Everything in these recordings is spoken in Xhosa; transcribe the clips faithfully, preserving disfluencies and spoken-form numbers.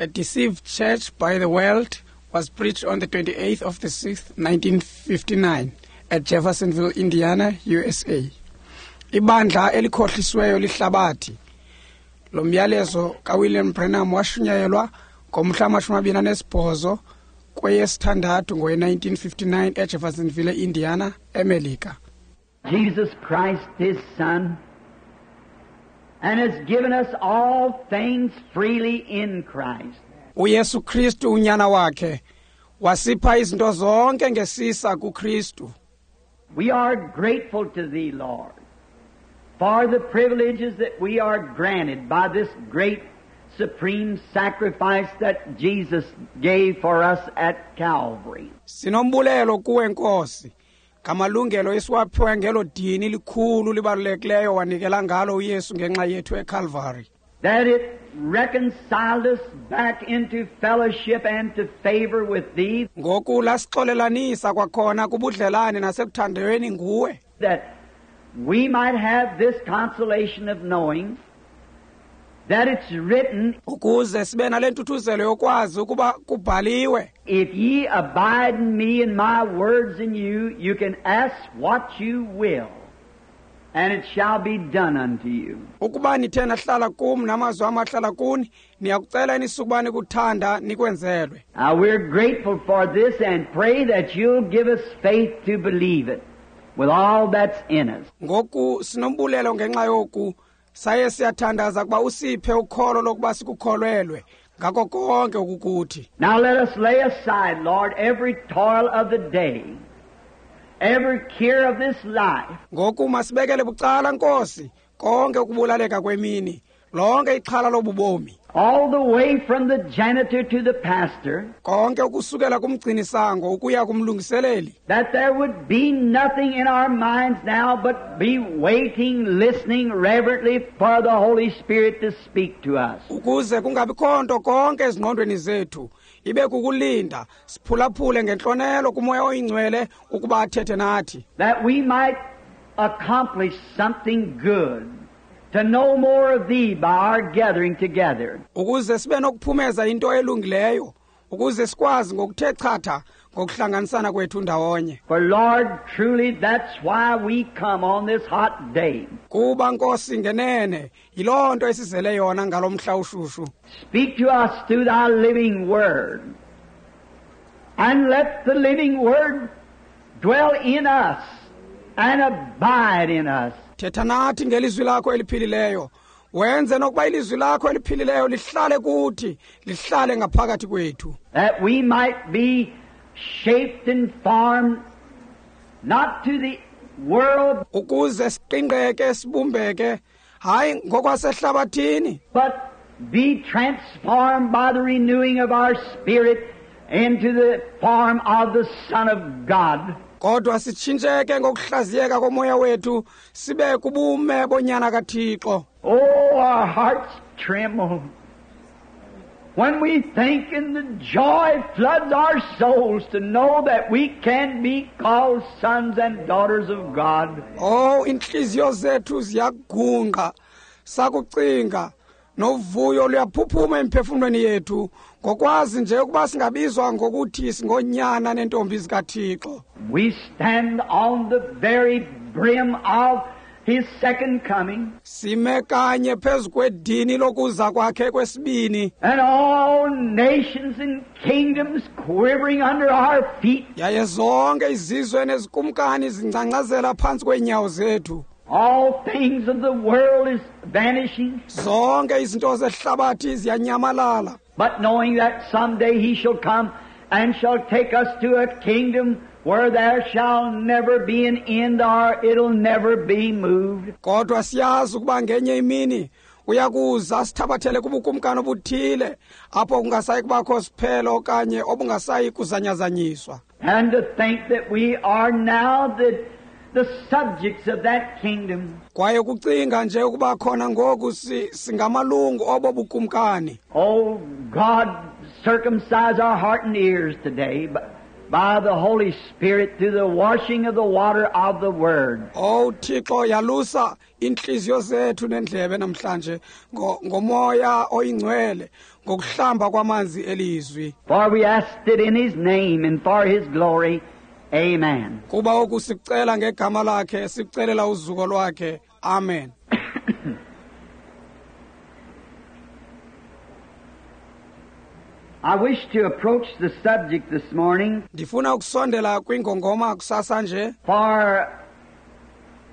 A Deceived Church by the World was preached on the twenty-eighth of the sixth, nineteen fifty-nine at Jeffersonville, Indiana, U S A. Ibandla elikhohlisweyo lihlabathi. Lo myalezo kaWilliam Branham washunyayelwa ngomhla wamashumi amabini anesibhozo kweyesithandathu ngowe nineteen fifty-nine eJeffersonville, Indiana, eMelika. Jesus Christ, His Son, and has given us all things freely in Christ. UYesu Kristu unyana wakhe wasipha izinto zonke ngesisa kuKristu. We are grateful to Thee, Lord, for the privileges that we are granted by this great supreme sacrifice that Jesus gave for us at Calvary. Sinombulelo kuwe Nkosi ngamalungelo esiwaphiwe ngelo dini likhulu libalulekileyo wanikela ngalo uYesu ngenxa yethu eCalvary. That it reconciled us back into fellowship and to favor with Thee. Ngoku lasixolelanisa kwakhona kubudlelane nasekuthandweni nguwe. That we might have this consolation of knowing that it's written, ukuze sibe nale ntuthuzelo yokwazi ukuba kubhaliwe, If ye abide in me and my words in you, you can ask what you will, and it shall be done unto you. Ukuba nithe nahlala kum namazwi am ahlala kuni, niyakucela enisukuba nikuthanda nikwenzelwe. Now we're grateful for this and pray that you'll give us faith to believe it with all that's in us. Ngoku sinombulelo ngenxa yoku, saye siyathandaza kuba usiphe ukholo lokuba sikukholelwe ngako konke okukuthi. Now let us lay aside, Lord, every toil of the day, every care of this life. Ngoku masibekele bucala, Nkosi, konke ukubulaleka kwemini, lonke ixhala lobubomi. All the way from the janitor to the pastor. Konke ukusukela kumgcinisango ukuya kumlungiseleli. That there would be nothing in our minds now but be waiting, listening reverently for the Holy Spirit to speak to us. Ukuze kungabikho nto konke ezingqondweni zethu, ibe kukulinda, siphulaphule ngentlonelo kuMoya oyiNgcwele ukuba athethe nathi. That we might accomplish something good. To know more of Thee by our gathering together. Ukuze sibe nokuphumeza into elungileyo, ukuze sikwazi ngokuthe chatha ngokuhlanganisana kwethu ndawonye. For Lord, truly that's why we come on this hot day. Kuba Nkosi ngenene, yiloo nto esizele yona ngalo mhla ushushu. Speak to us through Thy living Word. And let the living Word dwell in us and abide in us. Thetha nathi ngelizwi lakho eliphilileyo, wenze nokuba ilizwi lakho eliphilileyo lihlale kuthi, lihlale ngaphakathi kwethu. That we might be shaped and formed not to the world, ukuze siqingqeke sibumbeke, hayi ngokwasehlabathini, but be transformed by the renewing of our spirit into the form of the Son of God. Kodwa sitshintsheke ngokuhlaziyeka komoya wethu sibe kubume bonyana kaThixo. Oh, our hearts tremble when we think, and the joy floods our souls to know that we can be called sons and daughters of God. Oh, inhliziyo zethu ziyagungqa sakucinga, novuyo luyaphuphuma emphefumlweni yethu ngokwazi nje ukuba singabizwa ngokuthi singonyana nentombi zikaThixo. We stand on the very brim of His second coming. Sime kanye phezu kwedini lokuza kwakhe kwesibini. And all nations and kingdoms quivering under our feet. Yaye zonke izizwe nezikumkani zingcangcazela phantsi kweenyawo zethu. All things of the world is vanishing. Zonke izinto zehlabathi ziyanyamalala. But knowing that someday He shall come and shall take us to a kingdom where there shall never be an end, or it'll never be moved. Kodwa siyazi ukuba ngenye imini uyakuza sithabathele kubukumkani obuthile apho kungasayi kubakho siphelo okanye obungasayi kuzanyazanyiswa. And to think that we are now the, the subjects of that kingdom. Kwaye kucinga nje ukuba khona ngoku singamalungu obo bukumkani. Oh God, circumcise our heart and ears today, but by the Holy Spirit through the washing of the water of the Word. Oh Thixo, yalusa inhliziyo zethu nendlebe namhlanje ngomoya oyingcwele ngokuhlamba kwamanzi elizwi. For we asked it in His name and for His glory. Amen. Kuba oku sicela ngegama lakhe, sicelela uzuko lwakhe. Amen. I wish to approach the subject this morning. Ndifuna ukusondela kwingongoma kusasa nje. For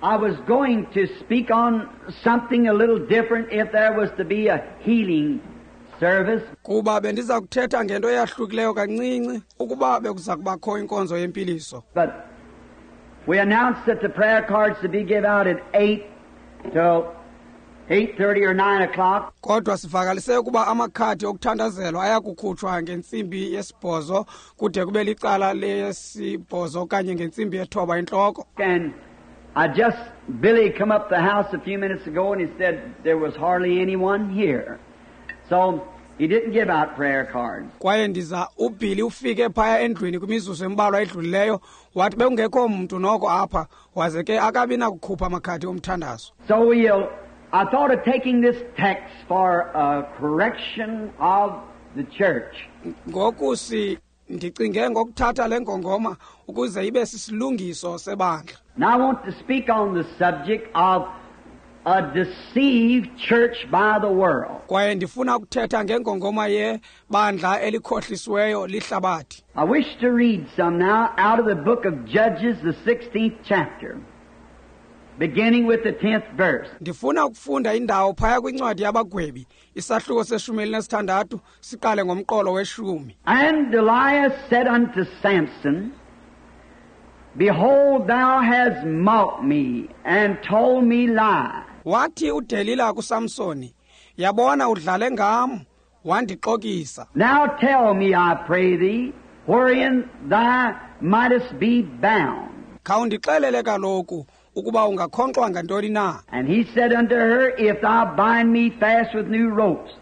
I was going to speak on something a little different if there was to be a healing service. Kuba bendiza kuthetha ngento eyahlukileyo kancinci ukuba bekuza kubakho inkonzo yempiliso. But we announced that the prayer cards to be given out at eight till eight thirty or nine o'clock. Kodwa sivakalise ukuba amakhadi okuthandazelwa ayakukhutshwa ngentsimbi yesibhozo kude kube licala lesibhozo okanye ngentsimbi yethoba intloko. And I just Billy come up the house a few minutes ago and he said there was hardly anyone here. So he didn't give out prayer cards. Kwaye ndiza uBilly ufike phaya endlwini kwimizuzu embalwa edlulileyo wathi bekungekho mntu noko apha waze ke akabi nakukhupha amakhadi omthandazo. So we'll I thought of taking this text for a correction of the church. Ngoku si ndicinge ngokuthatha le ngongoma ukuze ibe sisilungiso sebandla. Now I want to speak on the subject of a deceived church by the world. Kwaye ndifuna ukuthetha ngengongoma yebandla elikhohlisiweyo lihlabathi. I wish to read some now out of the book of Judges, the sixteenth chapter, beginning with the tenth verse. Ndifuna ukufunda indawo phaya kwincwadi yabagwebi, isahluko seshumi elinesithandathu, siqale ngomqolo weshumi. And Delilah said unto Samson, Behold, thou hast mocked me and told me lie. Wathi uDelila kuSamsoni, yabona udlale ngam, wandixokisa. Now tell me, I pray thee, wherein thou mightest be bound. Khawundixelele kaloku ukuba ungakhonkxwa ngantoni na. And he said unto her, If thou bind me fast with new ropes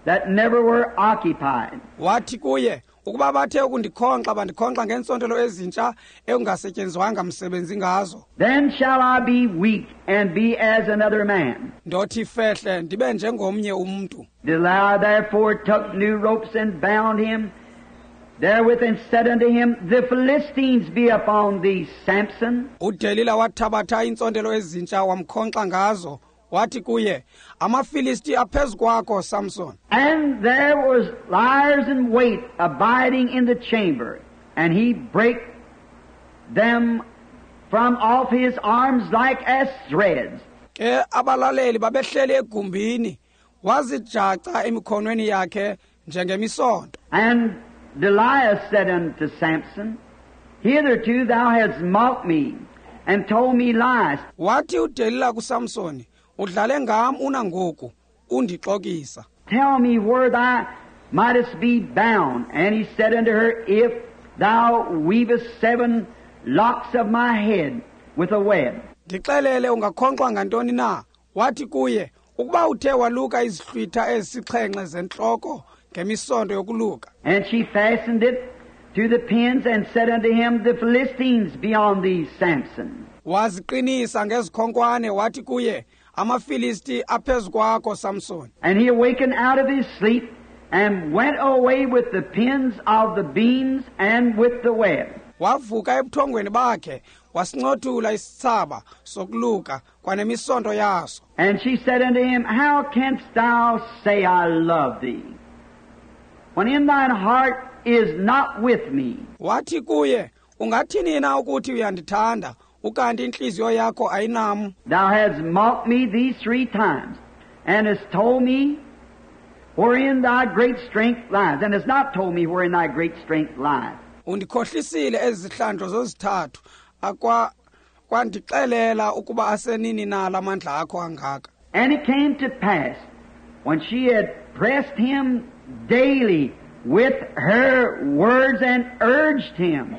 that never were occupied. Wathi kuye, ukuba bathe ukundikhonkxa bandikhonkxa ngeentsontelo ezintsha ekungasetyenzwanga msebenzi ngazo. Then shall I be weak and be as another man. Ndothi fehle ndibe njengomnye umntu. Delilah therefore took new ropes and bound him therewith and said unto him, The Philistines be upon thee, Samson. UDelila wathabatha iintsontelo ezintsha wamkhonkxa ngazo. Wathi kuye, amaFilisti aphezu kwakho, Samson. And there was liers in wait abiding in the chamber, and he brake them from off his arms like as threads. Ke abalaleli babehleli egumbini, wazijaca emikhonweni yakhe njengemisonto. And Delilah said unto Samson, Hitherto thou hast mocked me, and told me lies. Wathi uDelila kuSamsoni, udlale ngam unangoku, undixokisa. Tell me where thou mightest be bound. And he said unto her, If thou weavest seven locks of my head with a web. Ndixelele ungakhonkxwa ngantoni na? Wathi kuye, ukuba uthe waluka izihlwitha ezisixhenxe zentloko ngemisonto yokuluka. And she fastened it to the pins and said unto him, The Philistines be on thee, Samson. Waziqinisa ngezikhonkwane wathi kuye, amaFilisti aphezu kwakho, Samson. And he awakened out of his sleep and went away with the pins of the beams and with the web. Wavuka ebuthongweni bakhe wasincothula isitsaba sokuluka kwanemisonto yaso. And she said unto him, How canst thou say I love thee, when in thine heart is not with me? Wathi kuye, ungathini na ukuthi uyandithanda, ukanti inhliziyo yakho ayinam? Thou hast mocked me these three times, and hast told me wherein thy great strength lies, and hast not told me wherein thy great strength lies. Undikhohlisile ezihlandlo zozithathu, akwa kwandixelela ukuba asenini na lamandla akho angaka. And it came to pass, when she had pressed him daily with her words and urged him,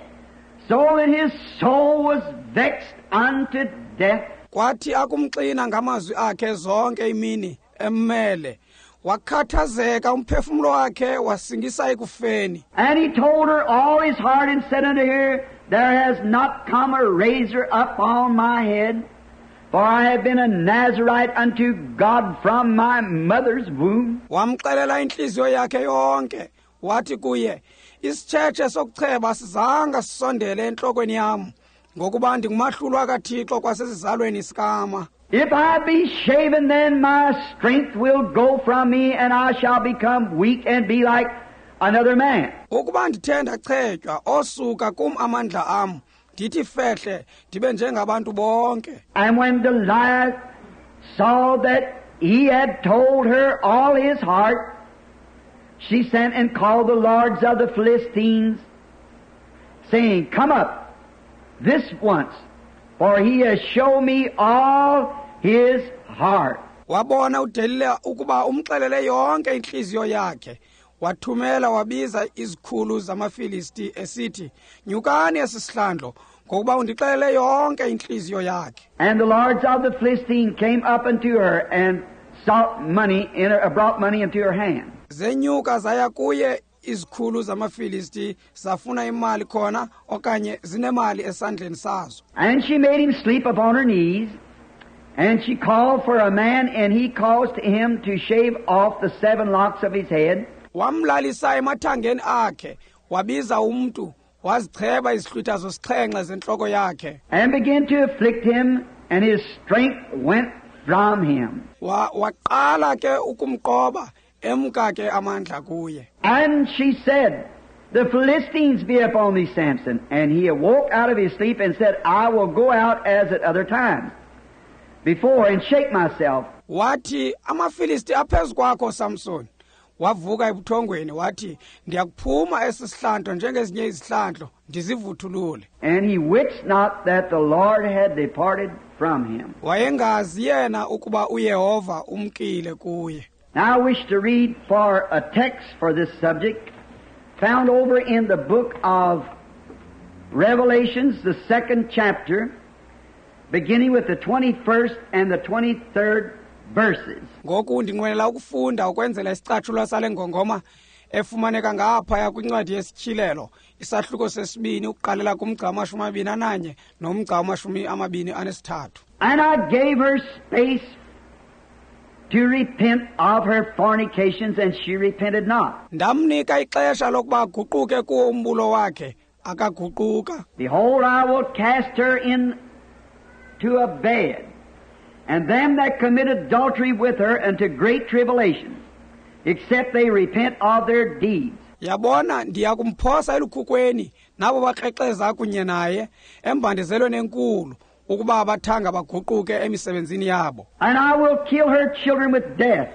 so that his soul was vexed unto death. Kwathi akumxina ngamazwi akhe zonke imini emmele, Wakhathazeka umphefumlo wakhe wasingisa ekufeni. And he told her all his heart and said unto her, There has not come a razor upon my head, for I have been a Nazarite unto God from my mother's womb. Wamxelela inhliziyo yakhe yonke, wathi kuye, isitshetshe sokucheba sizanga sisondele entlokweni yam, ngokuba ndingumahlulwa kaThixo kwasesizalweni sikama. If I be shaven, then my strength will go from me, and I shall become weak and be like another man. Ukuba ndithe ndachetywa, osuka kum amandla am, ndithi fehle, ndibe njengabantu bonke. And when Delilah saw that he had told her all his heart, she sent and called the lords of the Philistines, saying, Come up this once, for he has shown me all his heart. Wabona uDelila ukuba umxelele yonke inhliziyo yakhe. Wathumela wabiza izikhulu zamaFilisti esithi, Nyukani esi sihlandlo, ngokuba undixelele yonke inhliziyo yakhe. And the lords of the Philistines came up unto her and sought money in her, brought money into her hand. Zenyuka zaya kuye izikhulu zamaFilisti zafuna imali khona okanye zinemali esandleni sazo. And she made him sleep upon her knees, and she called for a man, and he caused him to shave off the seven locks of his head. Wamlalisa emathangeni akhe, wabiza umntu, wazicheba izihlwitha zosixhenxe zentloko yakhe. And began to afflict him, and his strength went from him. Wa waqala ke ukumqoba, emka ke amandla kuye. And she said, The Philistines be upon thee, Samson. And he awoke out of his sleep and said, I will go out as at other times before and shake myself. Wathi, amaFilisti aphezu kwakho, Samson. Wavuka ebuthongweni wathi, ndiyakuphuma esi sihlandlo njengezinye izihlandlo, ndizivuthulule. And he wist not that the Lord had departed from him. Wayengazi yena ukuba uYehova umkile kuye. Now I wish to read for a text for this subject found over in the book of Revelations, the second chapter, beginning with the twenty-first and the twenty-third verses. Ngoku ndinqwenela ukufunda ukwenzela isicatshulwa sale ngongoma efumaneka ngaphaya kwincwadi yesityhilelo, isahluko sesibini ukuqalela kumgca wamashumi amabini ananye nomgca wamashumi amabini anesithathu. And I gave her space to repent of her fornications, and she repented not. Ndamnika ixesha lokuba aguquke kuwo umbulo wakhe, akaguquka. Behold, I will cast her into a bed, and them that commit adultery with her unto great tribulation, except they repent of their deeds. Yabona, ndiyakumphosa elukhukweni nabo bakrexeza kunye naye embandezelweni enkulu, ukuba abathanga baguquke emisebenzini yabo. And I will kill her children with death,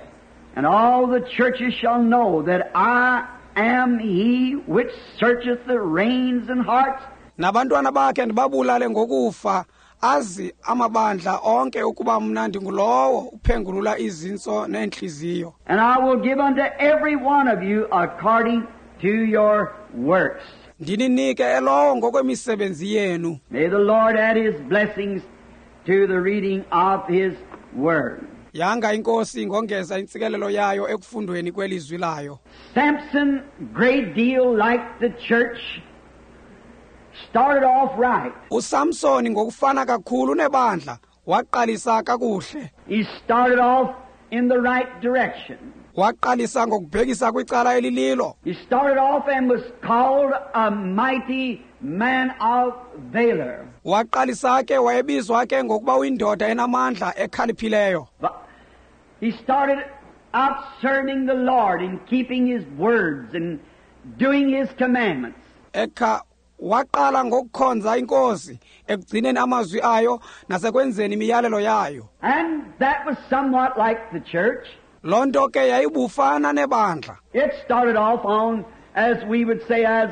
and all the churches shall know that I am he which searcheth the reins and hearts. Nabantwana bakhe ndibabulale ngokufa, azi amabandla onke ukuba mna ndingulowo uphengulula izintso neenhliziyo. And I will give unto every one of you according to your works. Ndininike elowo ngokwemisebenzi yenu. May the Lord add his blessings to the reading of his word. Yanga inkosi ingongeza intsikelelo yayo ekufundweni kwelizwi layo. Samson, great deal like the church, started off right. uSamson ngokufana kakhulu nebandla waqalisa kakuhle. He started off in the right direction. Waqalisa ngokubhekisa kwicala elililo. He started off and was called a mighty man of valor. Waqalisa ke wayebizwa ke ngokuba uyindoda enamandla ekhaliphileyo. But he started out serving the Lord and keeping his words and doing his commandments. Ekha waqala ngokukhonza inkosi ekugcineni amazwi ayo nasekwenzeni imiyalelo yayo. And that was somewhat like the church. Loo nto ke yayibufana nebandla. It started off on, as we would say, as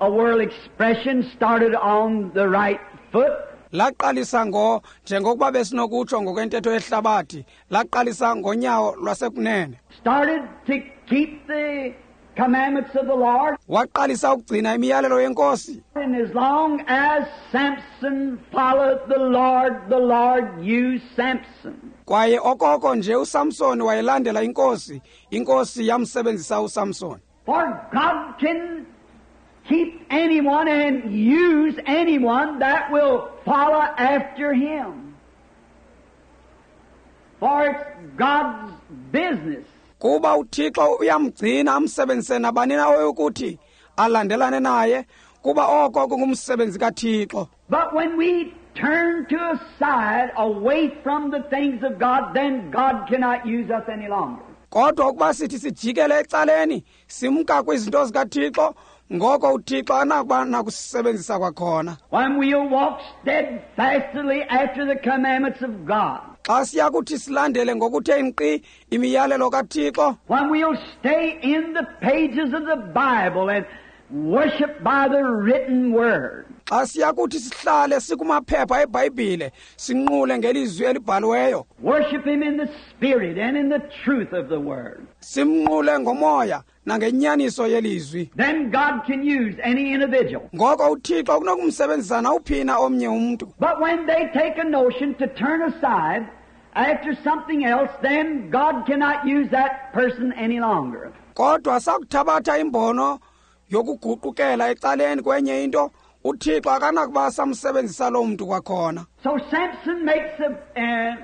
a world expression, started on the right foot. Laqalisa ngo njengokuba besinokutsho ngokwentetho yehlabathi, laqalisa ngonyawo lwasekunene. Started to keep the commandments of the Lord. Waqalisa ukugcina imiyalelo yenkosi. And as long as Samson followed the Lord, the Lord used Samson. Kwaye okoko nje uSamson wayelandela inkosi, inkosi yamsebenzisa uSamson. For God can keep anyone and use anyone that will follow after Him. For it's God's business. Kuba uThixo uyamgcina amsebenzise nabani na oyokuthi alandelane naye, kuba oko kungumsebenzi kaThixo. But when we turn to a side away from the things of God, then God cannot use us any longer. Kodwa ukuba sithi sijikele ecaleni simka kwizinto zikaThixo, ngoko uThixo anakuba nakusebenzisa kwakhona. When we'll walk steadfastly after the commandments of God. Xa siya kuthi silandele ngokuthe nkqi imiyalelo kaThixo. When we'll stay in the pages of the Bible and worship by the written word. Xa siya kuthi sihlale sikumaphepha eBhayibhile sinqule ngelizwi elibhaliweyo. Worship Him in the spirit and in the truth of the word. Simnqule ngomoya nangenyaniso yelizwi. Then God can use any individual. Ngoko uThixo kunokumsebenzisa nawuphina omnye umntu. But when they take a notion to turn aside after something else, then God cannot use that person any longer. Kodwa sakuthabatha imbono yokuguqukela ecaleni kwenye into, uThixo akanakuba samsebenzisa lo mntu kwakhona. So Samson makes a, a,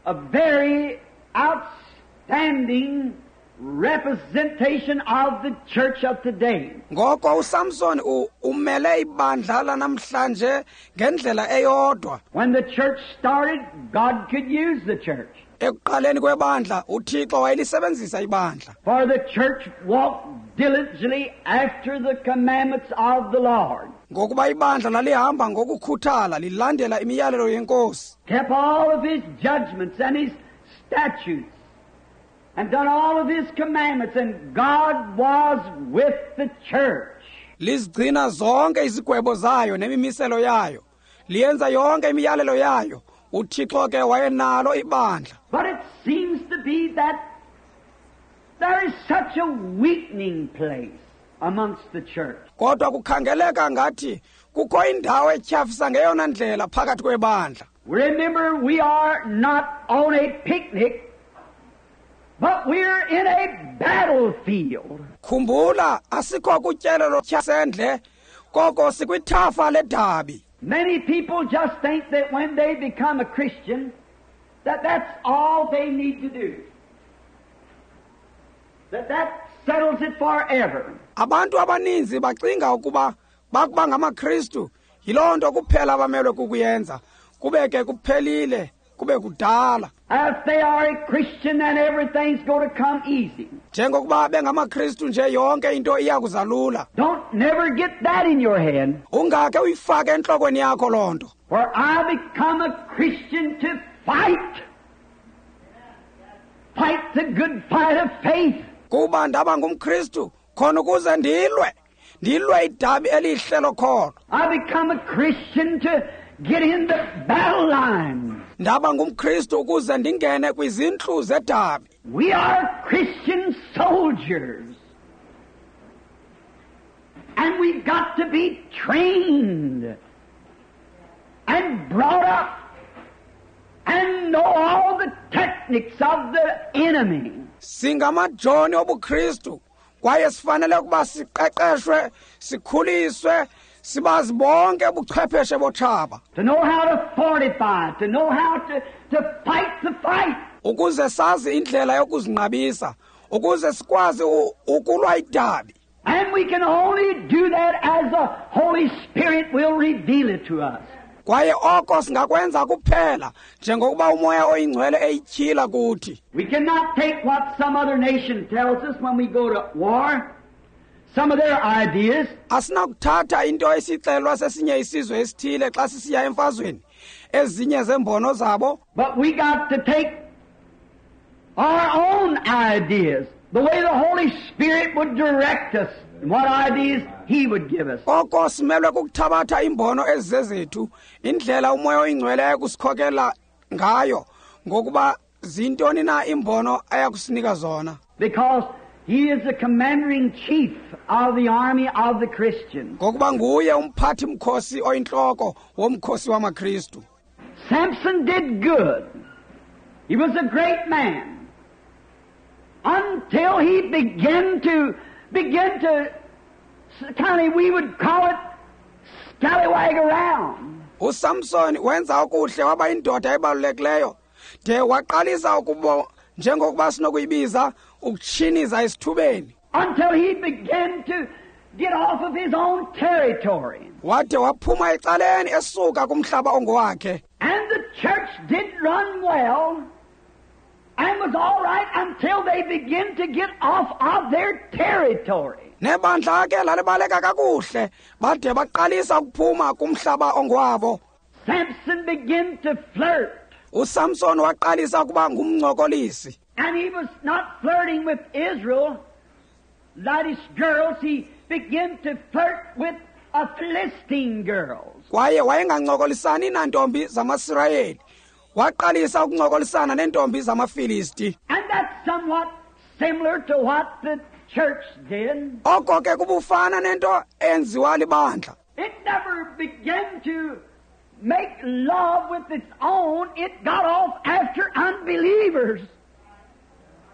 a very outstanding representation of the church of today. Ngoko uSamson umele ibandla lanamhlanje ngendlela eyodwa. When the church started, God could use the church. Ekuqaleni kwebandla uThixo wayelisebenzisa ibandla. For the church walked diligently after the commandments of the Lord. Ngokuba ibandla lalihamba ngokukhuthala lilandela imiyalelo yenkosi. Kept all of His judgments and His statutes and done all of His commandments, and God was with the church. Lizigcina zonke izigwebo zayo nemimiselo yayo. Liyenza yonke imiyalelo yayo. uThixo ke wayenalo ibandla. But it seems to be that there is such a weakening place amongst the church. Kodwa kukhangeleka ngathi kukho indawo etyhafisa ngeyona ndlela phakathi kwebandla. Remember, we are not on a picnic, but we're in a battlefield. Khumbula, asikho kutyelelo sendle, koko sikwithafa ledabi. Many people just think that when they become a Christian, that that's all they need to do. That that settles it forever. Abantu abaninzi bacinga ukuba bakuba ngamaKristu yiloo nto kuphela abamelwe kukuyenza, kube ke kuphelile, kube kudala. If they are a Christian, then everything's going to come easy. Njengokuba bengamaKristu nje yonke into iya kuzalula. Don't never get that in your head. Ungake uyifake entlokweni yakho loo nto. For I become a Christian to fight. Fight the good fight of faith. Kuba ndaba ngumKristu khona ukuze ndilwe, ndilwe idabi elihle lokholo. I become a Christian to get in the battle line. Ndaba ngumKristu ukuze ndingene kwizintlu zedabi. We are Christian soldiers. And we've got to be trained and brought up and know all the techniques of the enemy. Singamajoni obuKristu kwaye sifanele ukuba siqeqeshwe, sikhuliswe, sibazi bonke ubuchwepheshe botshaba. To know how to fortify, to know how to, to fight the fight. Ukuze sazi indlela yokuzinqabisa, ukuze sikwazi ukulwa idabi. And we can only do that as the Holy Spirit will reveal it to us. Kwaye oko singakwenza kuphela njengokuba uMoya oyiNgcwele eyityhila kuthi. We cannot take what some other nation tells us when we go to war. Some of their ideas. Asinakuthatha into esixelwa sesinye isizwe esithile xa sisiya emfazweni, ezinye zembono zabo. But we got to take our own ideas, the way the Holy Spirit would direct us, and what ideas He would give us. Koko simelwe kukuthabatha imbono ezizezethu, indlela uMoya oyiNgcwele ayakusikhokela ngayo, ngokuba zintoni na imbono ayakusinika zona. Because He is the commander-in-chief of the army of the Christians. Ngokuba nguye umphathi mkhosi oyintloko womkhosi wamaKristu. Samson did good. He was a great man until he began to, begin to, kind of, we would call it, scallywag around. USamson wenza okuhle waba indoda ebalulekileyo de waqalisa ukuba njengokuba sinokuyibiza ukutshiniza esithubeni. Until he began to get off of his own territory. Wade waphuma ecaleni esuka kumhlaba ongowakhe. And the church did run well and was all right until they began to get off of their territory. Nebandla ke lalibaleka kakuhle bade baqalisa ukuphuma kumhlaba ongowabo. Samson began to flirt. USamson waqalisa ukuba ngumncokolisi. And he was not flirting with Israel, ladies, girls. He began to flirt with a Philistine girl. Kwaye wayengancokolisani nantombi zamaSirayeli. Waqalisa ukuncokolisana nentombi zamaFilisti. And that's somewhat similar to what the church did. Oko ke kubufana nento enziwa libandla. It never began to make love with its own. It got off after unbelievers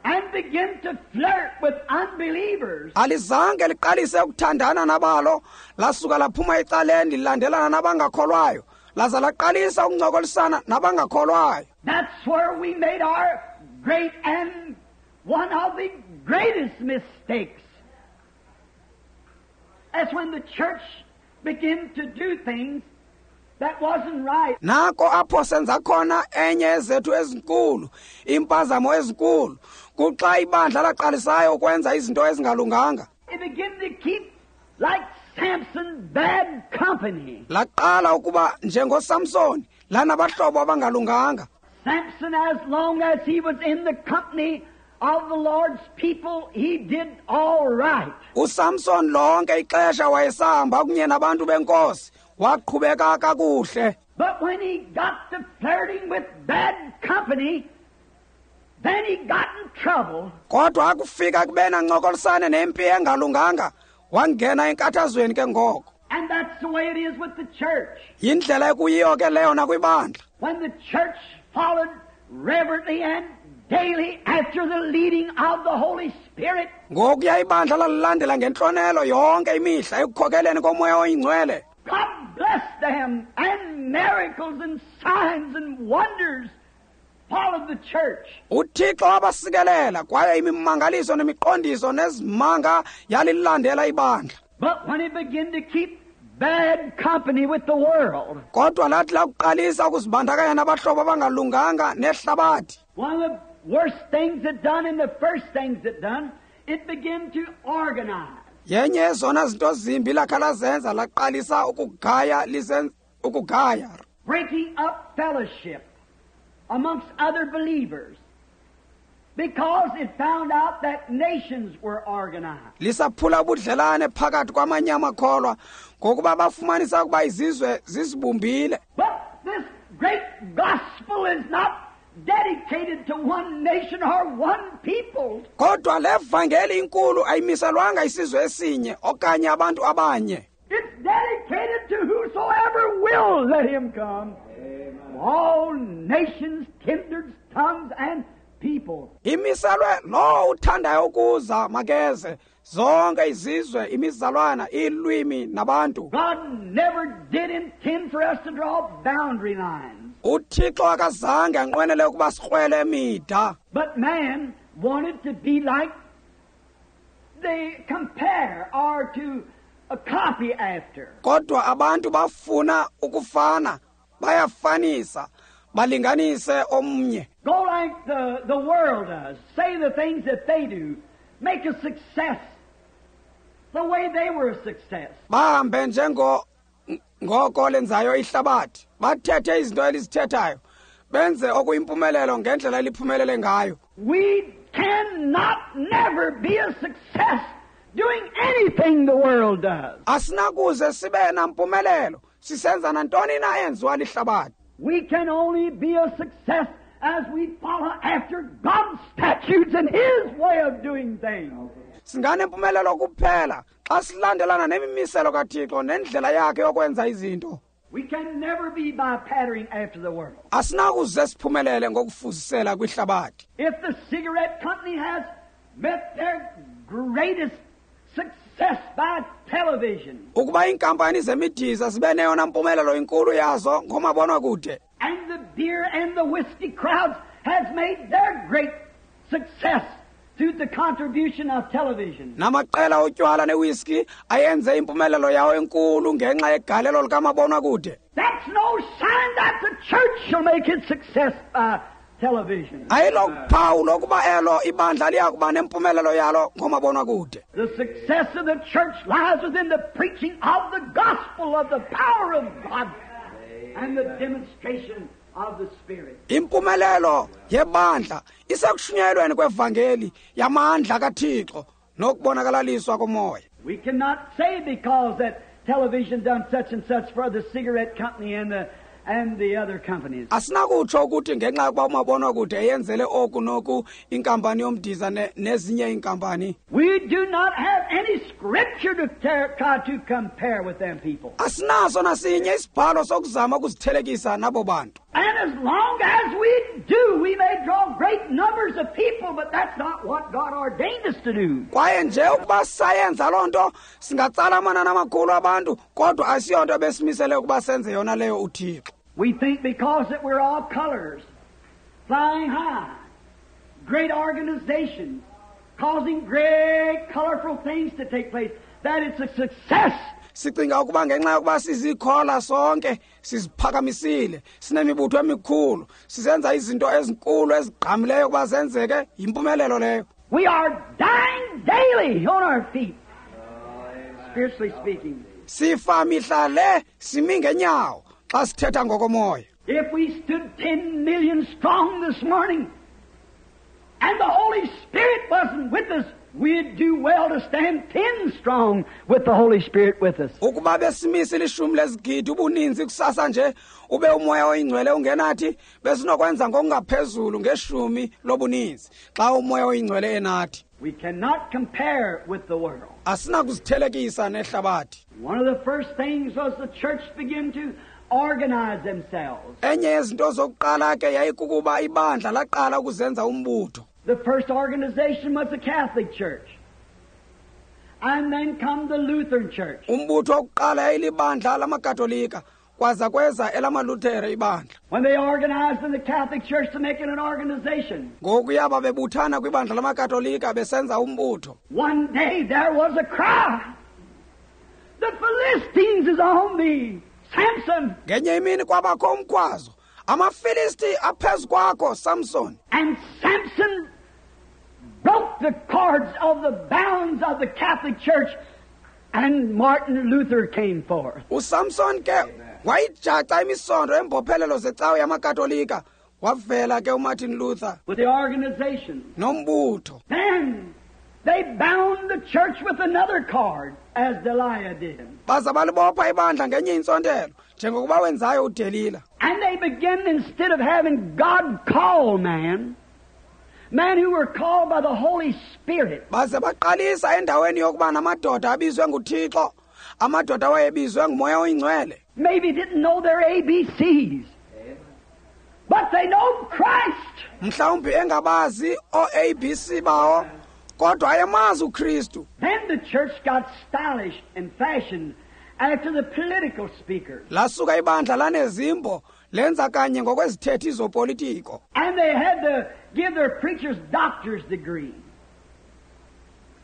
and began to flirt with unbelievers. Alizange liqalise ukuthandana nabalo, lasuka laphuma ecaleni lilandelana nabangakholwayo, laza laqalisa ukuncokolisana nabangakholwayo. That's where we made our great and one of the greatest mistakes. That's when the church began to do things that wasn't right. Nako apho senza khona enye ezethu ezinkulu, impazamo ezinkulu, kuxa ibandla laqalisayo ukwenza izinto ezingalunganga. It began to keep, like Samson, bad company. Laqala ukuba njengoSamson, lanabahlobo abangalunganga. Samson, as long as he was in the company of the Lord's people, he did all right. USamson lonke ixesha wayesahamba kunye nabantu benkosi, waqhubeka kakuhle. But when he got to flirting with bad company, then he got in trouble. Kodwa akufika kubena ncokolisane nempi engalunganga, wangena enkathazweni ke ngoko. And that's the way it is with the church. Yindlela ekuyiyo ke leyo nakwibandla. When the church followed reverently and daily after the leading of the Holy Spirit, ngokuya ibandla lalilandela ngentlonelo yonke imihla ekukhokeleni komoya oyingcwele, God blessed them, and miracles and signs and wonders followed the church. UThixo wabasikelela kwaye imimangaliso nemiqondiso nezimanga yalilandela ibandla. But when it began to keep bad company with the world, kodwa lathi lakuqalisa ukuzibandakanya nabahlobo abangalunganga nehlabathi, one of the worst things it done and the first things it done, it began to organize. Yenye yezona zinto zimbi lakha lazenza laqalisa ukugaya lisenza ukugaya, breaking up fellowship amongst other believers, because it found out that nations were organized. Lisaphula ubudlelane phakathi kwamanye amakholwa ngokuba bafumanisa ukuba izizwe zizibumbile. But this great gospel is not dedicated to one nation or one people. Kodwa le vangeli inkulu ayimiselwanga isizwe esinye okanye abantu abanye. It's dedicated to whosoever will let him come. Amen. All nations, kindreds, tongues, and people. Imiselwe lo uthandayo ukuza makeze, zonke izizwe, imizalwana, iilwimi nabantu. God never did intend for us to draw boundary lines. UThixo akazange anqwenele ukuba sikrwele mida. But man wanted to be like they compare or to a copy after. Kodwa abantu bafuna ukufana, bayafanisa, balinganise omnye. Go like the, the world does. Say the things that they do. Make a success the way they were a success. Bahambe njengo ngoko lenzayo ihlabathi, bathethe izinto elizithethayo, benze okuyimpumelelo ngendlela eliphumelele ngayo. We cannot never be a success doing anything the world does. Asinakuze sibe nampumelelo sisenza nantoni na enziwa lihlabathi. We can only be a success as we follow after God's statutes and His way of doing things. Singanempumelelo kuphela xa silandelana nemimiselo kaThixo nendlela yakhe yokwenza izinto. We can never be by patterning after the world. Asinakuze siphumelele ngokufuzisela kwihlabathi. If the cigarette company has met their greatest success by television, Ukuba iinkampani zemidiza zibe neyona mpumelelo inkulu yazo ngomabonwakude, and the beer and the whiskey crowds has made their great success through the contribution of television, namaqela otywala newiski ayenze impumelelo yawo enkulu ngenxa yegalelo likamabonwakude, that's no sign that the church shall make its success by television. Ayilophawu lokuba elo ibandla liya kuba nempumelelo yalo ngomabonwakude. The success of the church lies within the preaching of the gospel of the power of God and the demonstration of the Spirit. Impumelelo yebandla isekushunyayelweni kwevangeli yamandla kaThixo nokubonakalaliswa komoya. We cannot say because that television done such and such for the cigarette company and the and the other companies. Asinakutsho ukuthi ngenxa yokuba umabonwakude eyenzele oku noku inkampani yomdiza ne, nezinye iinkampani. We do not have any scripture to ter- try to compare with them people. Asinaso nasinye isibhalo sokuzama ukuzithelekisa nabo bantu. And as long as we do, we may draw great numbers of people, but that's not what God ordained us to do. Kwaye nje ukuba sayenza loo nto singatsala amanani amakhulu abantu, kodwa asiyonto besimisele ukuba senze yona leyo uThixo. We think because that we're all colors, flying high, great organizations, causing great colorful things to take place, that it's a success. Sicinga ukuba ngenxa yokuba sizikhola sonke siziphakamisile, sinemibutho emikhulu, sisenza izinto ezinkulu ezigqamileyo ukuba zenzeke, yimpumelelo leyo. We are dying daily on our feet, spiritually speaking. Sifa mihla le simi ngenyawo xa sithetha ngokomoya. If we stood ten million strong this morning and the Holy Spirit wasn't with us, we'd do well to stand ten strong with the Holy Spirit with us. Ukuba besimise ilishumi lezigidi ubuninzi kusasa nje ube umoya oyingcwele ungenathi, besinokwenza ngokungaphezulu ngeshumi lobuninzi xa umoya oyingcwele enathi. We cannot compare with the world. Asinakuzithelekisa nehlabathi. One of the first things was the church began to organize themselves. Enye yezinto zokuqala ke yayikukuba ibandla laqala ukuzenza umbutho. The first organization was the Catholic Church. And then come the Lutheran Church. Umbutho wokuqala yayilibandla lamaKatolika, kwaza kweza elamaLuthere ibandla. When they organized in the Catholic Church to make it an organization. Ngokuya babebuthana kwibandla lamaKatolika besenza umbutho. One day there was a cry. The Philistines is on thee, Samson. Ngenye imini kwabakho umkhwazo. AmaFilisti aphezu kwakho, Samson. And Samson broke the cords of the bounds of the Catholic Church, and Martin Luther came forth. USamson ke wayijaca imisondo embophelelo zecawe yamaKatolika, wavela ke uMartin Luther with the organization nombutho. Then they bound the church with another cord, as Delilah did. Baza balibopha ibandla ngenye intsontelo njengokuba wenzayo uDelila. And they began, instead of having God call man, men who were called by the Holy Spirit. Baze baqalisa endaweni yokuba namadoda abizwe nguThixo, amadoda awayebizwe nguMoya oyiNgcwele. Maybe didn't know their A B Cs, but they know Christ. Mhlawumbi engabazi o-A B C bawo, kodwa ayemazi uKristu. Then the church got stylish and fashioned after the political speakers. Lasuka ibandla lanezimbo lenza kanye ngokwezithethi zopolitiko. And they had to give their preachers doctor's degree.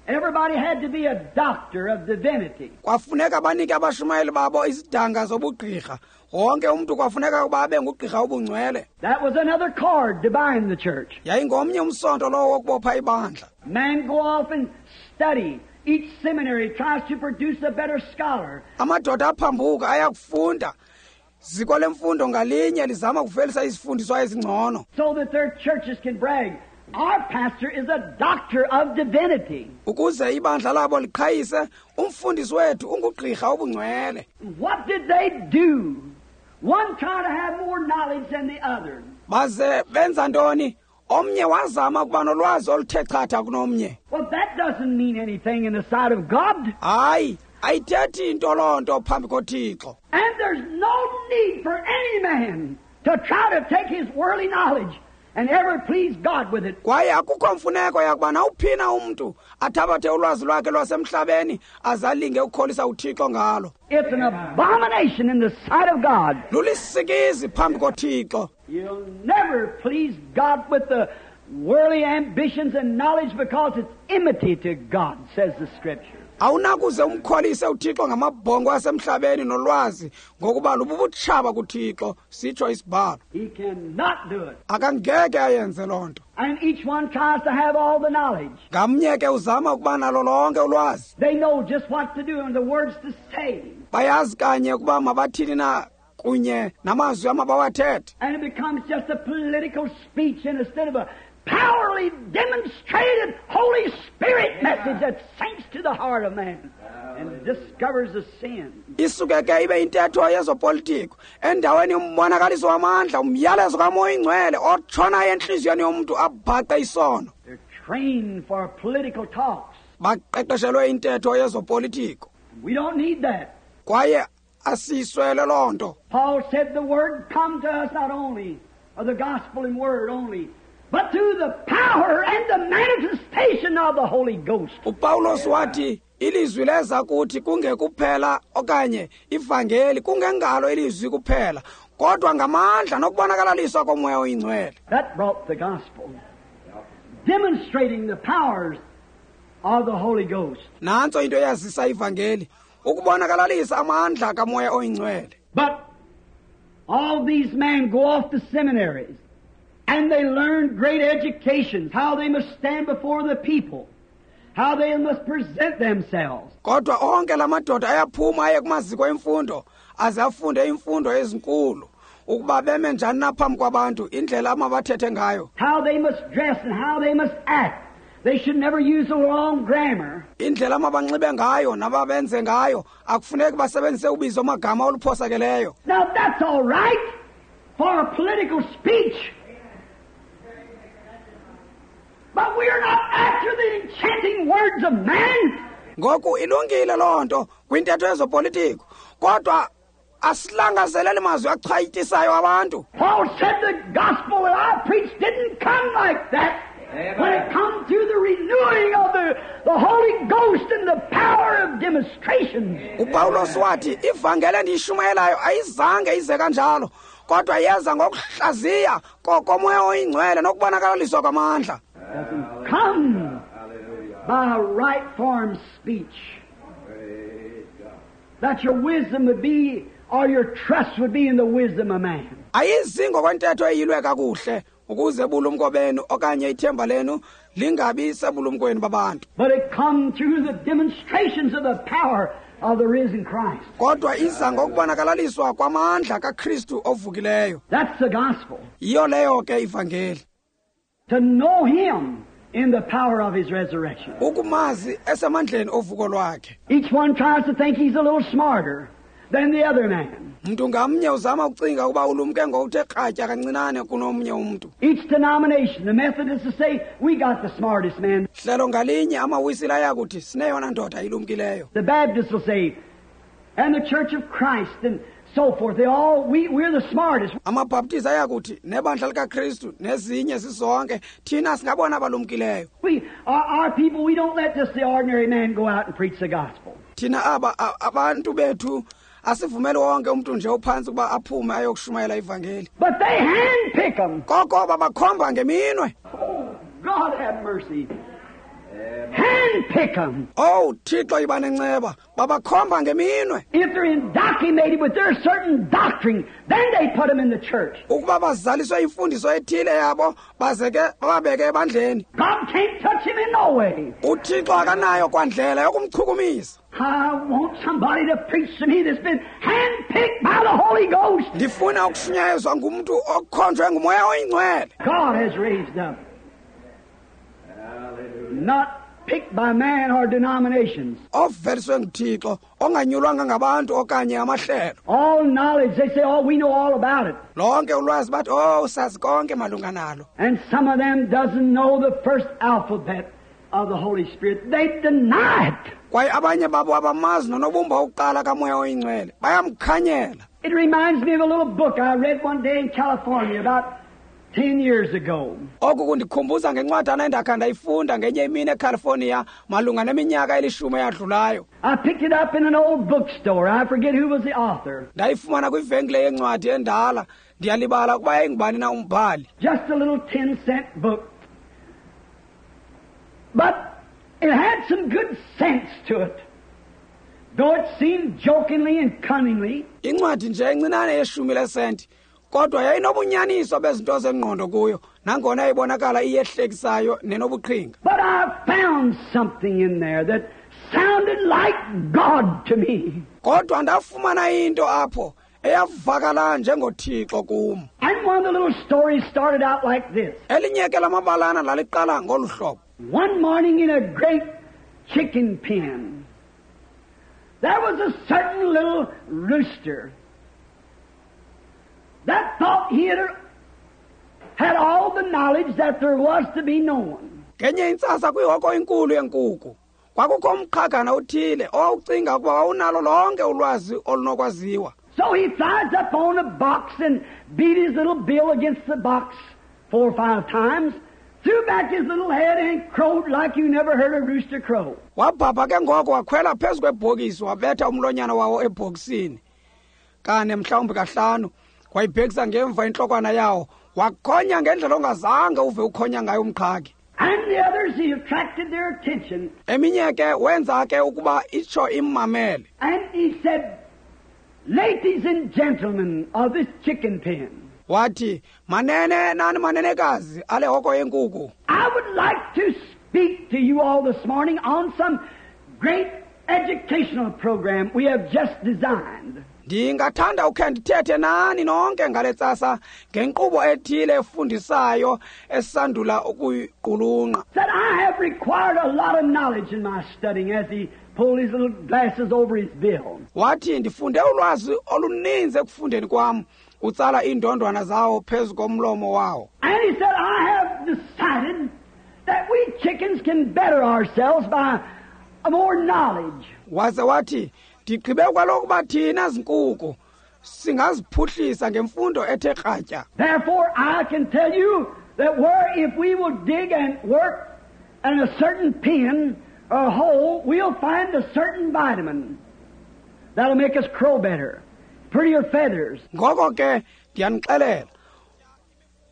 Everybody had to be a doctor of divinity. Kwafuneka banike abashumayeli babo izidanga zobugqirha. Wonke umuntu kwafuneka ukuba abe ngugqirha obungcwele. That was another cord to bind the church. Yayingomnye umsonto lowo wokubopha ibandla. Men go off and study. Each seminary tries to produce a better scholar. Amadoda aphambuka ayakufunda. Ziko lemfundo ngalinye lizama ukuvelisa izifundiswa ezingcono. So that their churches can brag, our pastor is a doctor of divinity. Ukuze ibandla labo liqhayise, umfundisi wethu ungugqirha obungcwele. What did they do? One tried to have more knowledge than the other. Baze benza ntoni? Omnye wazama ukuba nolwazi oluthe chatha kunomnye. Well, that doesn't mean anything in the sight of God. Hayi, Ayithethi into loo nto phambi koThixo. And there's no need for any man to try to take his worldly knowledge and ever please God with it. Kwaye akukho mfuneko yakuba nawuphina umntu athabathe ulwazi lwakhe lwasemhlabeni azalinge ukukholisa uThixo ngalo. It's an abomination in the sight of God. Lulisikizi phambi koThixo. You'll never please God with the worldly ambitions and knowledge because it's enmity to God, says the Scripture. Awunakuze umkholise uThixo ngamabhongo asemhlabeni nolwazi ngokuba lububutshaba kuThixo, sitsho isibhalo. He cannot do it. Akangeke ayenze loo nto. And each one tries to have all the knowledge. Ngamnye ke uzama ukuba nalo lonke ulwazi. They know just what to do and the words to say. Bayazi kanye ukuba mabathini na kunye namazwi amabawathethe. And it becomes just a political speech instead of a powerfully demonstrated Holy Spirit message that sinks to the heart of man and discovers the sin. Isuke ke ibe intetho yezopolitiko endaweni yombonakaliso wamandla, umyalezo kaMoya Ingcwele otshona entliziyweni yomntu abhaqe isono. They're trained for political talks. Baqeqeshelwe intetho yezopolitiko. We don't need that. Kwaye asiswele loo nto. Paul said the word come to us not only, or the gospel in word only, but through the power and the manifestation of the Holy Ghost. UPawulos wathi ilizwi leza kuthi kungekuphela okanye ivangeli kungengalo ilizwi kuphela, kodwa ngamandla nokubonakalaliswa koMoya oyiNgcwele. That brought the gospel, demonstrating the powers of the Holy Ghost. Nantso into eyazisa ivangeli, ukubonakalalisa amandla kaMoya oyiNgcwele. But all these men go off to seminaries, and they learn great educations, how they must stand before the people, how they must present themselves. Kodwa onke la madoda ayaphuma aye kumaziko emfundo, aze afunde imfundo ezinkulu, ukuba beme njani na phambi kwabantu, indlela amabathethe ngayo. How they must dress and how they must act. They should never use the wrong grammar. Indlela amabanxibe ngayo nababenze ngayo, akufuneki basebenzise ubizo magama oluphosakeleyo. Now that's all right for a political speech. But we're not after the enchanting words of man. Ngoku ilungile loo nto kwintetho yezopolitiko, kodwa asilangazeleli mazwi achwayitisayo abantu. Paul said the gospel that I preached didn't come like that. Amen. When it comes through the renewing of the, the Holy Ghost and the power of demonstrations. UPawulos wathi ivangeli endiyishumayelayo ayizange ize kanjalo, kodwa yeza ngokuhlaziya komoya oyingcwele nokubonakalaliswa kwamandla. Doesn't come by right form speech. That your wisdom would be, or your trust would be in the wisdom of man. Ayizi ngokwentetho eyilwe kakuhle ukuze bulumko benu okanye ithemba lenu lingabi sebulumkweni babantu. But it come through the demonstrations of the power of the risen Christ. Kodwa iza ngokubonakalaliswa kwamandla kaKristu ovukileyo. That's the gospel. Yiyo leyo ke ivangeli. To know him in the power of his resurrection. Ukumazi esemandleni ovuko lwakhe. Each one tries to think he's a little smarter than the other man. Mntu ngamnye uzama ukucinga ukuba ulumke ngokuthe kratya kancinane kunomnye umntu. Each denomination, the Methodists will say, we got the smartest man. Hlelo ngalinye amawisile ayakuthi sineyona ndoda ilumkileyo. The Baptists will say, and the Church of Christ and so forth. They all, we, we're the smartest. AmaBaptists ayakuthi nebandla likaKristu nezinye zizonke thina singabona abalumkileyo. We, our, our people, we don't let just the ordinary man go out and preach the gospel. Thina aba abantu bethu asivumele wonke umuntu nje ophansi kuba aphume ayokushumayela ivangeli. But they handpick them. Koko babakhomba ngeminwe. Oh, God have mercy. Handpick them. Oh, Thixo iba nenceba. Babakhomba ngeminwe. If they're indoctrinated with their certain doctrine, then they put them in the church. Ukuba bazaliswe imfundiso ethile yabo, baze ke bababeke ebandleni. God can't touch him in no way. UThixo akanayo kwandlela yokumchukumisa. I want somebody to preach to me that's been handpicked by the Holy Ghost. Ndifuna ukushunyayezwa ngumuntu okhonjwe nguMoya oyiNgcwele. God has raised up. Not picked by man or denominations. Oveliswe nguThixo onganyulwanga ngabantu okanye amahlelo. All knowledge, they say, oh, we know all about it. Lonke ulwazi bathi, oh, sazi konke malunga nalo. And some of them doesn't know the first alphabet of the Holy Spirit. They deny it. Kwaye abanye babo abamazi nonobumba wokuqala kaMoya oyiNgcwele, bayamkhanyela. It reminds me of a little book I read one day in California about ten years ago. Oku kundikhumbuza ngencwadana endakha ndayifunda ngenye imini eCalifornia malunga neminyaka elishumi eyadlulayo. I picked it up in an old bookstore. I forget who was the author. Ndayifumana kwivenkile yencwadi endala. Ndiyalibala ukuba yayingubani na umbhali. Just a little ten-cent book. But it had some good sense to it, though it seemed jokingly and cunningly. Incwadi nje encinane yeshumi lesenti, kodwa yayinobunyaniso bezinto zengqondo kuyo, nangona yayibonakala iyehlekisayo nenobuqhinga. But I found something in there that sounded like God to me. Kodwa ndafumana into apho eyavakala njengoThixo kum. And one of the little stories started out like this. Elinye ke lamabalana laliqala ngolu hlobo. One morning in a great chicken pen, there was a certain little rooster that thought he had, had all the knowledge that there was to be known. Ngenye intsasa kwihoko enkulu yenkukhu, kwakukho umqhagana othile owawucinga ukuba wawunalo lonke ulwazi olunokwaziwa. So he flies up on a box and beat his little bill against the box four or five times, threw back his little head and crowed like you never heard a rooster crow. Wabhabha ke ngoko wakhwela phezu kwebhokisi wabetha umlonyana wawo ebhokisini kane mhlawumbi kahlanu, wayibhekisa ngemva intlokwana yawo, wakhonya ngendlela ongazange uve ukhonya ngayo umqhagi. And the others, he attracted their attention. Eminye ke wenza ke ukuba itsho immamele. And he said, "Ladies and gentlemen of this chicken pen," wathi, manene nani manenekazi ale hoko yenkukhu, I would like to speak to you all this morning on some great educational program we have just designed. Ndingathanda ukhe ndithethe nani nonke ngale tsasa ngenkqubo ethile efundisayo esandula ukuyiqulunqa. Said I have required a lot of knowledge in my studying, as he pulled his little glasses over his bill. Wathi ndifunde ulwazi oluninzi ekufundeni kwam, utsala iindondwana zawo phezu komlomo wawo. And he said, I have decided that we chickens can better ourselves by more knowledge. Waze wathi ndigqibe kwalokuba thina zinkukhu singaziphuhlisa ngemfundo ethe kratya. Therefore I can tell you that where if we will dig and work in a certain pen or hole, we'll find a certain vitamin that'll make us crow better, prettier feathers. Ngoko ke ndiyanixelela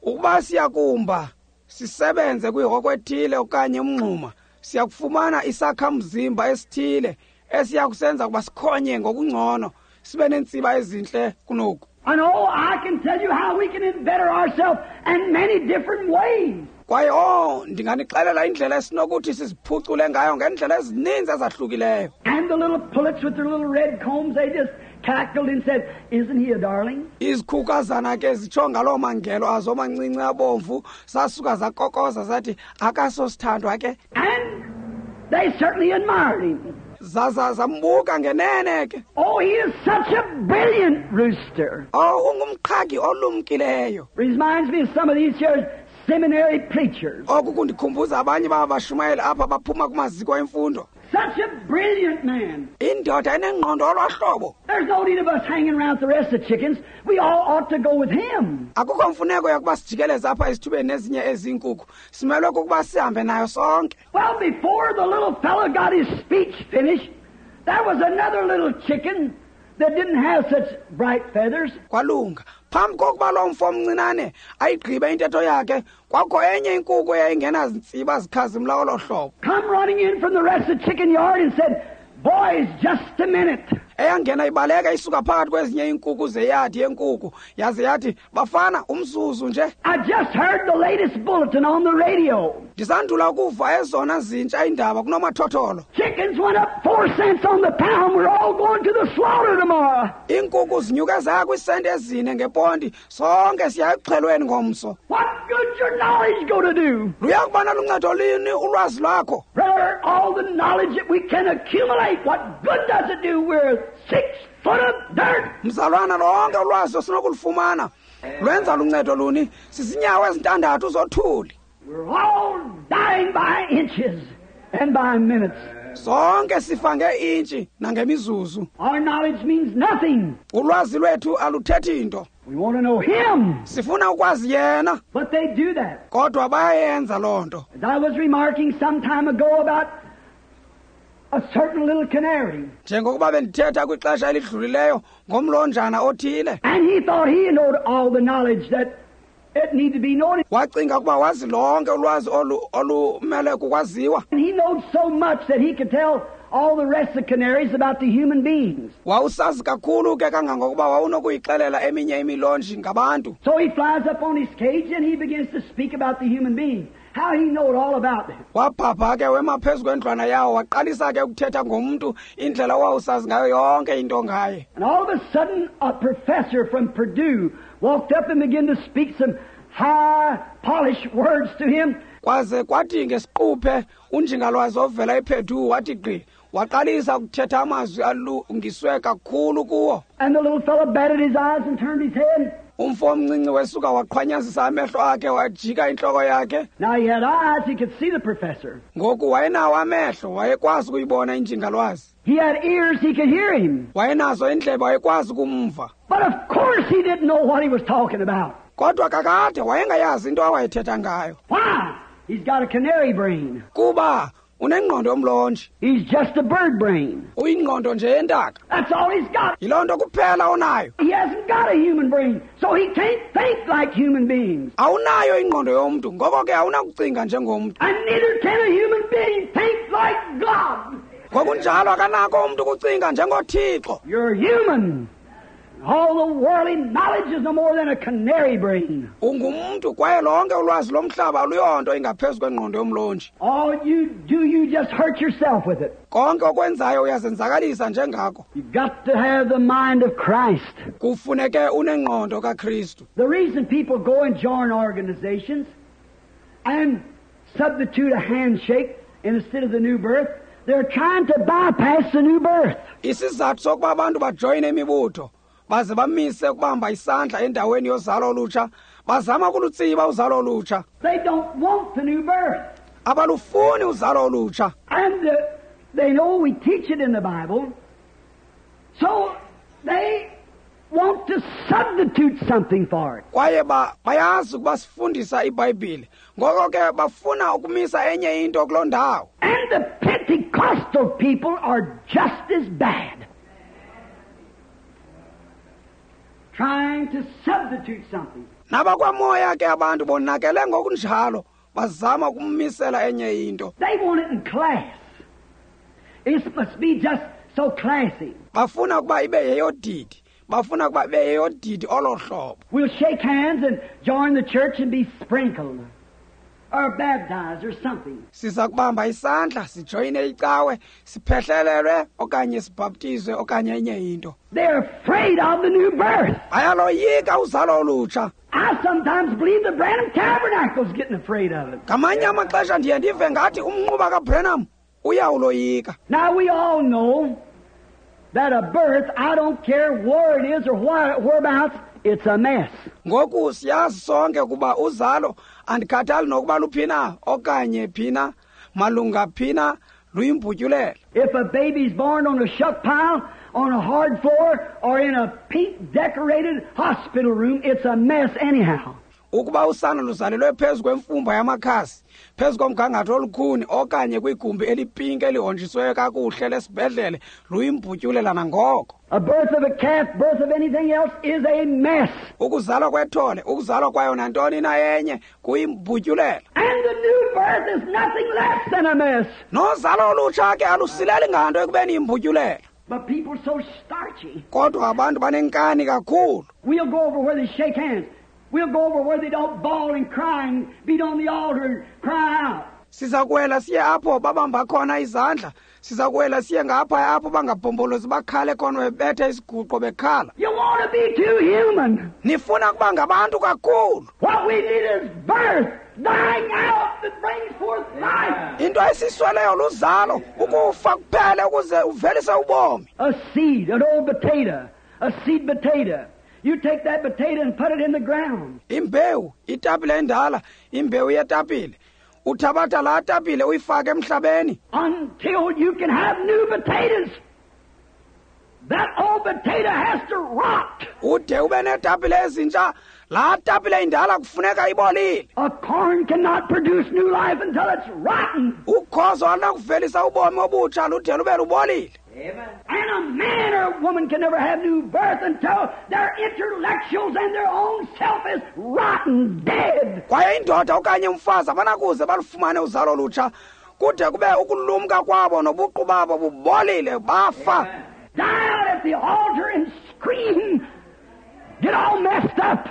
ukuba siyakumba sisebenze kwihoko ethile okanye umngxuma, siyakufumana isakhamzimba esithile esiyakusenza ukuba sikhonye ngokungcono, sibe neentsiba ezintle kunoku. And oh, I can tell you how we can better ourselves in many different ways. Kwaye oh, ndinganixelela indlela esinokuthi siziphucule ngayo ngeendlela ezininzi ezahlukileyo. And the little pullets with their little red combs, they just cackled and said, "Isn't he a darling?" Izikhukazana ke zitsho ngaloo mangelo azo mancinci abomvu, sasuka zakokoza zathi akasosithandwa ke. And they certainly admired him. Zaza zambuka ngenene ke. Oh, he is such a brilliant rooster. Oh, ungumqhagi olumkileyo. Reminds me of some of these here seminary preachers. Oku kundikhumbuza abanye baba bashumayeli apha baphuma kumaziko emfundo. Such a brilliant man. Indoda enengqondo olwahlobo. There's no need of us hanging around with the rest of the chickens. We all ought to go with him. Akukho mfuneko yokuba sijikeleze apha esithubeni nezinye ezinkukhu. Simelwe kukuba sihambe nayo sonke. Well, before the little fellow got his speech finished, there was another little chicken that didn't have such bright feathers. Kwalunga. Phambi kokuba lo mfo omncinane ayigqibe intetho yakhe, kwakho enye inkukhu eyayingenazintsiba zikhazimla olo hlobo. Come running in from the rest of the chicken yard and said, "Boys, just a minute." Eyangena ibaleka isuka phakathi kwezinye iinkukhu zeyadi yenkukhu, yaze yathi, bafana, umzuzu nje. I just heard the latest bulletin on the radio. Ndisandula ukuva ezona zintsha iindaba kunomathotholo. Chickens went up four cents on the pound. We're all going to the slaughter tomorrow. Iinkukhu zinyuke zaya kwiisenti ezine ngeponti. Sonke siya ekuxhelweni ngomso. What good's your knowledge going to do? Luya kuba naluncedo lini ulwazi lwakho? Brother, all the knowledge that we can accumulate, what good does it do? We're six foot of dirt. Mzalwana, lonke ulwazi osinokulufumana lwenza luncedo luni? Sizinyawo ezintandathu zothuli. We're all dying by inches and by minutes. Sonke sifa ngeintshi nangemizuzu. Our knowledge means nothing. Ulwazi lwethu aluthethi into. We want to know Him. Sifuna ukwazi yena. But they do that. Kodwa bayayenza loo nto. As I was remarking some time ago about a certain little canary. Njengokuba bendithetha kwixesha elidlulileyo ngomlonjana othile. And he thought he knowed all the knowledge that it needed to be known. Wacinga ukuba wazi lonke ulwazi olu olumele kukwaziwa. And he knowed so much that he could tell all the rest of the canaries about the human beings. Wawusazi kakhulu ke kangangokuba wawunokuyixelela eminye imilonji ngabantu. So he flies up on his cage and he begins to speak about the human beings. How he knowed all about them. Wabhabha ke wema phezu kwendlwana yawo waqalisa ke ukuthetha ngomntu indlela owawusazi ngayo yonke into ngaye. And all of a sudden a professor from Purdue walked up and began to speak some high polished words to him. Kwaze kwathi ngesiquphe unjingalwazi ovela ePurdue wathi gqi waqalisa ukuthetha amazwi alungiswe kakhulu kuwo. And the little fellow batted his eyes and turned his head. Umfo omncinci wesuka waqhwanyazisa amehlo akhe wajika intloko yakhe. Now he had eyes, he could see the professor. Ngoku wayenawo amehlo, wayekwazi ukuyibona injingalwazi. He had ears, he could hear him. Wayenazo iindlebe, wayekwazi ukumva. But of course he didn't know what he was talking about. Kodwa kakade wayengayazi into awayethetha ngayo. Why? He's got a canary brain. Kuba unengqondo yomlonji. He's just a bird brain. Uyingqondo nje yentaka. That's all he's got. Yiloo nto kuphela onayo. He hasn't got a human brain, so he can't think like human beings. Awunayo ingqondo yomntu, ngoko ke awunakucinga njengomntu. And neither can a human being think like God. Ngokunjalo akanako umntu ukucinga njengoThixo. You're human. All the worldly knowledge is no more than a canary brain. Ungumntu kwaye lonke ulwazi lomhlaba aluyonto ingaphezu kwengqondo yomlonji. All you do, you just hurt yourself with it. Konke okwenzayo uyazenzakalisa njengako. You've got to have the mind of Christ. Kufuneke unengqondo kaKristu. The reason people go and join organizations and substitute a handshake instead of the new birth, they're trying to bypass the new birth. Isizathu sokuba abantu bajoyine imibutho baze bamise ukubamba isandla endaweni yozalo olutsha, bazama ukulutsiba uzalo olutsha. They don't want the new birth. Abalufuni uzalo olutsha. And uh, they know we teach it in the Bible, so they want to substitute something for it. Kwaye ba bayazi ukuba sifundisa iBhayibhile, ngoko ke bafuna ukumisa enye into kuloo ndawo. And the Pentecostal people are just as bad. Trying to substitute something. Nabakwamoya ke abantu bonakele ngokunjalo bazama ukumisela enye into. They want it in class. It must be just so classy. Bafuna ukuba ibe yeyodidi. Bafuna ukuba ibe yeyodidi olo hlobo. We'll shake hands and join the church and be sprinkled or baptized or something. Siza kubamba isandla sijoyine icawe siphehlelelwe okanye sibhaptizwe okanye enye into. They're afraid of the new birth. Bayaloyika uzalo olutsha. I sometimes believe the Branham Tabernacle's getting afraid of it. Ngamanye amaxesha ndiye ndive ngathi umnquba kaBranham uyawuloyika. Now we all know that a birth, I don't care where it is or why, whereabouts, it's a mess. Ngoku siyazi sonke kuba uzalo andikhathali nokuba luphina okanye phina malunga phina luyimbutyulela. If a baby's born on a shuck pile, on a hard floor, or in a pink decorated hospital room, it's a mess anyhow. Ukuba usana luzalelwe phezu kwemfumba yamakhasi, phezu komgangatho olukhuni okanye kwigumbi elipinki elihonjiswe kakuhle lesibhedlele, luyimbutyulela nangoko. A birth of a calf, birth of anything else is a mess. Ukuzalwa kwethole, ukuzalwa kwayo nantoni na enye kuyimbutyulela. And the new birth is nothing less than a mess. Nozalo olutsha ke alusileli nganto ekubeni yimbutyulela. But people are so starchy. Kodwa abantu banenkani kakhulu. We'll go over where they shake hands. We'll go over where they don't bawl and cry and beat on the altar and cry out. Siza kuwela siye apho babamba khona izandla. Siza kuwela siye ngapha apho bangabhombolozi bakhale khona bebetha isiguqo bekhala. You want to be too human. Nifuna kuba ngabantu kakhulu. What we need is birth, dying out that brings forth life. Into esisweleyo luzalo, ukufa kuphele ukuze uvelise ubomi. A seed, an old potato, a seed potato. You take that potato and put it in the ground. Imbewu, itapile endala, imbewu yetapile. Uthabatha laa tapile uyifake emhlabeni. Until you can have new potatoes. That old potato has to rot. Ude ube neetapile ezintsha, laa tapile indala kufuneka ibolile. A corn cannot produce new life until it's rotten. Ukhozo alunakuvelisa ubomi obutsha lude lube lubolile. Amen. And a man or a woman can never have new birth until their intellectuals and their own self is rotten, dead. Kwaye indoda okanye umfazi abanakuze balufumane uzalo lutsha kude kube ukulumka kwabo nobuqu babo bubolile bafa. Die out at the altar and scream. Get all messed up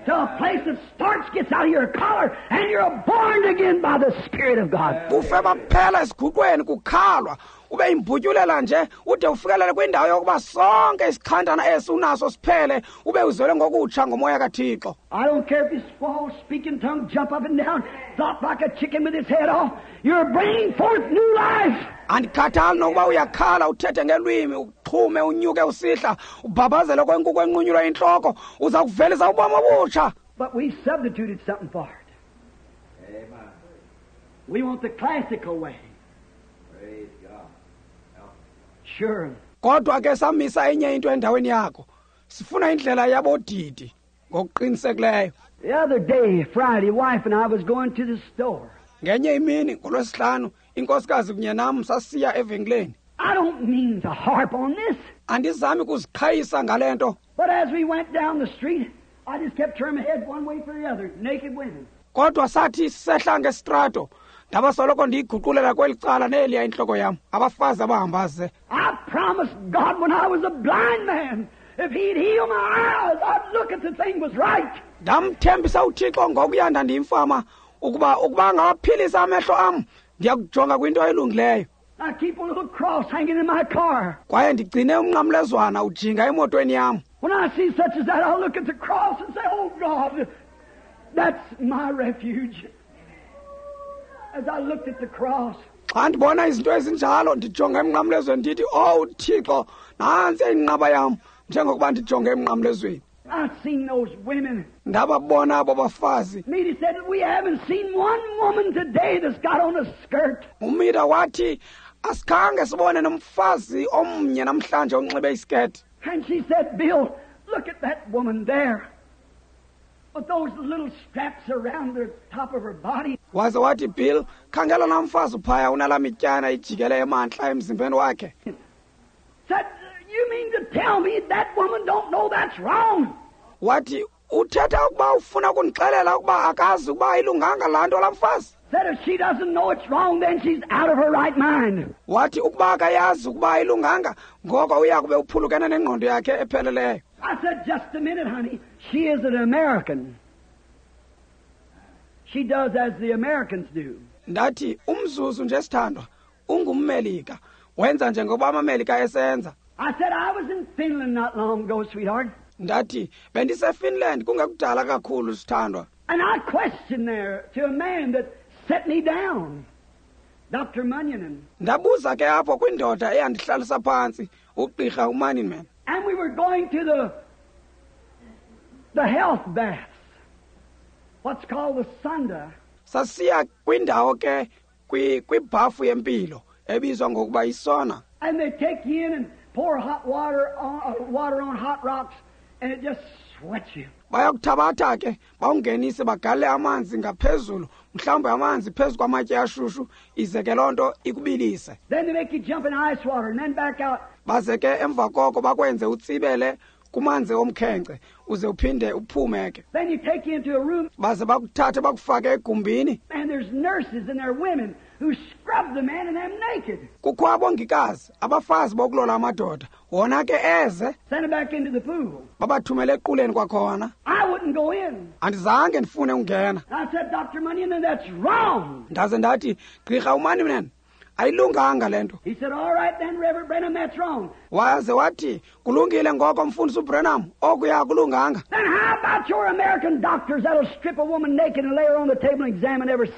to a place that starch gets out of your collar and you're born again by the Spirit of God. Bufe baphela esiguqweni kukhalwa ube imbutyulela nje ude ufikelele kwindawo yokuba sonke isikhandana esi unaso siphele ube uzelwe ngokutsha ngomoya kaThixo. I don't care if you squall, speak in tongues, jump up and down, flop like a chicken with its head off. You're bringing forth new life. Andikhathali nokuba uyakhala uthethe ngelwimi uxhume unyuke usihla ubhabhazele kwenkukhu enqunyulwa intloko uza kuvelisa ubomi obutsha. But we substituted something for it. Amen. We want the classical way. Praise God. Sure. Kodwa ke samisa enye into endaweni yakho. Sifuna indlela yabodidi ngokuqinisekileyo. The other day, Friday, wife and I was going to the store. Ngenye imini ngolwesihlanu inkosikazi kunye nam sasiya evenkileni. I don't mean to harp on this. Andizami kuziqhayisa ngale nto. But as we went down the street, I just kept turning my head one way for the other, naked women. Kodwa sathi sisehla ngestrato, ndabasoloko ndiyiguqulela kweli cala neliya intloko yam, abafazi abahamba ze. I promised God when I was a blind man, if he'd heal my eyes, I'd look at the thing was right. Ndamthembisa uThixo ngokuya ndandiyimfama ukuba ukuba angawaphilisa amehlo am, ndiyakujonga kwinto elungileyo. I keep a little cross hanging in my car. Kwaye ndigcine umnqamlezwana ujinga emotweni yam. When I see such as that, I'll look at the cross and say, "Oh God, that's my refuge." As I looked at the cross. Xa ndibona izinto ezinjalo ndijonga emnqamlezweni ndithi, "Oh Thixo, nantsi inqaba yam," njengokuba ndijonge emnqamlezweni. I've seen those women. Ndababona abo bafazi. Meda said, "We haven't seen one woman today that's got on a skirt." UMida wathi, asikhange sibone nomfazi omnye namhlanje onxibe isiketi. And she said, "Bill, look at that woman there. With those little straps around the top of her body." Waze wathi, "Bill, khangela laa mfazi uphaya unalaa mityana ijikele emantla emzimbeni wakhe." Said, "You mean to tell me that woman don't know that's wrong?" Wathi, uthetha ukuba ufuna ukundixelela ukuba akazi ukuba ayilunganga laa nto laa mfazi? Said if she doesn't know it's wrong, then she's out of her right mind. Wathi ukuba akayazi ukuba ayilunganga, ngoko uya kube uphulukene nengqondo yakhe epheleleyo. I said, "Just a minute, honey. She is an American. She does as the Americans do." Ndathi, umzuzu nje sithandwa, ungummelika. Wenza njengoba amamelika esenza. I said, "I was in Finland not long ago, sweetheart." Ndathi, bendiseFinland kungekudala kakhulu sithandwa. And I questioned there to a man that set me down, Doctor Munyon. Ndabuza ke apho kwindoda eyandihlalisa phantsi, ugqirha uMunyon. And we were going to the the health baths, what's called the sauna. Sasiya kwindawo ke kwibhafu yempilo ebizwa ngokuba isona. And they take you in and pour hot water on, uh, water on hot rocks, and it just sweats you. Bayakuthabatha ke bawungenise bagale amanzi ngaphezulu, mhlawumbe amanzi phezu kwamatye ashushu, ize ke loo nto ikubilise. Then they make you jump in ice water and then back out. Baze ke emva koko bakwenze utsibele kumanzi omkhenkce uze uphinde uphume ke. Then you take you into a room. Baze bakuthathe bakufake egumbini. And there's nurses and there are women who scrub the man and them naked. Kukho abongikazi, abafazi bokulola amadoda, wona ke eze. Send them back into the pool. Babathumele equleni kwakhona. I wouldn't go in. Andizange ndifune ungena. I said, "Doctor Munyon, that's wrong." Ndaze ndathi, "Gqirha uMunyon, ayilunganga le nto." He said, "All right then, Reverend Branham, that's wrong." Waze wathi, "Kulungile ngoko mfundisi uBranham, okuya kulunganga." Then how about your American doctors that'll strip a woman naked and lay her on the table and examine every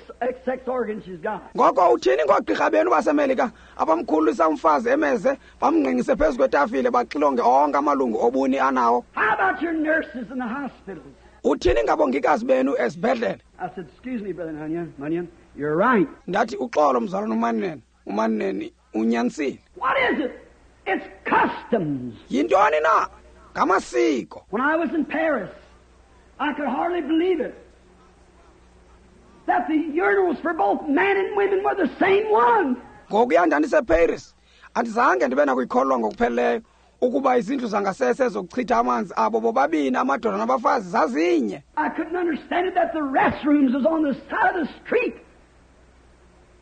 sex organ she's got? Ngoko uthini ngoogqirha benu baseMelika abamkhululisa umfazi emeze bamngqingise phezu kwetafile baxilonge onke amalungu obuni anawo? How about your nurses in the hospitals? Uthini ngabongikazi benu esibhedlele? I said, "Excuse me, Brother Munyon, Munyon. you're right. Ndathi uxolo mzalwana uManene, uManene unyanisile. What is it? It's customs. Yintoni na? Ngamasiko. When I was in Paris, I could hardly believe it, that the urinals for both men and women were the same one. Ngokuya ndandiseParis, andizange ndibe nakuyikholwa ngokupheleleyo ukuba izindlu zangasese zokuchitha amanzi abo bobabini amadoda nabafazi zazinye. I couldn't understand it that the restrooms was on the side of the street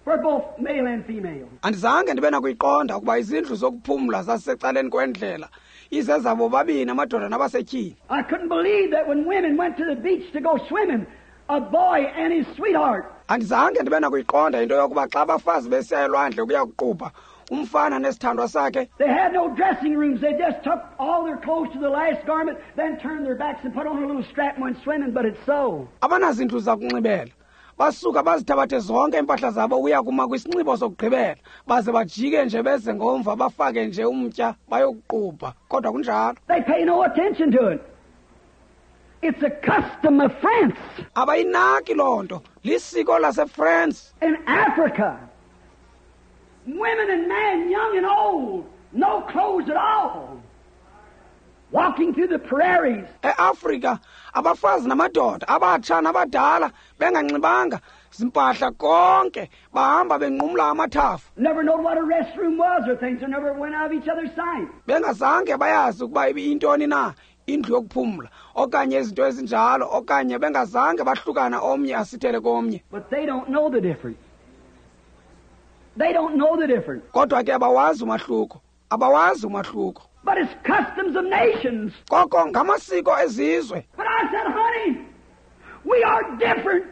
for both male and female. Andizange ndibe nakuyiqonda ukuba izindlu zokuphumla zazisecaleni kwendlela izezabo bobabini amadoda nabasetyhini. I couldn't believe that when women went to the beach to go swimming, a boy and his sweetheart. Andizange ndibe nakuyiqonda into yokuba xa abafazi besiya elwandle ukuya kuqubha, umfana nesithandwa sakhe. They had no dressing rooms. They just took all their clothes to the last garment, then turned their backs and put on a little strap and went swimming, but it's so. Abanazindlu zakunxibela. Basuka bazithabathe zonke impahla zabo ukuya kuma kwisinxibo sokugqibela, baze bajike nje beze ngomva bafake nje umtya bayokuqubha. Kodwa kunjalo. They pay no attention to it. It's a custom of France. Abayinaki loo nto. Lisiko laseFrance. In Africa, women and men, young and old, no clothes at all, walking through the prairies. E-Afrika, abafazi namadoda, abatsha nabadala, benganxibanga zimpahla konke, bahamba benqumla amathafa. Never know what a restroom was or things, or never went out of each other's sight. Bengazange bayazi ukuba ibiyintoni na indlu yokuphumla, okanye izinto ezinjalo, okanye bengazange bahlukana omnye asithele komnye. But they don't know the difference. They don't know the difference. Kodwa ke abawazi umahluko. Abawazi umahluko. But it's customs of nations. Koko ngamasiko ezizwe. But I said, honey, we are different.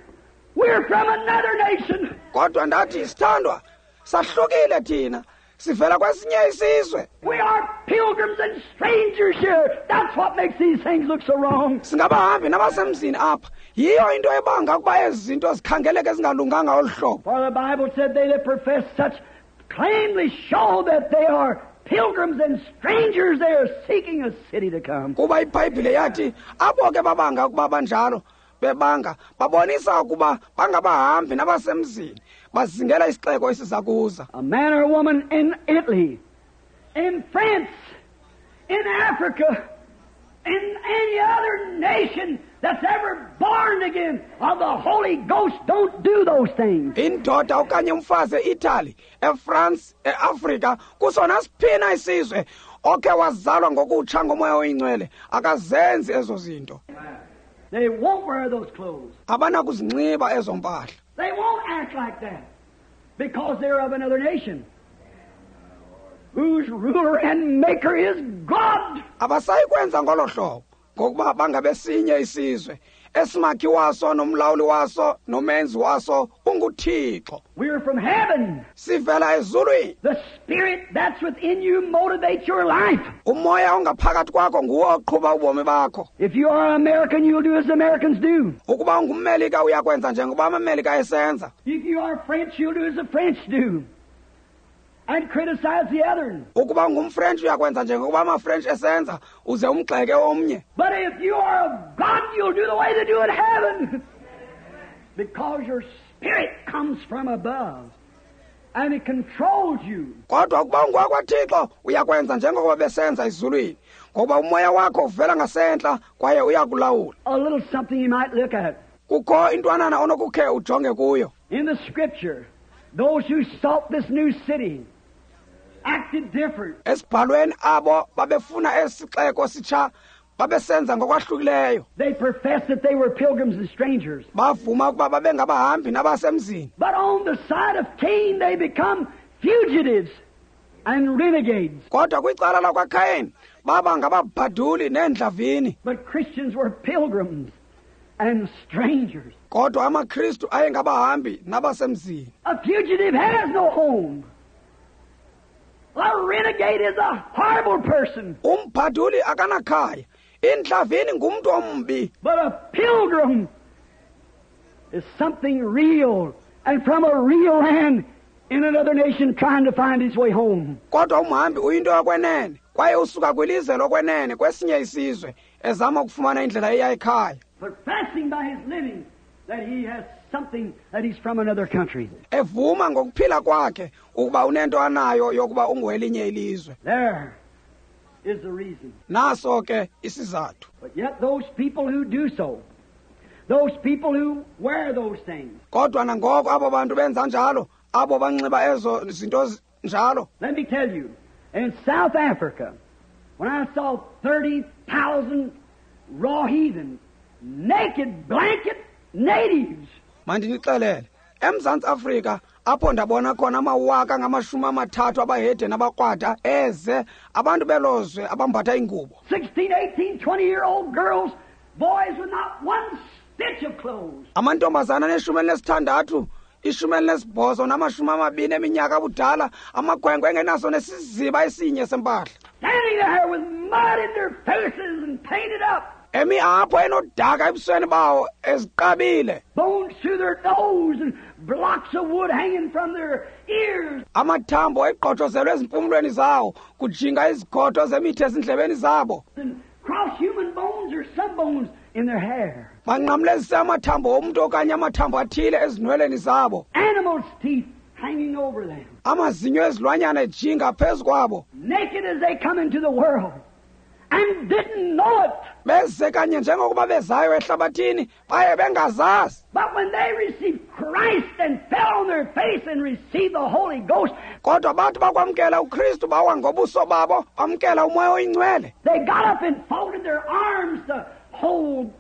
We're from another nation. Kodwa ndathi sithandwa, sahlukile thina. Sivela kwesinye isizwe. We are pilgrims and strangers here. That's what makes these things look so wrong. Singabahambi nabasemzini apha. Yiyo into ebanga ukuba ezi zinto zikhangeleke zingalunganga olu hlobo. For the Bible said they that profess such plainly show that they are pilgrims and strangers. They are seeking a city to come. Kuba iBhayibhile yathi abo ke babanga ukuba banjalo bebanga babonisa ukuba bangabahambi nabasemzini bazingela isixeko esiza kuza. A man or a woman in Italy, in France, in Africa, in any other nation that's ever born again of the Holy Ghost don't do those things. Indoda okanye umfazi eItaly, eFrance, eAfrika, kusona siphina isizwe okhe wazalwa ngokutsha ngomoya oyingcwele akazenzi ezo zinto. They won't wear those clothes. Abanakuzinxiba ezo mpahla. They won't act like that because they're of another nation, whose ruler and maker is God. Abasayi kwenza ngolo hlobo ngokuba bangabesinye isizwe esimakhi waso nomlawuli waso nomenzi waso unguThixo. We're from heaven. Sivela ezulwini. The spirit that's within you motivates your life. Umoya ongaphakathi kwakho nguwo oqhuba ubomi bakho. If you are American, you'll do as Americans do. Ukuba ungummelika uyakwenza njengoba amamelika esenza. If you are French, you'll do as the French do and criticize the other. Ukuba ungumFrench uyakwenza njengokuba amaFrench esenza uze umgxeke omnye. But if you are of God, you'll do the way they do in heaven. Because your spirit comes from above and it controls you. Kodwa ukuba ungowakwaThixo uyakwenza njengokuba besenza ezulwini, ngokuba umoya wakho uvela ngasentla kwaye uyakulawula. A little something you might look at. Kukho intwanana onokukhe ujonge kuyo. In the scripture, those who sought this new city acted different. Esibhalweni abo babefuna esixeko sitsha babesenza ngokwahlukileyo. They professed that they were pilgrims and strangers. Bavuma ukuba babengabahambi nabasemzini. But on the side of Cain they become fugitives and renegades. Kodwa kwicala lakwaKain baba ngababhaduli neendlavini. But Christians were pilgrims and strangers. Kodwa amaKristu ayengabahambi nabasemzini. A fugitive has no home. A renegade is a horrible person. Umbhaduli akanakhaya. Indlavini ngumntu ombi. But a pilgrim is something real and from a real land in another nation trying to find his way home. Kodwa umhambi uyinto yokwenene kwaye usuka kwilizwe lokwenene kwesinye isizwe ezama ukufumana indlela eya ekhaya. Professing by his living that he has something that he's from another country. Evuma ngokuphila kwakhe ukuba unento anayo yokuba ungowelinye ilizwe. There is the reason. Naso ke isizathu. But yet those people who do so, those people who wear those things. Kodwa nangoko abo bantu benza njalo, abo banxiba ezo zinto njalo. Let me tell you, in South Africa, when I saw thirty thousand raw heathens, naked blanket natives. Mandinixelele, eMzantsi Afrika apho ndabona khona amawaka ngamashumi amathathu abahedeni abakrwada eze abantu belozwe abambatha ingubo. sixteen, eighteen, twenty year old girls, boys with not one stitch of clothes. Amantombazana aneshumi elinesithandathu, ishumi elinesibhozo namashumi amabini eminyaka abudala, amakhwenkwe engenaso nesiziba esinye sempahla. Standing there with mud in their faces and painted up. Emi apho enodaka ebusweni bawo eziqabile. Bones through their nose and blocks of wood hanging from their ears. Amathambo eqhotshozelwe ezimpumlweni zawo, kujinga izigodo zemithi ezindlebeni zabo. And cross human bones or some bones in their hair. Banqamlezise amathambo omntu okanye amathambo athile ezinweleni zabo. Animals' teeth hanging over them. Amazinyo ezilwanyana ejinga phezu kwabo. Naked as they come into the world. And didn't know it. Beze kanye njengokuba bezayo ehlabathini, baye bengazazi. But when they received Christ and fell on their face and received the Holy Ghost, kodwa bathi bakwamkela uKristu bawa ngobuso babo, bamkela uMoya oyiNgcwele. They got up and folded their arms to hold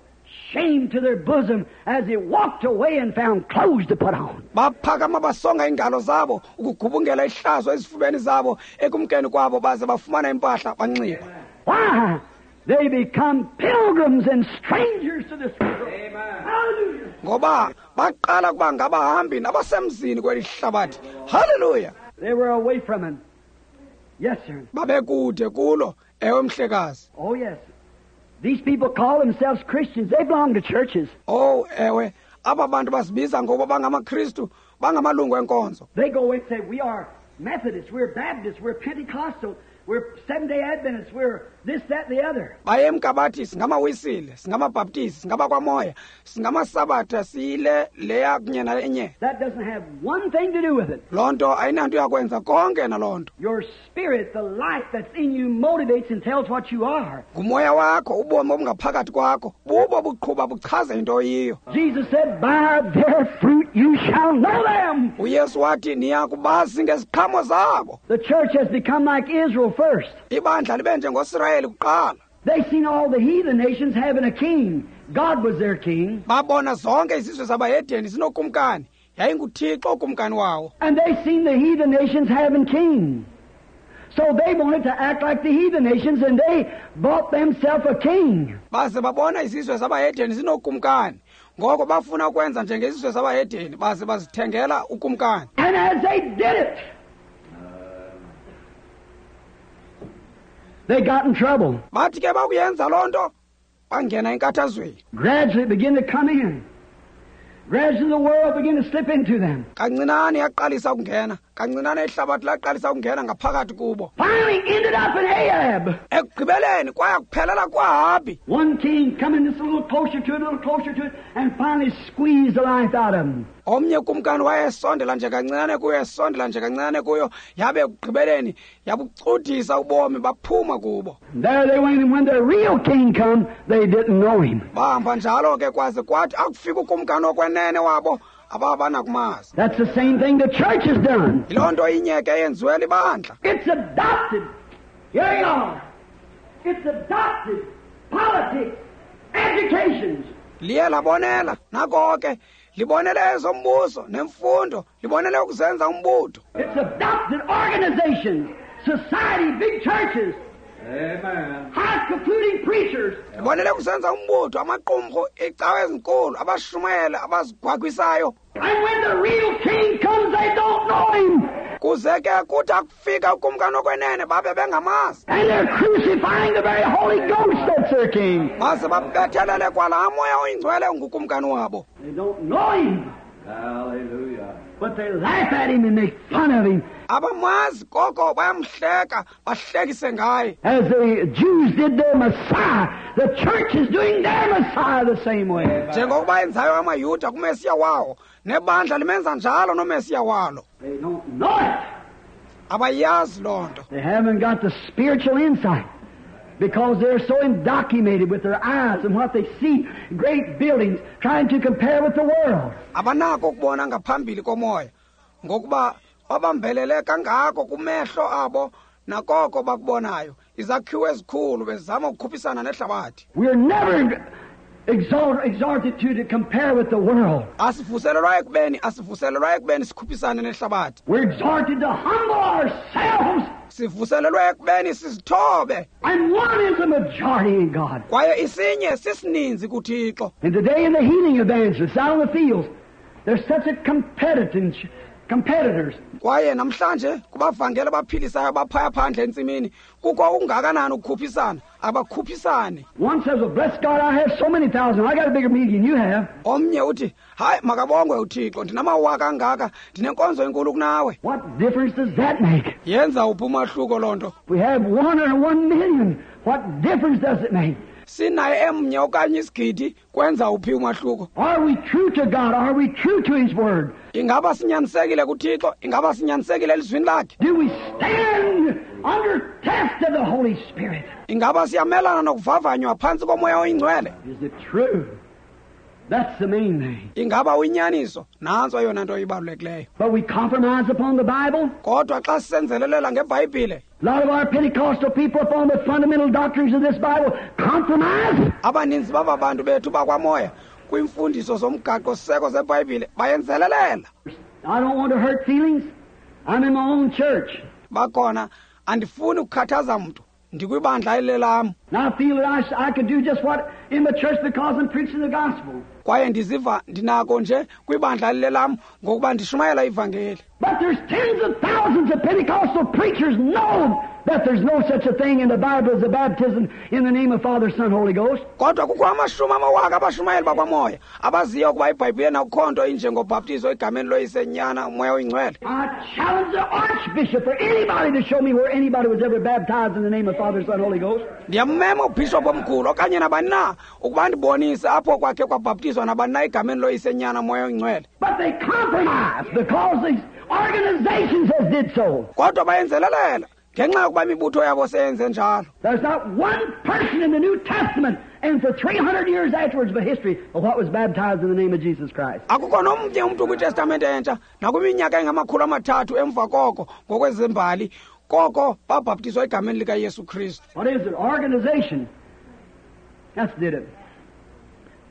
shame to their bosom as they walked away and found clothes to put on. Baphakama basonga ingalo zabo ukugubungela ihlazo ezifubeni zabo ekumkeni kwabo baze bafumana impahla banxiba. Why? They become pilgrims and strangers to this world. Amen. Hallelujah. Ngoba baqala kuba ngabahambi nabasemzini kweli hlabathi. Hallelujah. They were away from him. Yes, sir. Babekude kulo, ewe mhlekazi. Oh, yes. These people call themselves Christians. They belong to churches. Oh, ewe. Aba bantu bazibiza ngoba bangamaKristu, bangamalungu enkonzo. They go and say, we are Methodists, we're Baptists, we're Pentecostal, we're Seventh-day Adventists, we're this, that, and the other. Bayemka bathi singamawisile, singamabaptisti, singabakwamoya, singamasabatha, siyile leya kunye nalenye. That doesn't have one thing to do with it. Loo nto ayinanto yakwenza konke naloo nto. Your spirit, the life that's in you, motivates and tells what you are. Ngumoya wakho, ubomi obungaphakathi kwakho, bubo buqhuba buchaze into oyiyo. Jesus said, by their fruit you shall know them. UYesu wathi niya kubazi ngeziqhamo zabo. The church has become like Israel first. Ibandla libe njengoSirayeli kuqala. They seen all the heathen nations having a king. God was their king. Babona zonke izizwe zabahedeni zinokumkani. YayinguThixo ukumkani wawo. And they seen the heathen nations having kings. So they wanted to act like the heathen nations, and they bought themselves a king. Baze babona izizwe zabahedeni zinokumkani. Ngoko bafuna ukwenza njengezizwe zabahedeni, baze bazithengela ukumkani. And as they did it, they got in trouble. Bathi ke bakuyenza loo nto, bangena enkathazweni. Gradually it began to come in. Gradually the world began to slip into them. Kancinane yaqalisa ukungena, kancinane ihlabathi laqalisa ukungena ngaphakathi kubo. Finally ended up in Ahab. Ekugqibeleni kwaya kuphelela kwaHabi. One king coming just a little closer to it, a little closer to it, and finally squeezed the life out of him. Omnye kumkani wayesondela nje kancinane kuyo, esondela nje kancinane kuyo, yabe ekugqibeleni yabucudisa ubomi baphuma kubo. There they went, and when the real king come, they didn't know him. Bahamba njalo ke kwaze kwathi akufika ukumkani okwenene wabo, ababanakumazi. That's the same thing the church has done. Yiloo nto inye ke yenziwe libandla. It's adopted. Here you are. It's adopted politics, educations. Liye labonela nako ke. Libonele ezombuso nemfundo, libonele ukuzenza umbutho. It's adopted organizations, society, big churches. Amen. High-concluding preachers. Libonele ukuzenza umbutho, amaqumrhu, iicawe ezinkulu, abashumayeli abazigwagwisayo. And when the real king comes, they don't know him. Kuze ke kuthi akufika ukumkani okwenene babe bengamazi. And they're crucifying the very Holy Ghost that's their king. Baze babethelele kwalaa moya oyingcwele ungukumkani wabo. They don't know him. Hallelujah. But they laugh at him and make fun of him. Abamazi koko bayamhleka bahlekise ngaye. As the Jews did their Messiah, the church is doing their Messiah the same way. Njengokuba enzayo amaYuda kuMesiya wawo, nebandla limenza njalo noMesiya walo. They don't know it. Abayazi loo nto. They haven't got the spiritual insight because they're so indoctrinated with their eyes and what they see, great buildings, trying to compare with the world. Abanako ukubona ngaphambili komoya ngokuba babambelele kangako kumehlo abo nakoko bakubonayo, izakhiwo ezikhulu bezama ukukhuphisana nehlabathi. We're never exalt, exalted to, to compare with the world. Asivuselelwa ekubeni asivuselelwa ekubeni sikhuphisane nehlabathi. We're exhorted to humble ourselves. Sivuselelwe ekubeni sizithobe. And one is the majority in God. Kwaye isinye sisininzi kuThixo. And today in the healing evangelists out in the fields, there's such a competitors. Competitors. Kwaye namhlanje kubavangeli abaphilisayo abaphaya phandle entsimini kukho okungakanani ukukhuphisana, abakhuphisani. One says, well, bless God, I have so many thousand. I got a bigger meeting than you have. Omnye uthi, hayi makabongwe uThixo, ndinamawaka angaka, ndinenkonzo enkulu kunawe. What difference does that make? Yenza uphi umahluko loo nto? We have one or one million. What difference does it make? Sinaye emnye okanye isigidi, kwenza uphi umahluko? Are we true to God? Are we true to His Word? Ingaba sinyanisekile kuThixo? Ingaba sinyanisekile elizwini lakhe? Do we stand under test of the Holy Spirit? Ingaba siyamelana nokuvavanywa phantsi komoya oyingcwele? Is it true? That's the main thing. Ingaba uyinyaniso? Nantso eyona nto ibalulekileyo. But we compromise upon the Bible. Kodwa xa sisenzelelela ngeBhayibhile, a lot of our Pentecostal people upon the fundamental doctrines of this Bible compromise. Abaninzi baba bantu bethu bakwamoya kwiimfundiso zomgaqo-siseko zeBhayibhile bayenzelelela. I don't want to hurt feelings. I'm in my own church. Bakhona andifuni ukukhathaza mntu. Ndikwibandla elilelam. And I feel that I, I could do just what in the church because I'm preaching the gospel. Kwaye ndiziva ndinako nje kwibandla elilelam ngokuba ndishumayela ivangeli. But there's tens of thousands of Pentecostal preachers know that there's no such a thing in the Bible as a baptism in the name of Father, Son, Holy Ghost. Kodwa kukho amashumi amawaka abashumayeli bakwamoya abaziyo ukuba iBhayibhile akukho nto injengobhaptizo egameni loYise, Nyana, Moya oyiNgcwele. I challenge the archbishop or anybody to show me where anybody was ever baptized in the name of Father, Son, Holy Ghost. Ndiyamema ubhishophu omkhulu okanye nabani na ukuba ndibonise apho kwakhe kwabhaptizwa nabani na egameni loYise, Nyana, Moya oyiNgcwele. But they compromise because these organizations has did so. Kodwa bayenzelelela ngenxa yokuba imibutho yabo seyenze njalo. There's not one person in the New Testament and for three hundred years afterwards by history of what was baptized in the name of Jesus Christ. Akukho nomnye umntu kwiTestamente entsha nakwiminyaka engamakhulu amathathu emva koko ngokwezembali koko babhaptizwa egameni likaYesu Kristu. What is it? Organization. That's did it.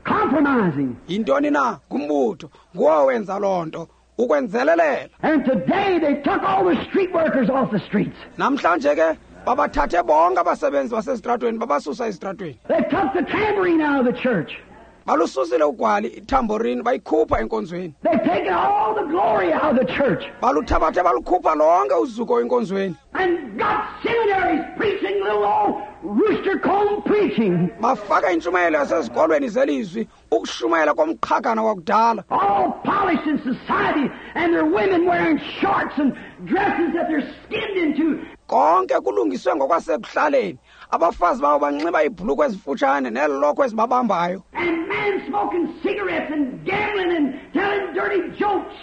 Compromising. Yintoni na? Ngumbutho. Nguwo wenza loo nto. Ukwenzelelela. And today they took all the street workers off the streets. Namhlanje ke babathathe bonke abasebenzi basezitratweni babasusa ezitratweni. They took the tambourine out of the church. Balususile ugwali itamborini bayikhupha enkonzweni. They've taken all the glory out of the church. Baluthabathe balukhupha lonke uzuko enkonzweni. And got seminaries preaching little old rooster comb preaching. Bafaka intshumayelo yasezikolweni zelizwi ukushumayela komqhagana wakudala. All polished in society and their women wearing shorts and dresses that they're skinned into. Konke kulungiswe ngokwasekuhlaleni. Abafazi babo banxiba iibhulukhwe ezifutshane neelokhwe ezibabambayo. And men smoking cigarettes and gambling and telling dirty jokes.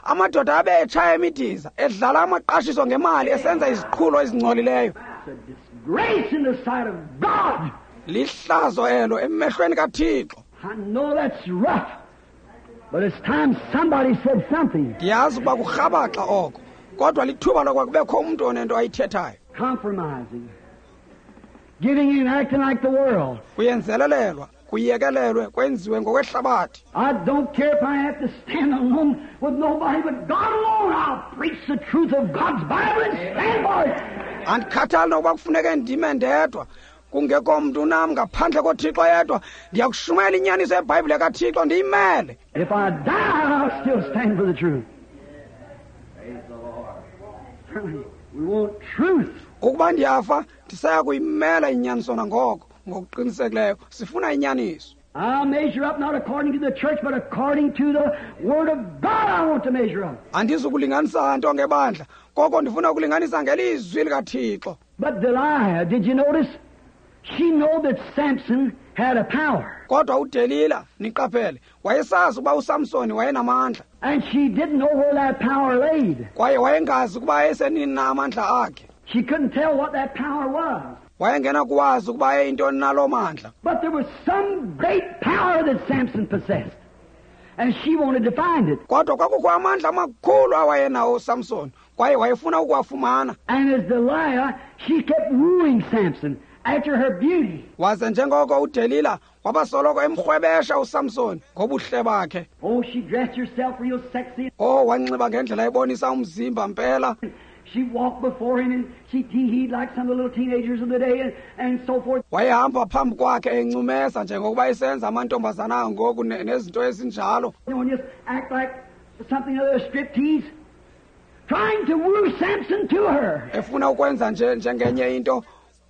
Amadoda abe etshaya imidiza, edlala amaqashiso ngemali, esenza iziqhulo ezingcolileyo. It's a disgrace in the sight of God. Lihlazo elo emehlweni kaThixo. I know that's rough, but it's time somebody said something. Ndiyazi ukuba kurhabaxa oko, kodwa lithuba lokuba kubekho umntu onento ayithethayo. Compromising. Giving in, acting like the world. Kuyenzelelelwa, kuyekelelwe, kwenziwe ngokwehlabathi. I don't care if I have to stand alone with nobody but God alone. I'll preach the truth of God's Bible and stand for it. Andikhathali nokuba kufuneke ndime ndedwa, kungekho mntu nam ngaphandle koThixo yedwa. Ndiyakushumayela inyaniso yeBhayibhile kaThixo ndiyimele. If I die, I'll still stand for the truth. Praise the Lord. We want truth. Ukuba ndiyafa, ndisaya kuyimela inyaniso nangoko. Ngokuqinisekileyo sifuna inyaniso. I'll measure up not according to the church, but according to the Word of God I want to measure up. Andizukulinganisa nto ngebandla, koko ndifuna ukulinganisa ngelizwi likaThixo. But Delilah, did you notice? She knew that Samson had a power. Kodwa uDelila, niqaphele, wayesazi ukuba uSamson wayenamandla. And she didn't know where that power laid. Kwaye wayengazi ukuba ayesenini na amandla akhe. She couldn't tell what that power was. Wayengenakuwazi ukuba ayeyintoni na loo mandla. But there was some great power that Samson possessed. And she wanted to find it. Kodwa kwakukho amandla amakhulu awayenawo uSamson, kwaye wayefuna ukuwafumana. And as Delilah, she kept wooing Samson after her beauty. Waze njengoko uDelila wabasoloko emrhwebesha uSamson ngobuhle bakhe. Oh, she dressed herself real sexy. Oh, wanxiba ngendlela ebonisa umzimba mpela. She walked before him and she tee-heed like some of the little teenagers of the day and, and so forth. Wayehamba phambi kwakhe encumesa njengokuba esenza amantombazana ngoku nezinto ezinjalo. You know, and just act like something other striptease, trying to woo Samson to her. Efuna ukwenza nje njengenye into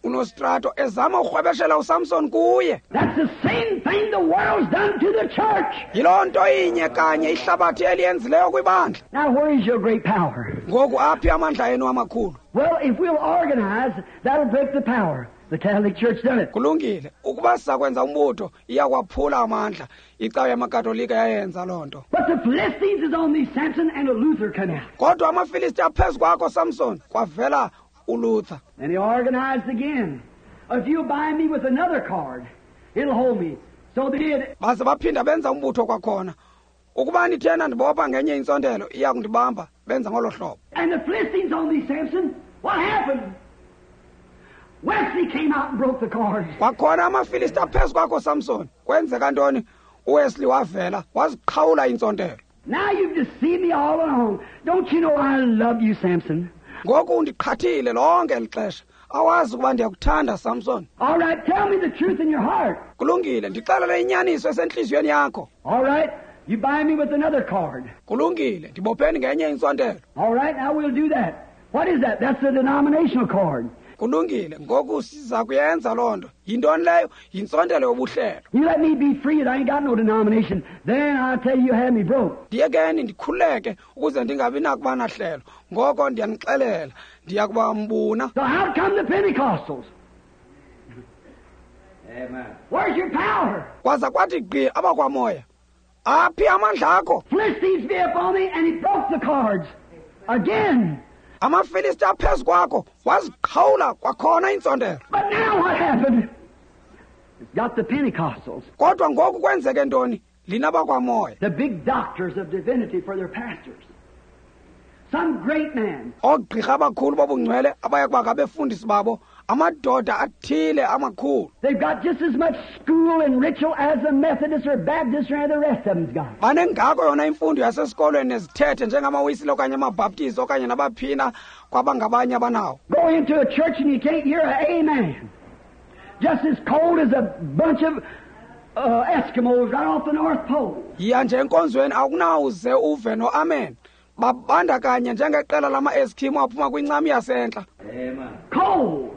unostrato ezama ukurhwebeshela uSamson kuye. That's the same thing the world's done to the church. Yiloo nto inye kanye ihlabathi eliyenzileyo kwibandla. Now where is your great power? Ngoku aphi amandla enu amakhulu? Well, if we'll organize, that'll break the power. The Catholic Church done it. Kulungile. Ukuba sizakwenza umbutho, iyakwaphula amandla. Icawa yamaKatolika yayenza loo nto. But the Philistines is on thee, Samson, and a Luther come out. Kodwa amaFilisti aphezu kwakho, Samson, kwavela uLuther. And he organized again. If you bind me with another card, it'll hold me. So they did. Baze baphinda benza umbutho kwakhona. Ukuba nithena ndibopha ngenye intsontelo, iya kundibamba, benza ngolo hlobo. And the Philistines on thee, Samson. What happened? Wesley came out and broke the cords. Kwakhona amaFilisti aphezu kwakho, Samson. Kwenzeka ntoni? uWesley wavela, waziqhawula intsontelo. Now you've deceived me all along. Don't you know I love you, Samson? Ngoku undiqhathile lonke eli xesha. Awazi ukuba ndiyakuthanda, Samson. All right, tell me the truth in your heart. Kulungile, ndixelele inyaniso esentliziyweni yakho. All right, you bind me with another cord. Kulungile, ndibopheni ngenye intsontelo. All right, now we'll do that. What is that? That's the denominational cord. Kulungile, ngoku siza kuyenza loo nto. Yintoni leyo? Yintsontelo yobuhlelo. You let me be free and I ain't got no denomination. Then I tell you, you had me broke. Ndiyekeni ndikhululeke ukuze ndingabi nakuba nahlelo. Ngoko ndiyanixelela, ndiya kuba mbuna. So how come the Pentecostals? Amen. Where's your power? Kwaza kwathi gqi abakwamoya. Aphi amandla akho? Philistines be upon me, and he broke the cards again. AmaFilisti aphezu kwakho, waziqhawula kwakhona intsontelo. But now what happened? It's got the Pentecostals. Kodwa ngoku kwenzeke ntoni? Lina bakwamoya. The big doctors of divinity for their pastors. Some great man. Oogqirha abakhulu bobungcwele abaya kuba ngabefundisi babo, amadoda athile amakhulu. They've got just as much school and ritual as the Methodists or Baptists or the rest of them's got. Banengako yona imfundo yasesikolweni nezithethe njengamaWisile okanye amaBaptist okanye nabaphina kwabangabanye abanawo. Go into a church and you can't hear an amen. Just as cold as a bunch of uh, Eskimos right off the North Pole. Yiya nje enkonzweni awunawuze uve no amen. Babanda kanye njengeqela lama-Eskimo aphuma kwincam yasentla. Amen. Cold.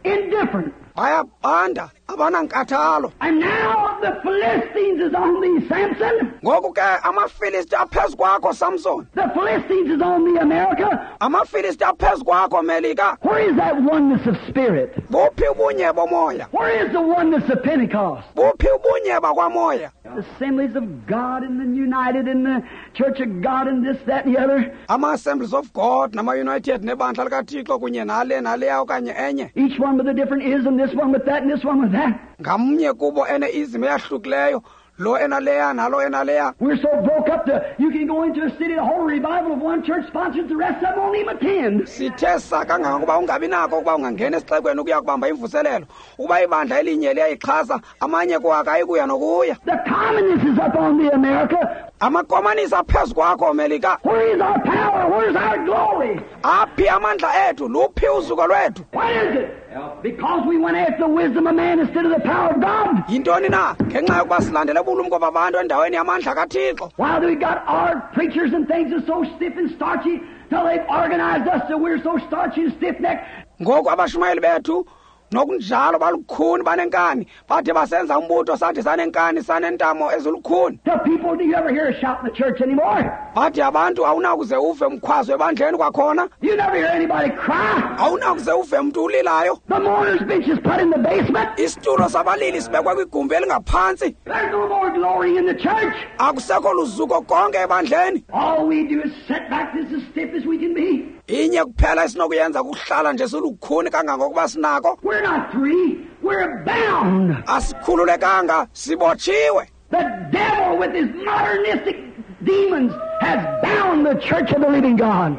Indifferent. Bayabanda, abanankathalo. And now the Philistines is on thee, Samson. Ngoku ke amaFilisti aphezu kwakho, Samson. The Philistines is on thee, America. AmaFilisti aphezu kwakho, Melika. Where is that oneness of spirit? Buphi ubunye bomoya? Where is the oneness of Pentecost? Buphi ubunye bakwamoya? The Assemblies of God and the United and the Church of God and this, that, and the other. Ama-Assemblies of God nama-United nebandla likaThixo kunye nale naleya okanye enye. Each one with a different ism, this one with that and this one with that. Ngamnye kubo ene-ism eyahlukileyo, lo enaleya nalo enaleya. We're so broke up that you can go into a city, the whole revival of one church sponsors, the rest of them won't even attend. Sithe sa kangangokuba ungabi nako ukuba ungangena esixekweni ukuya kubamba imvuselelo, ukuba ibandla elinye liyayixhasa, amanye kuwo akayikuya nokuya. The communists is up on the America. Amakomanisi aphezu kwakho, Melika. Where is our power? Where's our glory? Aphi amandla ethu? Luphi uzuko lwethu? What is it? Because we went after the wisdom of man instead of the power of God. Yintoni na? Ngenxa yokuba silandele ubulumko babantu endaweni yamandla kaThixo. While we got our preachers and things are so stiff and starchy till they've organized us that we're so starchy and stiff-necked. Ngoku abashumayeli bethu Nokunjalo balukhuni banenkani. Bathi basenza umbutho sathi sanenkani sanentamo ezilukhuni. The people, do you ever hear a shout in the church anymore? Bathi abantu awunakuze uve umkhwazo ebandleni kwakhona. You never hear anybody cry. Awunakuze uve mntu ulilayo. The mourner's bench is put in the basement. Isitulo sabalili sibekwe kwigumbi elingaphantsi. There's no more glory in the church. Akusekho luzuko konke ebandleni. All we do is sit back just as stiff as we can be. Inye kuphela esinokuyenza kuhlala nje silukhuni kangangokuba sinako. We're not free. We're bound. Asikhululekanga, sibotshiwe. The devil with his modernistic demons has bound the church of the living God.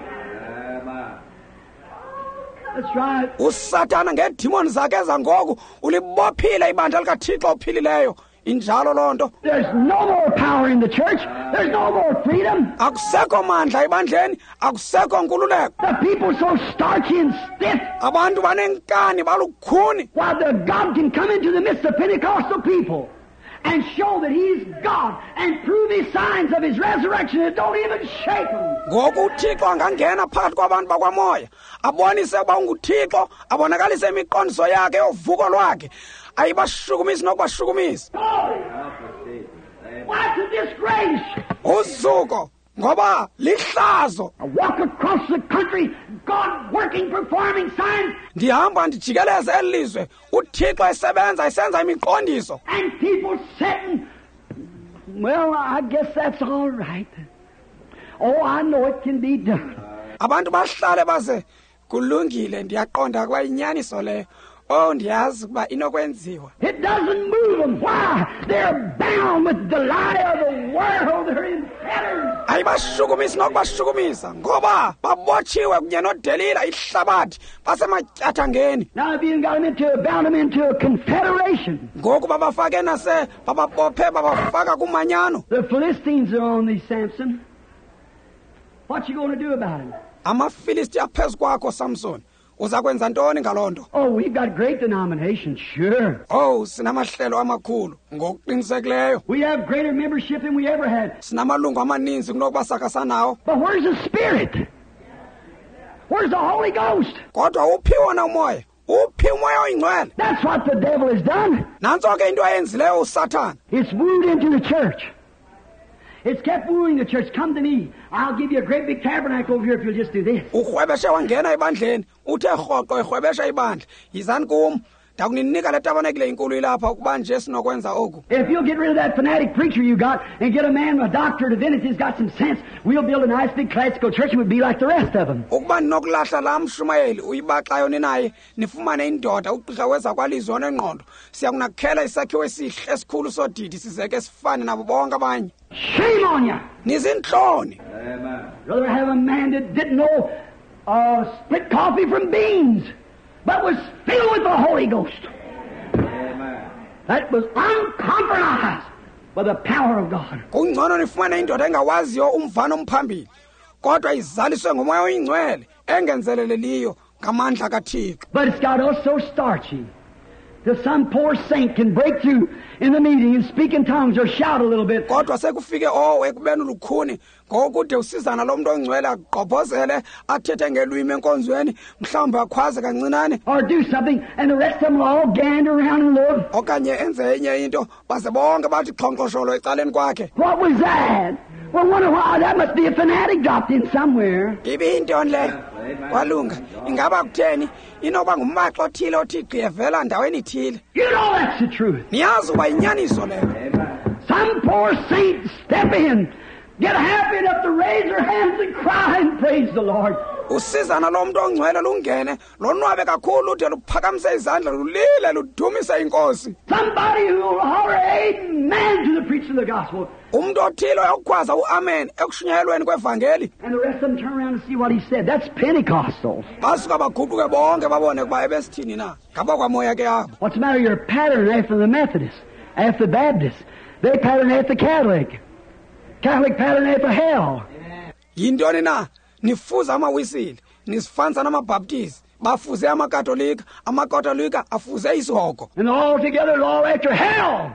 That's right. USathana ngeedemoni zakhe zangoku ulibophile ibandla likaThixo ophilileyo. Injalo loo nto. There's no more power in the church. There's no more freedom. Akusekho mandla ebandleni, akusekho nkululeko. The people so starchy and stiff. Abantu banenkani balukhuni. While the God can come into the midst of Pentecostal people and show that He's God and prove His signs of His resurrection that don't even shake them. Ngoku uThixo angangena phakathi kwabantu bakwamoya, abonise ukuba unguThixo, abonakalise imiqondiso yakhe yovuko lwakhe. Ayibashukumisi nokubashukumisa. What's a disgrace? Uzuko ngoba lihlazo. I walk across the country, God working, performing signs. Ndihamba ndijikeleze eli lizwe, uThixo esebenza esenza imiqondiso. And people sitting, well, I guess that's all right. Oh, I know it can be done. Abantu bahlale baze kulungile, ndiyaqonda kuba inyaniso leyo. Oh, ndiyazi ukuba inokwenziwa. It doesn't move them. Why? They're bound with the lie of the world. They're in fetters. Ayibashukumisi nokubashukumisa ngoba babotshiwe kunye noDelila ihlabathi basematyathangeni. Now if you got them into, bound them into a confederation. Ngoku babafake nase bababophe babafaka kumanyano. The Philistines are on thee, Samson. What you going to do about it? AmaFilisti aphezu kwakho, Samson. Uza kwenza ntoni ngaloo nto? Oh, we've got great denominations, sure. Oh, sinamahlelo amakhulu ngokuqinisekileyo. We have greater membership than we ever had. Sinamalungu amaninzi kunokuba sakha sanawo. But where's the Spirit? Where's the Holy Ghost? Kodwa uphi wona umoya? Uphi umoya oyingcwele? That's what the devil has done. Nantso ke into ayenzileyo uSathana. It's wooed into the church. It's kept wooing the church. Come to me. I'll give you a great big tabernacle over here if you'll just do this. Urhwebeshe wangena ebandleni, uthe rhoqo erhwebesha ibandla. Yizani kum, ndakuninika le tabernacle inkulu ilapha ukuba nje sinokwenza oku. If you'll get rid of that fanatic preacher you got and get a man, a doctor of divinity who's got some sense, we'll build a nice big classical church and we'll be like the rest of them. Ukuba ninokulahla laa mshumayeli uyibaxayo ninaye, nifumane indoda ugqirha wezakwalizwi onengqondo, siyakunakhela isakhiwo esihle esikhulu sodidi sizeke sifane nabo bonke abanye. Shame on you! Nizintloni. Amen. Rather have a man that didn't know uh, split coffee from beans, but was filled with the Holy Ghost. Amen. That was uncompromised by the power of God. Kungcono nifumane indoda engawaziyo umvano omphambili, kodwa izaliswe ngomoya oyingcwele engenzeleleliyo ngamandla kaThixo. But it's got us so starchy that some poor saint can break through in the meeting and speak in tongues or shout a little bit. Kodwa sekufike oh ekubeni lukhuni ngokude usizana lo muntu ongcwele agqobhozele athethe ngelwimi enkonzweni mhlawumbi akhwaze kancinane or do something and the rest of them will all gander around and look. Okanye enze enye into baze bonke bathi xhonkxosholo ecaleni kwakhe. What was that? Well, wonder why that must be a fanatic dropped in somewhere. Ibiyintoni le? Kwalunga ingaba kutheni inoba ngumbaxo othile othi gqi evela ndaweni ithile. You know that's the truth. Niyazi uba yinyaniso leyo. Some poor saint step in, get happy enough to raise their hands and cry and praise the Lord. Usizana lo mntu ongcwele lungene lonwabe kakhulu ude luphakamise izandla lulile ludumise inkosi. Somebody who will holler amen to the preaching of the gospel. Umntu othile uyakukhwaza uamen ekushunyayelweni kwevangeli. And the rest of them turn around and see what he said. That's Pentecostals. Basuka baguquke bonke babone ukuba ebesithini na. Ngabakwamoya ke abo. What's the matter? You're pattern after the Methodists, after the Baptists. They pattern after the Catholic. Catholic pattern after hell. Yintoni na? Nifuza amawisile, nisifanisa namaBaptist, bafuze amaKatolika, amaKatolika afuze isihogo. And all together all after hell.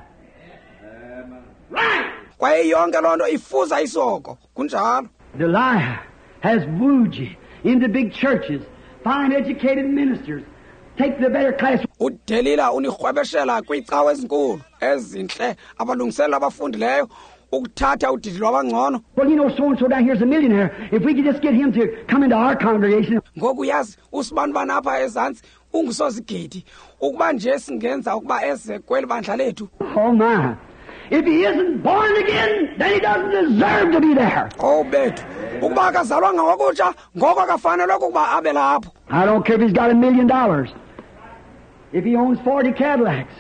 Right. Kwaye yonke loo nto ifuza isihogo. Kunjalo. Delilah has wooed you into big churches, fine educated ministers, take the better class. UDelila unirhwebeshela kwiicawa ezinkulu ezintle abalungiselela abafundileyo ukuthatha udidi lwabangcono. Well, you know, so and so down here's a millionaire. If we could just get him to come into our congregation. Ngoku uyazi usibanibani apha ezantsi ungusozigidi ukuba nje singenza ukuba eze kweli bandla lethu. Oh my. If he isn't born again, then he doesn't deserve to be there. Oh bethu, ukuba akazalwanga ngokutsha ngoko akafanelwe ukuba abe lapho. I don't care if he's got a million dollars. If he owns forty Cadillacs.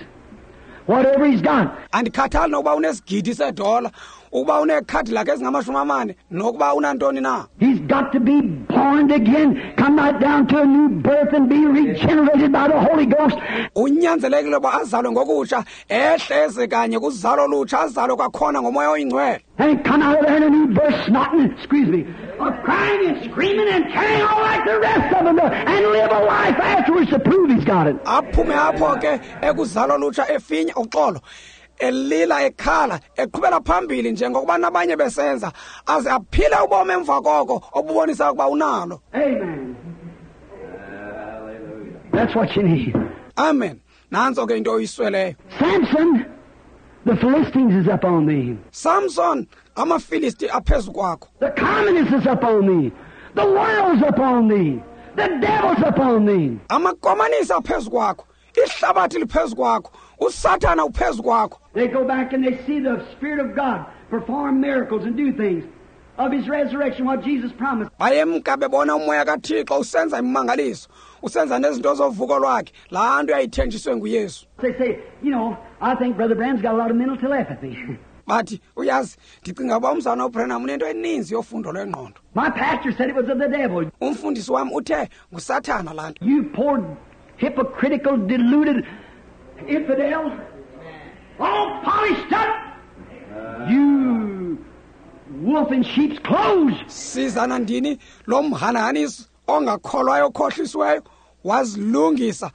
Whatever he's got. Andikhathali nokuba unesigidi sedola, ukuba uneeCadillac ezingamashumi amane, nokuba unantoni na. He's got to be born again, come right down to a new birth and be regenerated by the Holy Ghost. Unyanzelekile uba azalwe ngokutsha, ehle eze kanye kuzalo olutsha, azalwe kwakhona ngomoya oyingcwele. And come out of there in a new birth, snotting, excuse me, of crying and screaming and carrying on like the rest of them, and live a life afterwards to prove he's got it. Aphume apho ke ekuzalo olutsha efinya uxolo, elila ekhala, eqhubela phambili njengokuba nabanye besenza, aze aphile ubomi emva koko obubonisa ukuba unalo. Amen. That's what you need. Amen. Nantso ke into oyisweleyo. Samson, the Philistines is up on thee. Samson, amaFilisti aphezu kwakho. The communists is up on thee. The world's up on thee. The devil's up on thee. Amakomanisi aphezu kwakho. Ihlabathi liphezu kwakho. USathana uphezu kwakho. They go back and they see the Spirit of God perform miracles and do things of His resurrection, what Jesus promised. Bayemka bebona umoya kaThixo usenza imimangaliso, usenza nezinto zovuko lwakhe, laa nto yayithenjiswe nguYesu. They say, you know, I think Brother Branham's got a lot of mental telepathy. Bathi, uyazi, ndicinga uba umzana uBranham unento eninzi yofundo lwengqondo. My pastor said it was of the devil. Umfundisi wam uthe nguSathana laa nto. You poor hypocritical, deluded infidel, all polished up, you wolf in sheep's clothes. Sizana ndini lo mhanahanisi ongakholwayo okhohlisiweyo wazilungisa.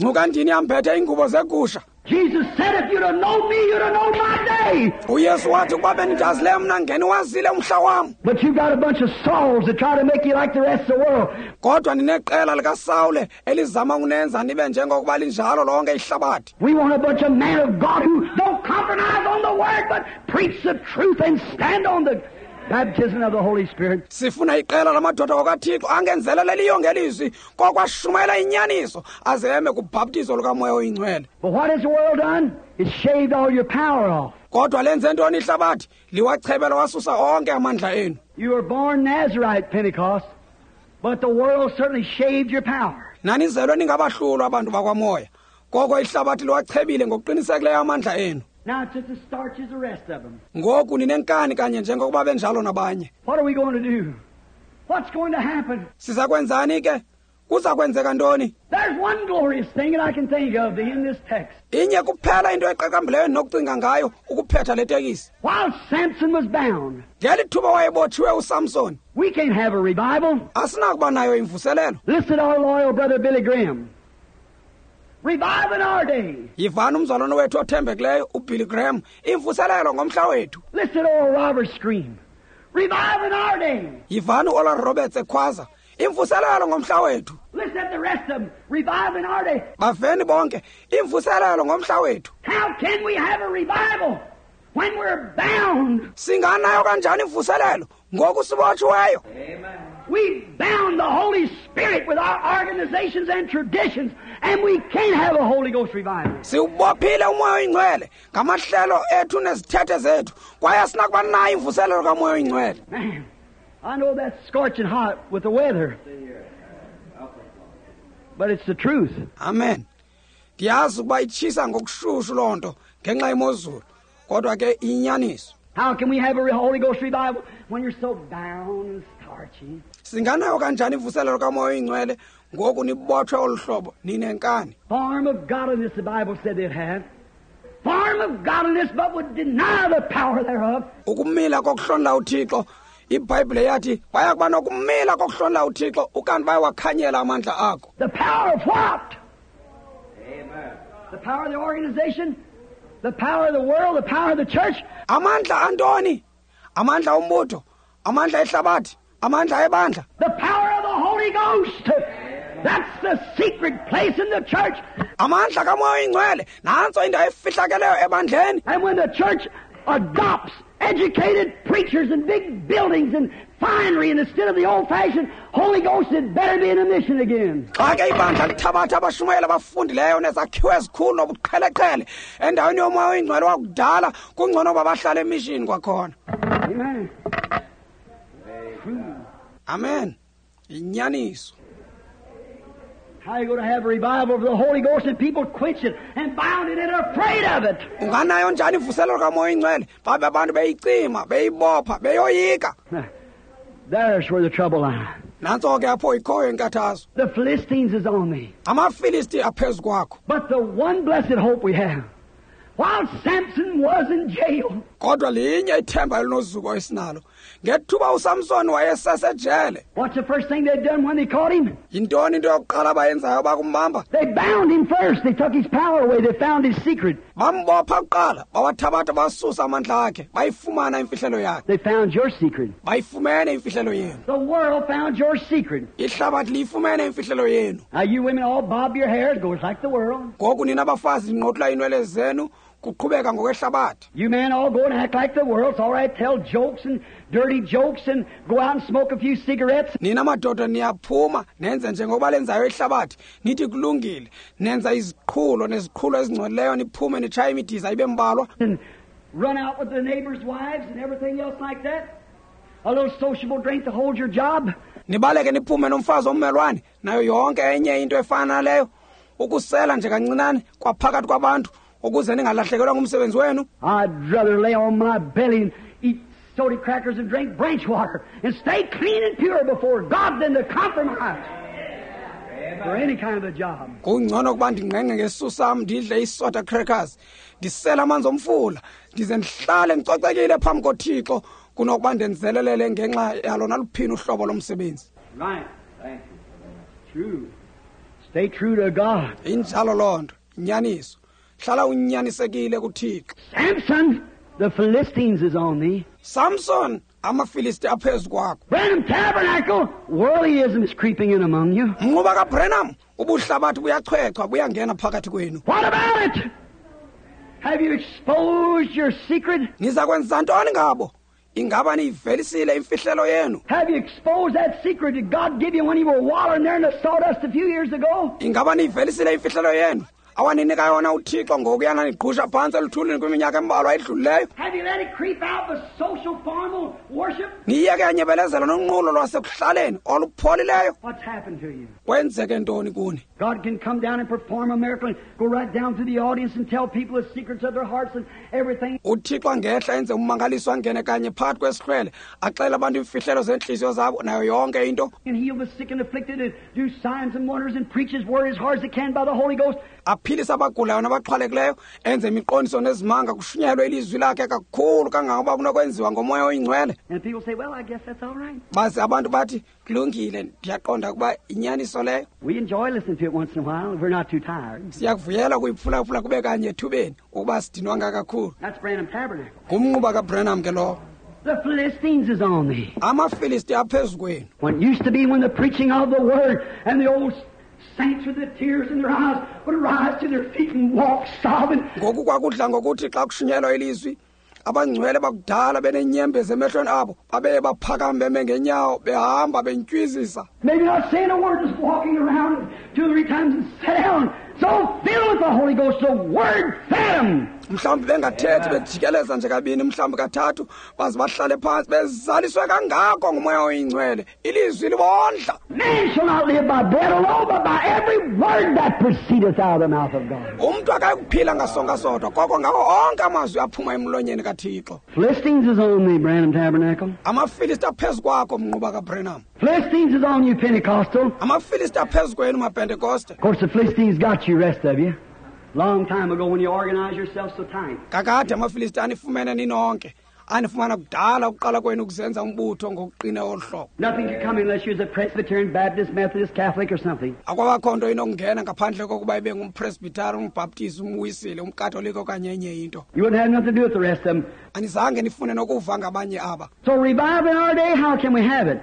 Ngcuka ndini yambethe iingubo zegusha. Jesus said, if you'd have known me, you'd have known my day. uYesu wathi ukuba bendidazile mna ngeniwazile umhla wam. But you got a bunch of Sauls that try to make you like the rest of the world. Kodwa nineqela likaSawule elizama ukunenza nibe njengokuba linjalo lonke ihlabathi. We want a bunch of men of God who don't compromise on the word, but preach the truth and stand on the baptism of the Holy Spirit. Sifuna iqela lamadoda kaThixo angenzeleleliyo ngelizwi kokwashumayela inyaniso aze eme kubhaptizo lukaMoya oyingcwele. But what has the world done? It's shaved all your power off. Kodwa lenze ntoni ihlabathi? Liwachebela wasusa onke amandla enu. You were born Nazarite, Pentecost, but the world certainly shaved your power. Nanizelwe ningabahlulwa abantu bakwamoya, koko ihlabathi liwachebile ngokuqinisekileyo amandla enu. Now it's just as starch as the rest of them. Ngoku ninenkani kanye njengokuba benjalo nabanye. What are we going to do? What's going to happen? Siza kwenzani ke? Kuza kwenzeka ntoni? There's one glorious thing that I can think of to end this text. Inye kuphela into eqaqambileyo endinokucinga ngayo ukuphetha le tekisi. While Samson was bound. Ngeli thuba wayebotshiwe uSamson. We can't have a revival. Asinakuba nayo imvuselelo. Listen to our loyal brother Billy Graham. Revive in our day. Yivani umzalwane wethu othembekileyo uBilly Graham, imvuselelo ngomhla wethu. Listen to Oral Roberts scream. Revive in our day. Yivani uOral Roberts ekhwaza, imvuselelo ngomhla wethu. Listen to the rest of them. Revive in our day. Baveni bonke, imvuselelo ngomhla wethu. How can we have a revival when we're bound? Singanayo kanjani imvuselelo ngoku sibotshiweyo? Amen. We bound the Holy Spirit with our organizations and traditions, and we can't have a Holy Ghost revival. Siwubophile umoya oyingcwele ngamahlelo ethu nezithethe zethu, kwaye asinakuba nayo imvuselelo kamoya oyingcwele. Man, I know that's scorching hot with the weather, but it's the truth. Amen. Ndiyazi ukuba itshisa ngokushushu loo nto ngenxa yemozulu, kodwa ke iyinyaniso. How can we have a Holy Ghost revival when you're so bound and starchy? Singanayo kanjani imvuselelo kamoya oyingcwele ngoku nibotshwe olu hlobo ninenkani? Form of godliness, the Bible said they'd have. Form of godliness, but would deny the power thereof. Ukumila kokuhlonela uThixo, iBhayibhile yathi baya kuba nokumila kokuhlonela uThixo ukanti bayawakhanyela amandla akho. The power of what? Amen. The power of the organization, the power of the world, the power of the church. Amandla antoni? Amandla ombutho, amandla ehlabathi, amandla ebandla. The power of the Holy Ghost. That's the secret place in the church. Amandla kaMoya oyiNgcwele nantso indawo efihlakeleyo ebandleni. And when the church adopts educated preachers and big buildings and finery and instead of the old-fashioned Holy Ghost, it better be in a mission again. Xa ke ibandla lithabatha abashumayeli abafundileyo nezakhiwo ezikhulu nobuqheleqhele endaweni yoMoya oyiNgcwele wakudala, kungcono uba bahlale emishini kwakhona. Amen. Amen. Inyaniso. How are you going to have a revival of the Holy Ghost and people quench it and bound it and afraid of it? Unganayo njani imvuselelo kaMoya oyiNgcwele babe abantu beyicima, beyibopha, beyoyika? There's where the trouble lies. Nantso ke apho ikhoyo inkathazo. The Philistines is on me. AmaFilisti aphezu kwakho. But the one blessed hope we have, while Samson was in jail, Kodwa linye ithemba elinozuko esinalo. Ngethuba uSamson wayesesejele. What's the first thing they'd done when they caught him? Yintoni into yokuqala abayenzayo bakumbamba? They bound him first. They took his power away. They found his secret. Bambopha kuqala, bawathabatha basusa amandla akhe, bayifumana imfihlelo yakhe. They found your secret. Bayifumene imfihlelo yenu. The world found your secret. Ihlabathi liyifumene imfihlelo yenu. Now you women all bob your hair, it goes like the world. Ngoku nina bafazi ninqothula inwele zenu, kuqhubeka ngokwehlabathi. You men all go and act like the world. It's all right, tell jokes and dirty jokes and go out and smoke a few cigarettes. Nina madoda niyaphuma nenze njengoba lenzayo ihlabathi, nithi kulungile, nenza iziqhulo neziqhulo ezingcolileyo, niphume nitshaye imidiza ibe mbalwa. And run out with the neighbors' wives and everything else like that. A little sociable drink to hold your job. Nibaleke niphume nomfazi ommelwane nayo yonke enye into efana naleyo, ukusela nje kancinane kwaphakathi kwabantu ukuze ningalahlekelwa ngumsebenzi wenu. I'd rather lay on my belly and eat soda crackers and drink branch water and stay clean and pure before God than to compromise for any kind of a job. Kungcono ukuba ndingqengqe ngesisu sam ndidle isoda crackers, ndisele amanzi omfula, ndize ndihlale ndicocekile phambi koThixo kunokuba ndenzelelele ngenxa yalo naluphini uhlobo lomsebenzi. Right. Thank you. True. Stay true to God. Injalo loo nto, inyaniso. Hlala unyanisekile kuThixo. Samson, the Philistines is on thee. Samson, amaFilisti aphezu kwakho. Branham Tabernacle, worldlyism is creeping in among you. Mnquba kaBranham, ubuhlabathi buyachwechwa buyangena phakathi kwenu. What about it? Have you exposed your secret? Niza kwenza ntoni ngabo? Ingaba niyivelisile imfihlelo yenu? Have you exposed that secret that God gave you when you were wallowing there in the sawdust a few years ago? Ingaba niyivelisile imfihlelo yenu awaninika yona uThixo ngokuyana nigqusha phantsi eluthulini kwiminyaka embalwa edlulileyo? Have you let it creep out with social formal worship? Niyeke yanyebelezela nonqulo lwasekuhlaleni olupholileyo? What's happened to you? Kwenzeke ntoni kuni? God can come down and perform a miracle and go right down to the audience and tell people the secrets of their hearts and everything. uThixo angehla enze ummangaliso angene kanye phakathi kwesihlwele axele abantu imfihlelo zentliziyo zabo nayo yonke into. And heal the sick and afflicted and do signs and wonders and preach his word as hard as he can by the Holy Ghost. Aphilise abagulayo nabaxhwalekileyo, enze imiqondiso nezimanga, kushunyayelwe ilizwi lakhe kakhulu kangangoba kunokwenziwa ngoMoya oyiNgcwele. And people say, well, I guess that's all right. Baze abantu bathi kulungile, ndiyaqonda ukuba inyaniso leyo. We enjoy listening to it once in a while if we're not too tired. Siyakuvuyela ukuyiphulaphula kube kanye ethubeni ukuba sidinwanga kakhulu. That's Branham Tabernacle. Ngumnquba kaBranham ke lowo. The Philistines is on thee. AmaFilisti aphezu kwenu. What used to be when the preaching of the word and the old saints with the tears in their eyes would rise to their feet and walk sobbing. Ngoku kwakudla ngokuthi xa kushunyelwa ilizwi, abangcwele bakudala benenyembezi emehlweni abo babeye baphakame beme ngenyawo behamba bentywizisa. Maybe not saying a word, just walking around two or three times and sit down. So filled with the Holy Ghost, the Word fed them. Mhlawumbi bengathethi, bejikeleza nje kabini, mhlawumbi kathathu, baze bahlale phantsi bezaliswe kangako nguMoya oyiNgcwele, ilizwi libondla. Man shall not live by bread alone, but by every word that proceedeth out of the mouth of God. Umntu akayikuphila ngasonka sodwa, koko ngawo onke amazwi aphuma emlonyeni kaThixo. Philistines is on thee, Branham Tabernacle. AmaFilisti aphezu kwakho, mnquba kaBranham. Philistines is on you, Pentecostal. AmaFilisti aphezu kwenu, maPentekoste. Of course, the Philistines got you, rest of you. Long time ago when you organized yourself so tight. Kakade amaFilisti anifumene ninonke. Anifumana kudala ukuqala kwenu ukuzenza umbutho ngokuqina olu hlobo. Nothing could come unless you was a Presbyterian, Baptist, Methodist, Catholic or something. Akwabakho nto inokungena ngaphandle kokuba ibe ngumPresbyterian, umBaptist, umWisile, umKatolika okanye enye into. You wouldn't have nothing to do with the rest of them. Anizange nifune nokuva ngabanye aba. So revival in our day, how can we have it?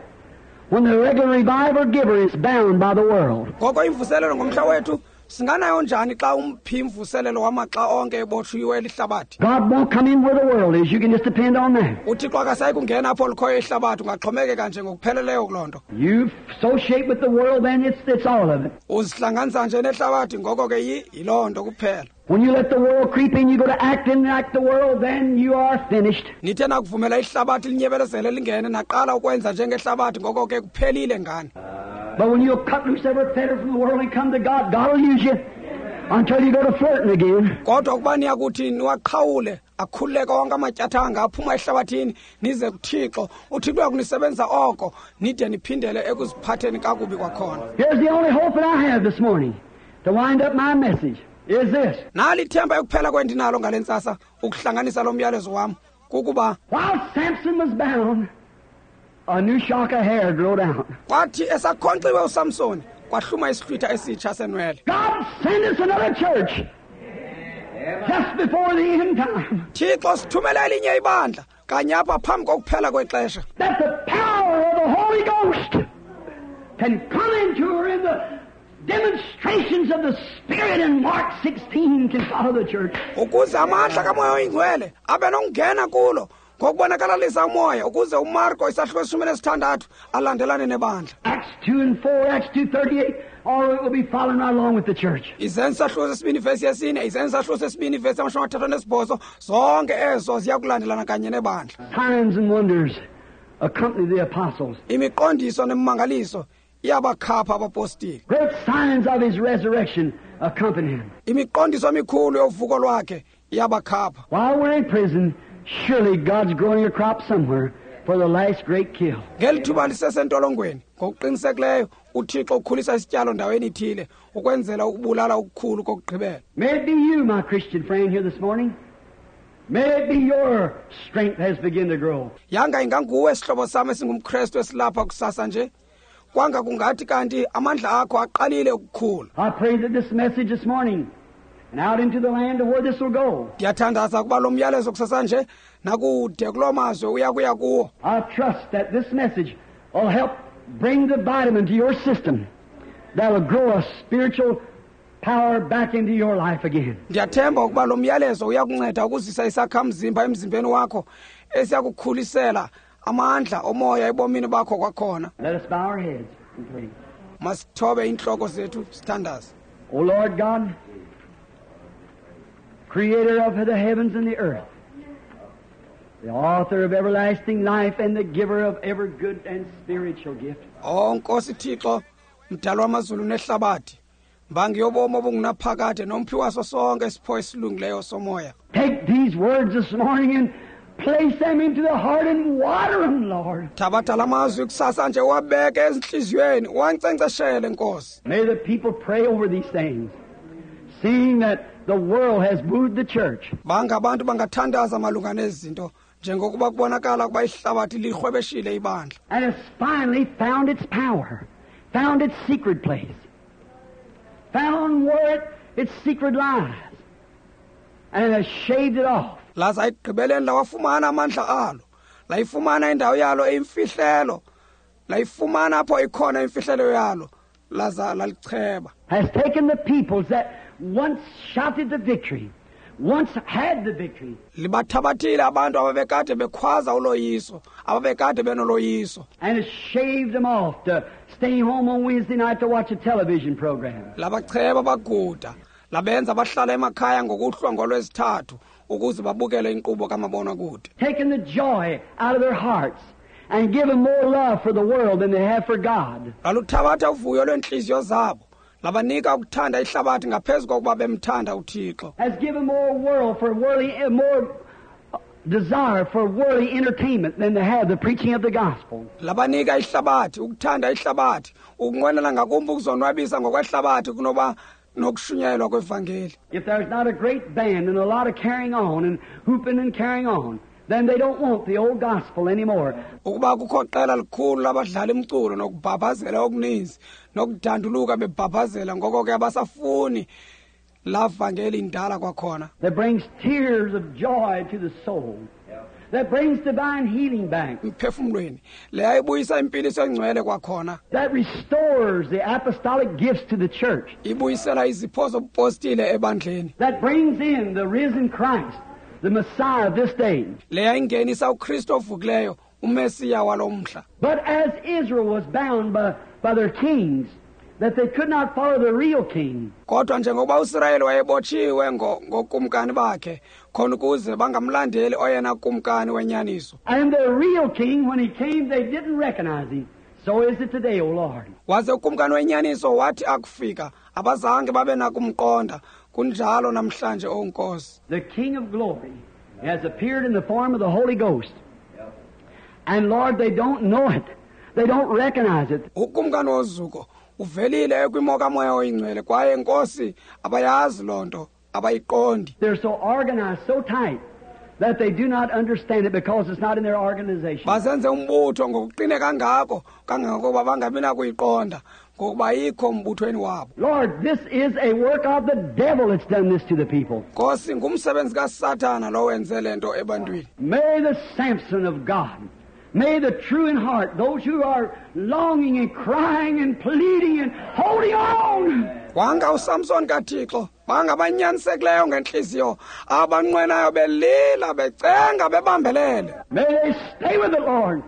when the regular revival giver is bound by the world? Ngoko imvuselelo ngomhla wethu singanayo njani xa umphi imvuselelo wamaxa onke ebotshiwe lihlabathi? God won't come in where the world is. You can just depend on that. UThixo akasayi kungena apho likhoyo ihlabathi, ungaxhomekeka nje ngokupheleleyo kuloo nto. You associate with the world, then it's, it's all of it. Uzihlanganisa nje nehlabathi, ngoko ke yi yiloo nto kuphela. When you let the world creep in, you go to acting like the world, then you are finished. Nithe nakuvumela ihlabathi linyebelezele lingene naqala ukwenza njengehlabathi, ngoko ke kuphelile ngani. But when you'll cut loose every fetter from the world and come to God, God will use you until you go to flirting again. Kodwa ukuba niyakuthi niwaqhawule akhululeke onke amatyathanga aphuma ehlabathini nize kuThixo, uThixo uyakunisebenzisa oko nide niphindele ekuziphatheni kakubi kwakhona. Here's the only hope that I have this morning to wind up my message is this. Nali ithemba ekuphela kwendinalo ngale ntsasa ukuhlanganisa lo myalezo wam kukuba while Samson was bound, a new shock of hair grew down. Kwathi esakhonkxiwe uSamson kwahluma isihlwitha esitsha senwele. God send us another church just before the end time. Thixo sithumele elinye ibandla kanye apha phambi kokuphela kwexesha. That the power of the Holy Ghost can come into her in the demonstrations of the Spirit in Mark sixteen can follow the church. Ukuze amandla kaMoya oyiNgcwele abe nokungena kulo ngokubonakalalisa umoya ukuze uMarko isahluko esishumi nesithandathu alandelane nebandla. Acts two and four, Acts two thirty-eight, all of it will be following right along with the church. Izenzo sahluko sesibini vesi yesine, izenzo sahluko sesibini vesi yamashumi amathathu anesibhozo, zonke ezo ziyakulandelana kanye nebandla. Signs and wonders accompany the apostles. Imiqondiso nemimangaliso iyabakhapha abapostile. Great signs of his resurrection accompany him. Imiqondiso emikhulu yovuko lwakhe iyabakhapha. While we're in prison, surely God's growing a crop somewhere for the last great kill. Ngeli thuba lisesentolongweni, ngokuqinisekileyo uThixo ukhulisa isityalo ndaweni ithile ukwenzela ukubulala okukhulu kokugqibela. May it be you, my Christian friend, here this morning. May it be your strength has begun to grow. Yanga inganguwe sihlobo sami esingumKristu esilapha kusasa nje. Kwanga kungathi kanti amandla akho aqalile ukukhula. I pray that this message this morning and out into the land of where this will go. Ndiyathandaza ukuba lo myalezo kusasa nje nakude kuloo mazwe uya kuya kuwo. I trust that this message will help bring the vitamin to your system that will grow a spiritual power back into your life again. Ndiyathemba ukuba lo myalezo uyakunceda ukuzisa isakhamzimba emzimbeni wakho esiyakukhulisela amandla omoya ebomini bakho kwakhona. Let us bow our heads and pray. Masithobe inhloko zethu sithandaze. O Lord God, creator of the heavens and the earth, the author of everlasting life and the giver of every good and spiritual gift. Oh Nkosi Thixo, mdali wamazulu nehlabathi, mbangi yobomi obungunaphakade nomphi waso sonke isipho esilungileyo somoya. Take these words this morning and place them into the heart and water them, Lord. Thabatha la mazwi kusasa nje wabeke ezinhliziyweni, wankcenkceshele Nkosi. May the people pray over these things, seeing that the world has moved the church. Banga abantu bangathandaza malunga nezinto njengokuba kubonakala kuba ihlabathi lirhwebeshile ibandla. And has finally found its power, found its secret place, found where it, its secret lies, and has shaved it off. Laza ekugqibeleni lawafumana amandla alo, layifumana indawo yalo eyimfihlelo, layifumana apho ikhona imfihlelo yalo, laza lalicheba. Has taken the peoples that once shouted the victory, once had the victory. Libathabathile abantu ababekade bekhwaza uloyiso, ababekade benoloyiso. And has shaved them off to stay home on Wednesday night to watch a television program. Labacheba baguda, labenza bahlala emakhaya ngokuhlwa ngolwesithathu ukuze babukele inkqubo kamabonakude. Taking the joy out of their hearts and give them more love for the world than they have for God. Laluthabatha uvuyo lwentliziyo zabo, labanika ukuthanda ihlabathi ngaphezu kokuba bemthanda uThixo. Has given more world for worldly, more desire for worldly entertainment than they have the preaching of the gospel. Labanika ihlabathi, ukuthanda ihlabathi, ukunqwenela ngakumbi ukuzonwabisa ngokwehlabathi kunoba nokushunyayelwa kwevangeli. If there's not a great band and a lot of carrying on and hooping and carrying on, then they don't want the old gospel anymore. Ukuba kukho qela likhulu labadlala imculo nokubhabhazela okuninzi nokudanduluka bebhabhazela, ngoko ke abasafuni la vangeli indala kwakhona. That brings tears of joy to the soul. That brings divine healing back. Emphefumlweni leya ibuyisa impiliso engcwele kwakhona. That restores the apostolic gifts to the church. Ibuyisela izipho zobupostile ebandleni. That brings in the risen Christ, the Messiah of this day. Leya ingenisa uKristu ovukileyo, uMesiya walomhla. But as Israel was bound by, by their kings, that they could not follow the real king. Kodwa njengoba uIsrayeli wayebotshiwe ngokumkani bakhe, khona ukuze bangamlandeli oyena kumkani wenyaniso. And the real king, when he came, they didn't recognize him. So is it today, O Lord. Waze ukumkani wenyaniso wathi akufika, abazange babe nakumqonda. Kunjalo namhlanje, O Nkosi. The King of Glory has appeared in the form of the Holy Ghost. And Lord, they don't know it. They don't recognize it. Ukumkani wozuko uvelile kwimo kaMoya oyingcwele, kwaye Nkosi abayazi lonto, abayiqondi. They're so organized, so tight, that they do not understand it because it's not in their organization. Bazenze umbutho ngokuqine kangako kangangokuba bangabi nakuyiqonda ngokuba ayikho mbuthweni wabo. Lord, this is a work of the devil that's done this to the people. Nkosi, ngumsebenzi kaSathana lo wenze lento ebantwini. May the Samson of God, may the true in heart, those who are longing and crying and pleading and holding on. Wanga uSamson kaThixo, bangabanyanisekileyo ngenhliziyo, abanqwenayo belila becenga bebambelele. May they stay with the Lord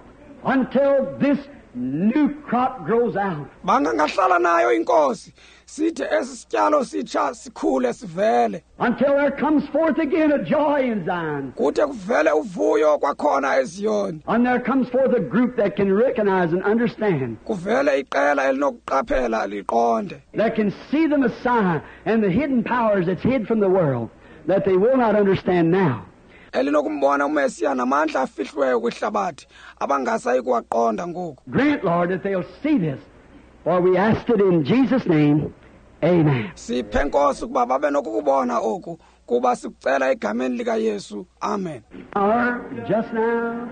until this new crop grows out. Bangangahlala nayo inkosi, sithe esi sityalo sitsha sikhule sivele. Until there comes forth again a joy in Zion. Kude kuvele uvuyo kwakhona eZiyoni. And there comes forth a group that can recognize and understand. Kuvele iqela elinokuqaphela liqonde. That can see the Messiah and the hidden powers that's hid from the world that they will not understand now. Elinokumbona uMesiya namandla afihliweyo kwihlabathi abangasayi kuwaqonda ngoku. Grant, Lord, that they'll see this, for we asked it in Jesus' name. Amen. Siphe Nkosi ukuba babe nokukubona oku, kuba sikucela egameni likaYesu. Amen. Our just now,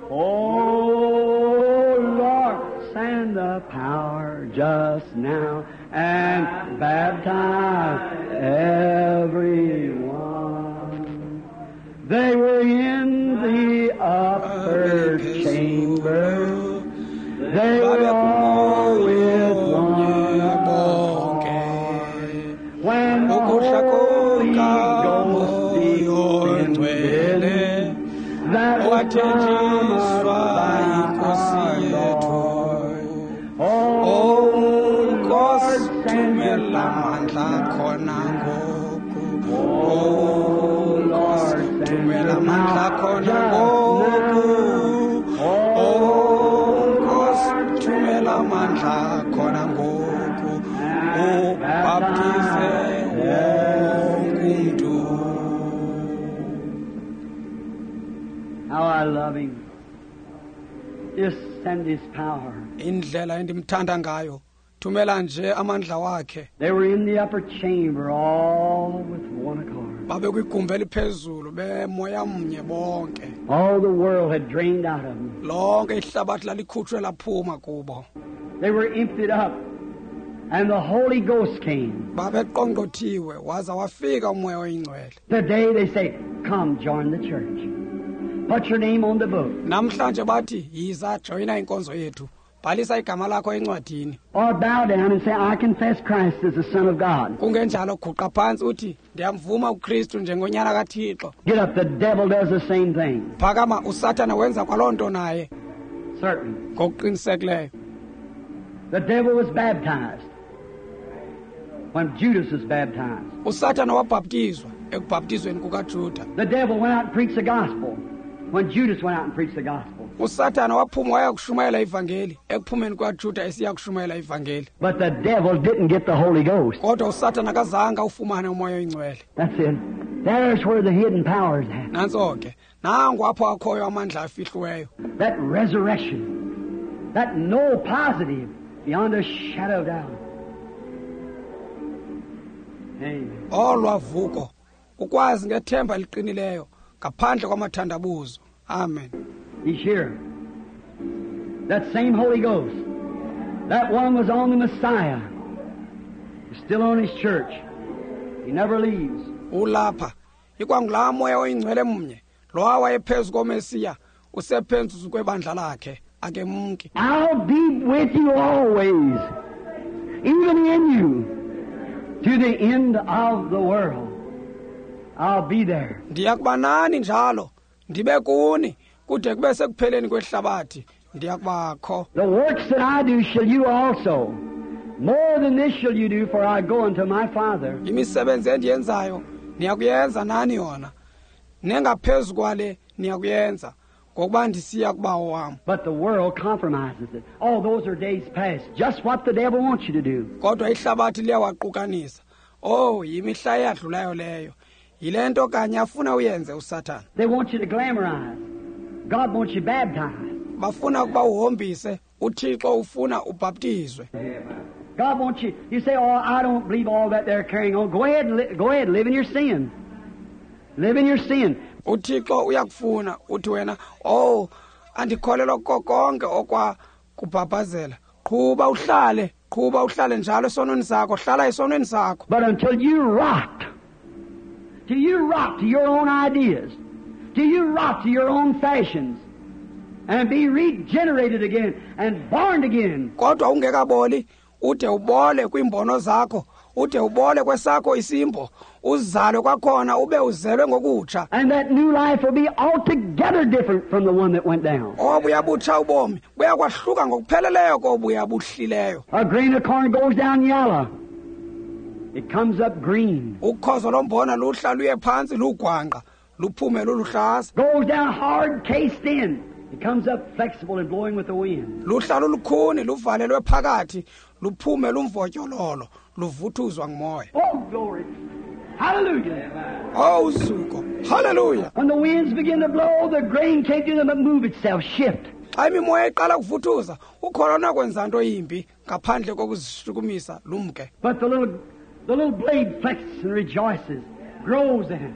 oh Lord, send the power just now and baptize everyone. They were in the upper chamber. They were all with one accord. When the Holy Ghost descended, that was promised by our Lord. Oh, Lord, send your power. Oh, Lord, send your power just now. Oh, Nkosi, thumela amandla khona ngoku, ubhaptize wonke umntu. How I love him. Just send his power. Indlela endimthanda ngayo, thumela nje amandla wakhe. They were in the upper chamber all with one accord. Babe kwigumbi eliphezulu bemoya mnye bonke. All the world had drained out of them. Lonke ihlabathi lalikhutshwe laphuma kubo. They were emptied up, and the Holy Ghost came. Babeqongqothiwe waza wafika uMoya oyingcwele. Today they say, come join the church. Put your name on the book. Namhlanje bathi yiza joyina inkonzo yethu. Bhalisa igama lakho encwadini. Or bow down and say, I confess Christ as the Son of God. Kungenjalo guqa phantsi uthi ndiyamvuma uKristu njengonyana kaThixo. Get up, the devil does the same thing. Phakama, uSathana wenza kwaloo nto naye. Certainly. Ngokuqinisekileyo. The devil was baptized when Judas was baptized. uSathana wabhaptizwa ekubhaptizweni kukaJuda. The devil went out and preached the gospel when Judas went out and preached the gospel. uSathana waphuma waya kushumayela ivangeli ekuphumeni kwaJuda esiya kushumayela ivangeli. But the devil didn't get the Holy Ghost. Kodwa uSathana akazange ufumane uMoya oyingcwele. That's it. There's where the hidden power is at. Nantso ke, nangu apho akhoyo amandla afihliweyo. That resurrection, that no positive beyond a shadow of doubt. Amen. Olwavuko, ukwazi ngethemba eliqinileyo ngaphandle kwamathandabuzo. Amen. He's here. That same Holy Ghost, that one was on the Messiah, is still on his church. He never leaves. Ulapha, ikwangulaa moya oyingcwele mnye, Lowa wayephezu koMesiya usephezu kwebandla lakhe, akemki. I'll be with you always, even in you, to the end of the world. I'll be there. Ndiyakuba nani njalo, ndibe kuni kude kube sekupheleni kwehlabathi. Ndiyakubakho. The works that I do shall you also. More than this shall you do, for I go unto my Father. Imisebenzi endiyenzayo niyakuyenza nani yona, nengaphezu kwale niyakuyenza, ngokuba ndisiya kubawo wam. But the world compromises it. All those are days past. Just what the devil wants you to do. Kodwa ihlabathi liyawaqukanisa. Oh, yimihla eyadlulayo leyo. Yile nto kanye afuna uyenze uSathana. They want you to glamorize. God wants you baptized. Bafuna ukuba uhombise, uThixo ufuna ubhaptizwe. God wants you. You say, "Oh, I don't believe all that they're carrying on." Go ahead and li- go ahead, live in your sin. Live in your sin. uThixo uyakufuna uthi wena, "Oh, andikholelwa kuko konke okwa kubhabhazela." Qhuba uhlale, qhuba uhlale njalo esonweni sakho, hlala esonweni sakho. But until you rot, till you rot to your own ideas, till you rot to your own fashions, and be regenerated again and born again. Kodwa ungekaboli, ude ubole kwiimbono zakho, ude ubole kwesakho isimbo, uzalwe kwakhona ube uzelwe ngokutsha. And that new life will be altogether different from the one that went down. Obuya butsha ubomi buyakwahluka ngokupheleleyo kobuya buhlileyo. A grain of corn goes down yellow. It comes up green. Ukhozo lombona luhla luye phantsi lugwangqa, luphume luluhlaza. Goes down hard cased in. It comes up flexible and blowing with the wind. Luhla lulukhuni luvalelwe phakathi, luphume lumvotyololo, luvuthuzwa ngumoya. Oh, glory. Hallelujah. Oh, uzuko. Hallelujah. When the winds begin to blow, the grain can't do them but move itself, shift. Xa imimoya iqala ukuvuthuza, ukholo nakwenza nto yimbi ngaphandle kokuzishukumisa lumke. But the little, the little blade flexes and rejoices, grows in it,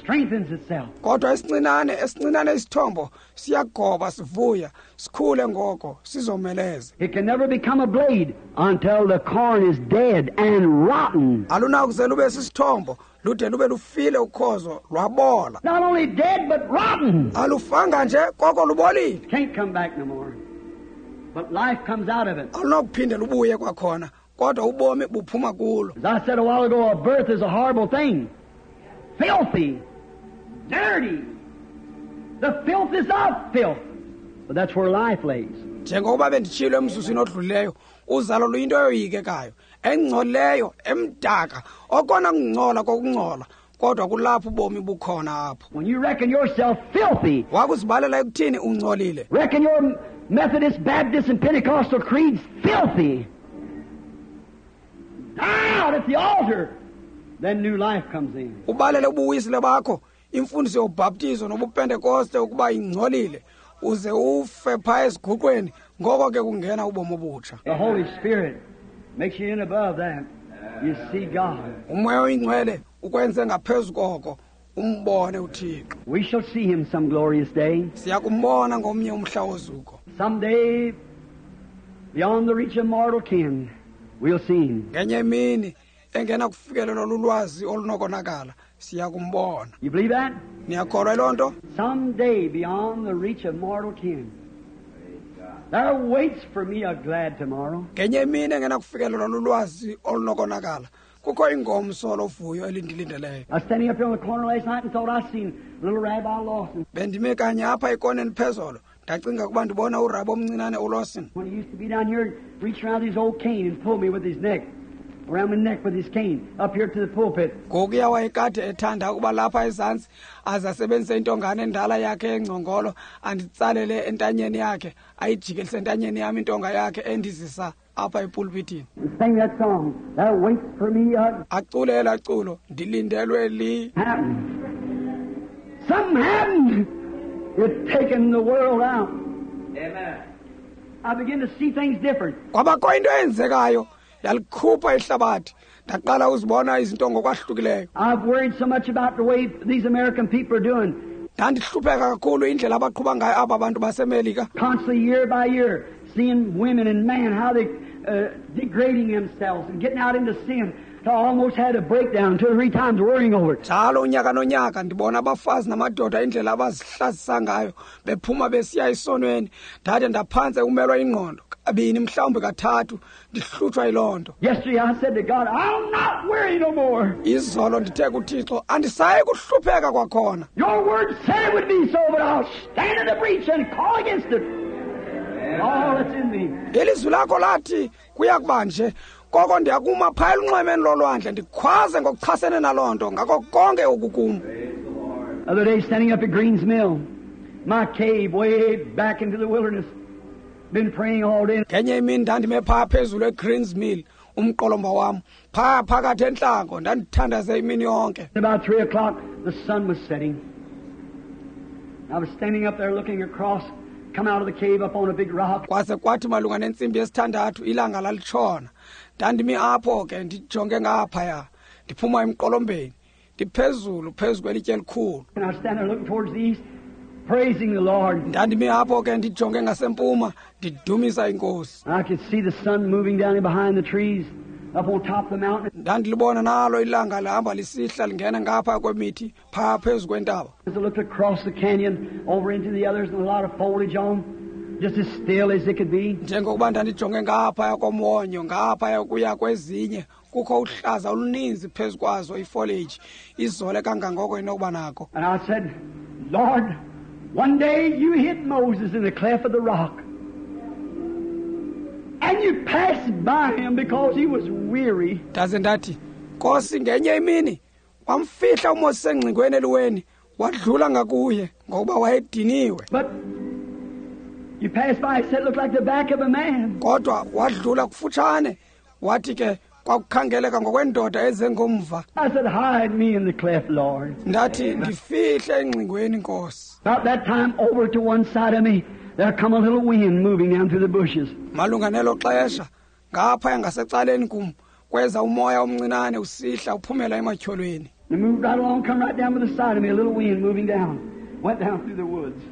strengthens itself. Kodwa esincinane, esincinane isithombo siyagoba sivuya, sikhule ngoko sizomeleze. It can never become a blade until the corn is dead and rotten. Alunakuze lube sisithombo, lude lube lufile ukhozo lwabola. Not only dead but rotten. Alufanga nje koko lubolile. Can't come back no more. But life comes out of it. Alunakuphinde lubuye kwakhona, kodwa ubomi buphuma kulo. As I said a while ago, a birth is a horrible thing. Filthy, dirty. The filth is of filth. But that's where life lays. Njengokuba benditshilo emzuzwini odlulileyo, uzalo luyinto eyoyikekayo, engcolileyo, emdaka, okona kungcola kokungcola, kodwa kulapho ubomi bukhona apho. When you reckon yourself filthy, wakuzibalela ekuthini ungcolile. Reckon your Methodist, Baptist, and Pentecostal creeds filthy. Die out at the altar. Then new life comes in. Ubalele ubuwisile bakho, imfundiso yobhaptizo nobupentekoste ukuba ingcolile, uze ufe pha esiguqweni, ngoko ke kungena ubomi obutsha. The Holy Spirit makes you in above that. You see God. Umoya oyingcwele ukwenze ngaphezu koko, umbone uThixo. We shall see him some glorious day. Siyakumbona ngomnye umhla wozuko. Someday, beyond the reach of mortal ken, we'll see him. Ngenye imini engena kufikelelwa lulwazi olunokonakala, siyakumbona. You believe that? Niyakholwa loo nto? Someday beyond the reach of mortal ken, there waits for me a glad tomorrow. Ngenye imini engena kufikelelwa lulwazi olunokonakala, kukho ingomso lovuyo elindilindeleyo. I was standing up here on the corner last night and thought I seen little Rabbi Lawson. Bendime kanye apha ekoneni phezolo, ndacinga ukuba ndibona uRabi omncinane uLawson. When he used to be down here, reach around his old cane and pull me with his neck. Around my neck with his cane, up here to the pulpit. Ngokuya wayekade ethanda ukuba lapha ezantsi aze asebenzise intongane endala yakhe engcongolo, anditsalele entanyeni yakhe, ayijikelise entanyeni yam intonga yakhe endizisa apha epulpitini. Sing that song. That waits for me a Acule elaa culo, ndilindelwe li. Happened. Something happened. It's taken the world out. Amen. I begin to see things different. Kwabakho into eyenzekayo, yalikhupha ihlabathi. Ndaqala uzibona izinto ngokwahlukileyo. I've worried so much about the way these American people are doing. Ndandihlupheka kakhulu indlela abaqhuba ngayo aba bantu baseMelika. Constantly, year by year, seeing women and men, how they uh, degrading themselves and getting out into sin. I almost had a breakdown two or three times worrying over it. Njalo unyaka nonyaka ndibona abafazi namadoda indlela abazihlazisa ngayo bephuma besiya esonweni ndade ndaphantse umelwa ingqondo kabini mhlawumbi kathathu ndihlutshwa yiloo nto. Yesterday I said to God, I'll not worry no more. Izolo ndithe kuThixo andisayi kuhlupheka kwakhona. Your word said it would be so, but I'll stand in the breach and call against it. All that's in me. Ilizwi lakho lathi kuya kuba nje koko ndiyakuma phaya elunxwemeni lolwandle ndikhwaze ngokuchasene naloo nto ngako konke okukum. Other day standing up at Green's Mill, my cave way back into the wilderness. Been praying all day. Ngenye imini ndandime phaa phezulu eGreens Mill, umqolomba wam phaa phakathi entlango, ndandithandaze imini yonke. About three o'clock the sun was setting. I was standing up there looking across, come out of the cave up on a big rock. Kwaze kwathi malunga nentsimbi yesithandathu ilanga lalitshona. Ndandimi apho ke ndijonge ngaphaya, ndiphuma emqolombeni, ndiphezulu phezu kwelitye elikhulu. And I was standing there looking towards the east, praising the Lord. Ndandimi apho ke ndijonge ngasempuma, ndidumisa iNkosi. I could see the sun moving down behind the trees, up on top of the mountain. Ndandilibona nalo ilanga lihamba lisihla lingena ngapha kwemithi phaa phezu kwentaba. As I looked across the canyon over into the others and a lot of foliage on, just as still as it could be. Njengokuba ndandijonge ngaphaya komwonyo ngaphaya kuya kwezinye kukho uhlaza oluninzi phezu kwazo ifoliage izole kangangoko inokuba nako. And I said, Lord, one day you hit Moses in the cleft of the rock. And you passed by him because he was weary. Ndaze ndathi, Nkosi, ngenye imini wamfihla uMoses engcingweni eliweni, wadlula ngakuye ngokuba wayediniwe. But you passed by, said it looked like the back of a man. Kodwa wadlula kufutshane, wathi ke kwakukhangeleka ngokwendoda ezengomva. I said, hide me in the cleft, Lord. Ndathi ndifihle engcingweni, Nkosi. About that time, over to one side of me, there come a little wind moving down through the bushes. Malunga nelo xesha, ngapha ngasecaleni kum kweza umoya omncinane usihla uphumela ematyholweni. It moved right along, come right down to the side of me, a little wind moving down. Went down through the woods.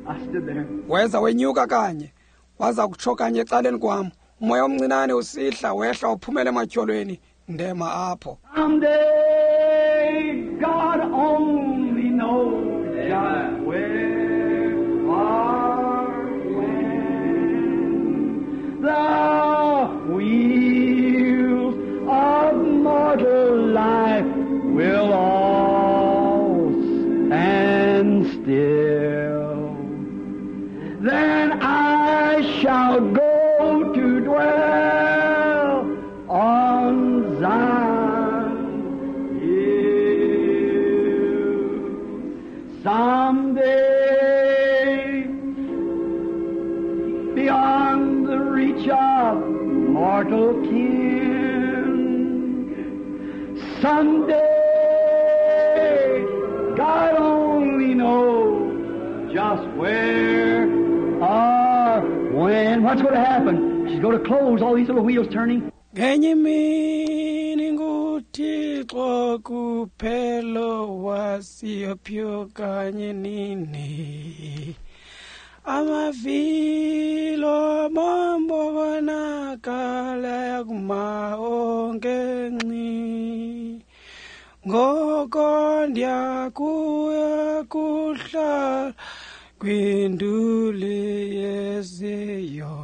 I stood there. Weza wenyuka kanye, waza kutsho kanye ecaleni kwam. Umoya omncinane usihla wehla uphumela ematyholweni, ndema apho. Someday God only knows just where or when the wheels of mortal life will all stand still. Then I shall go to dwell on Zion's hill. Someday, beyond the reach of mortal kin, someday, God only knows just where or when. What's going to happen? She's going to close all these little wheels turning. Ngenye imini nguThixo kuphela wasiyophi kanye nini. Amavilo mambonakala yakuma onke nci. Ngoko ndiyakuya kuhlala kwinduli yeziyo.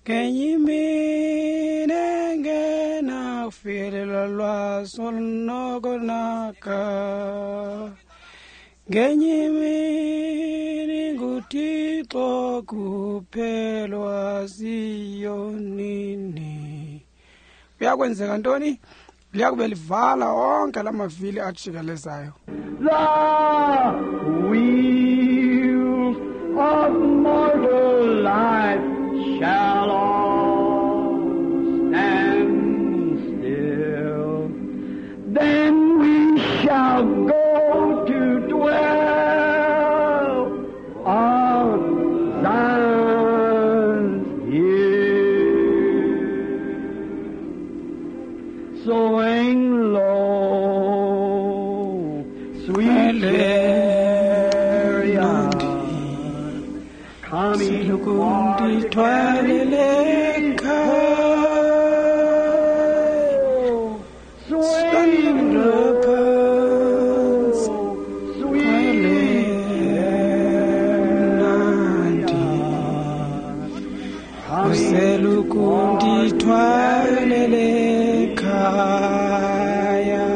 Ngenye imini engenakufikelelwa lwazi olunokonaka. Ngenye imini nguThixo kuphela waziyo nini. Kuyakwenzeka ntoni? Liyakube livala onke la mavili ajikelezayo. The wheels of mortal life shall all stand still. Then we shall go to dwell on Zion's hill. Swing low, sweet chariot, coming for to carry me Phantsi Sweet mnandi uselukundithwalele ekhaya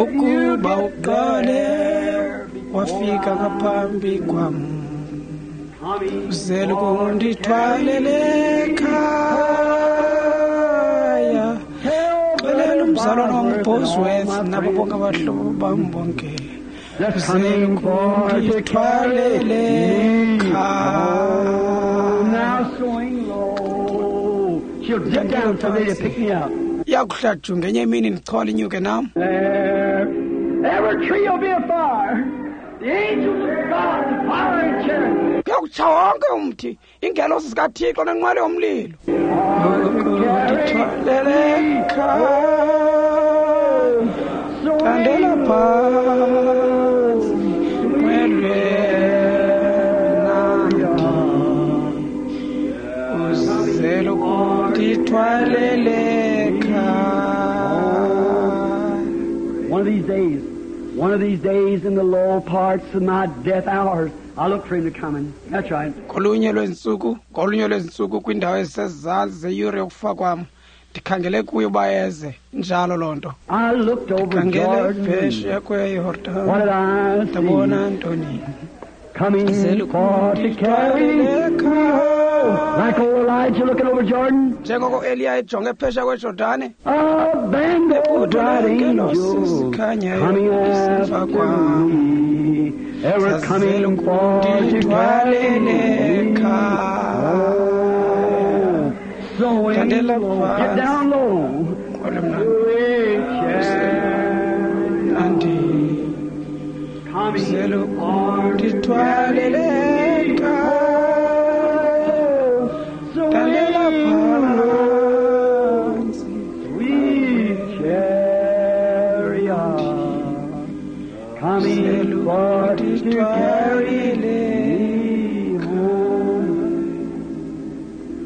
ukuba uqale wafika ngaphambi kwam uselukundithwalele ekhaya xelela umzalwana wam uBosworth nabo bonke abahlobo bam bonke That's coming for to carry uselukundithwalele me ekhaya Now swing low. She'll dip down someday to pick me up. Iyakuhla ju ngenye imini ndichole inyuke nam. There. Every tree will be afire. The angels of God, the fire and chariot. Kuyakutsha wonke umthi, iingelosi zikaThixo nenqwelo yomlilo. Ukundithwalele ekhaya thandela phantsi nqwelwe mnandi uzelukundithwalele ekhaya. One of these days, one of these days in the low parts of my death hours, I look for him to come in. That's right. Ngolunye lweentsuku, ngolunye lweentsuku kwiindawo ezisezantsi zeyure yokufa kwam, ndikhangele kuye uba eze. Injalo loo nto. I looked over Ndikhangele Jordan. phesheya What kweYordani, did I ndabona see? ntoni? Coming for to carry Zelukundithwalele me ekhaya. Like old Elijah looking over Jordan. Njengoko Eliya ejonge phesheya kweJordane, A band of Ebutho bright leengelosi angels zikhanyayo coming lisemva after kwam. me. They were coming for to carry Zazelukundithwalele me ekhaya. home. Sowing Thandela low. Get phantsi. down low. Nqwelo mnandi, Sweet chariot mnandi. coming for to carry Zelukundithwalele me ekhaya. home. Thandela Swing low. phantsi. Sweet chariot, coming for to carry me home.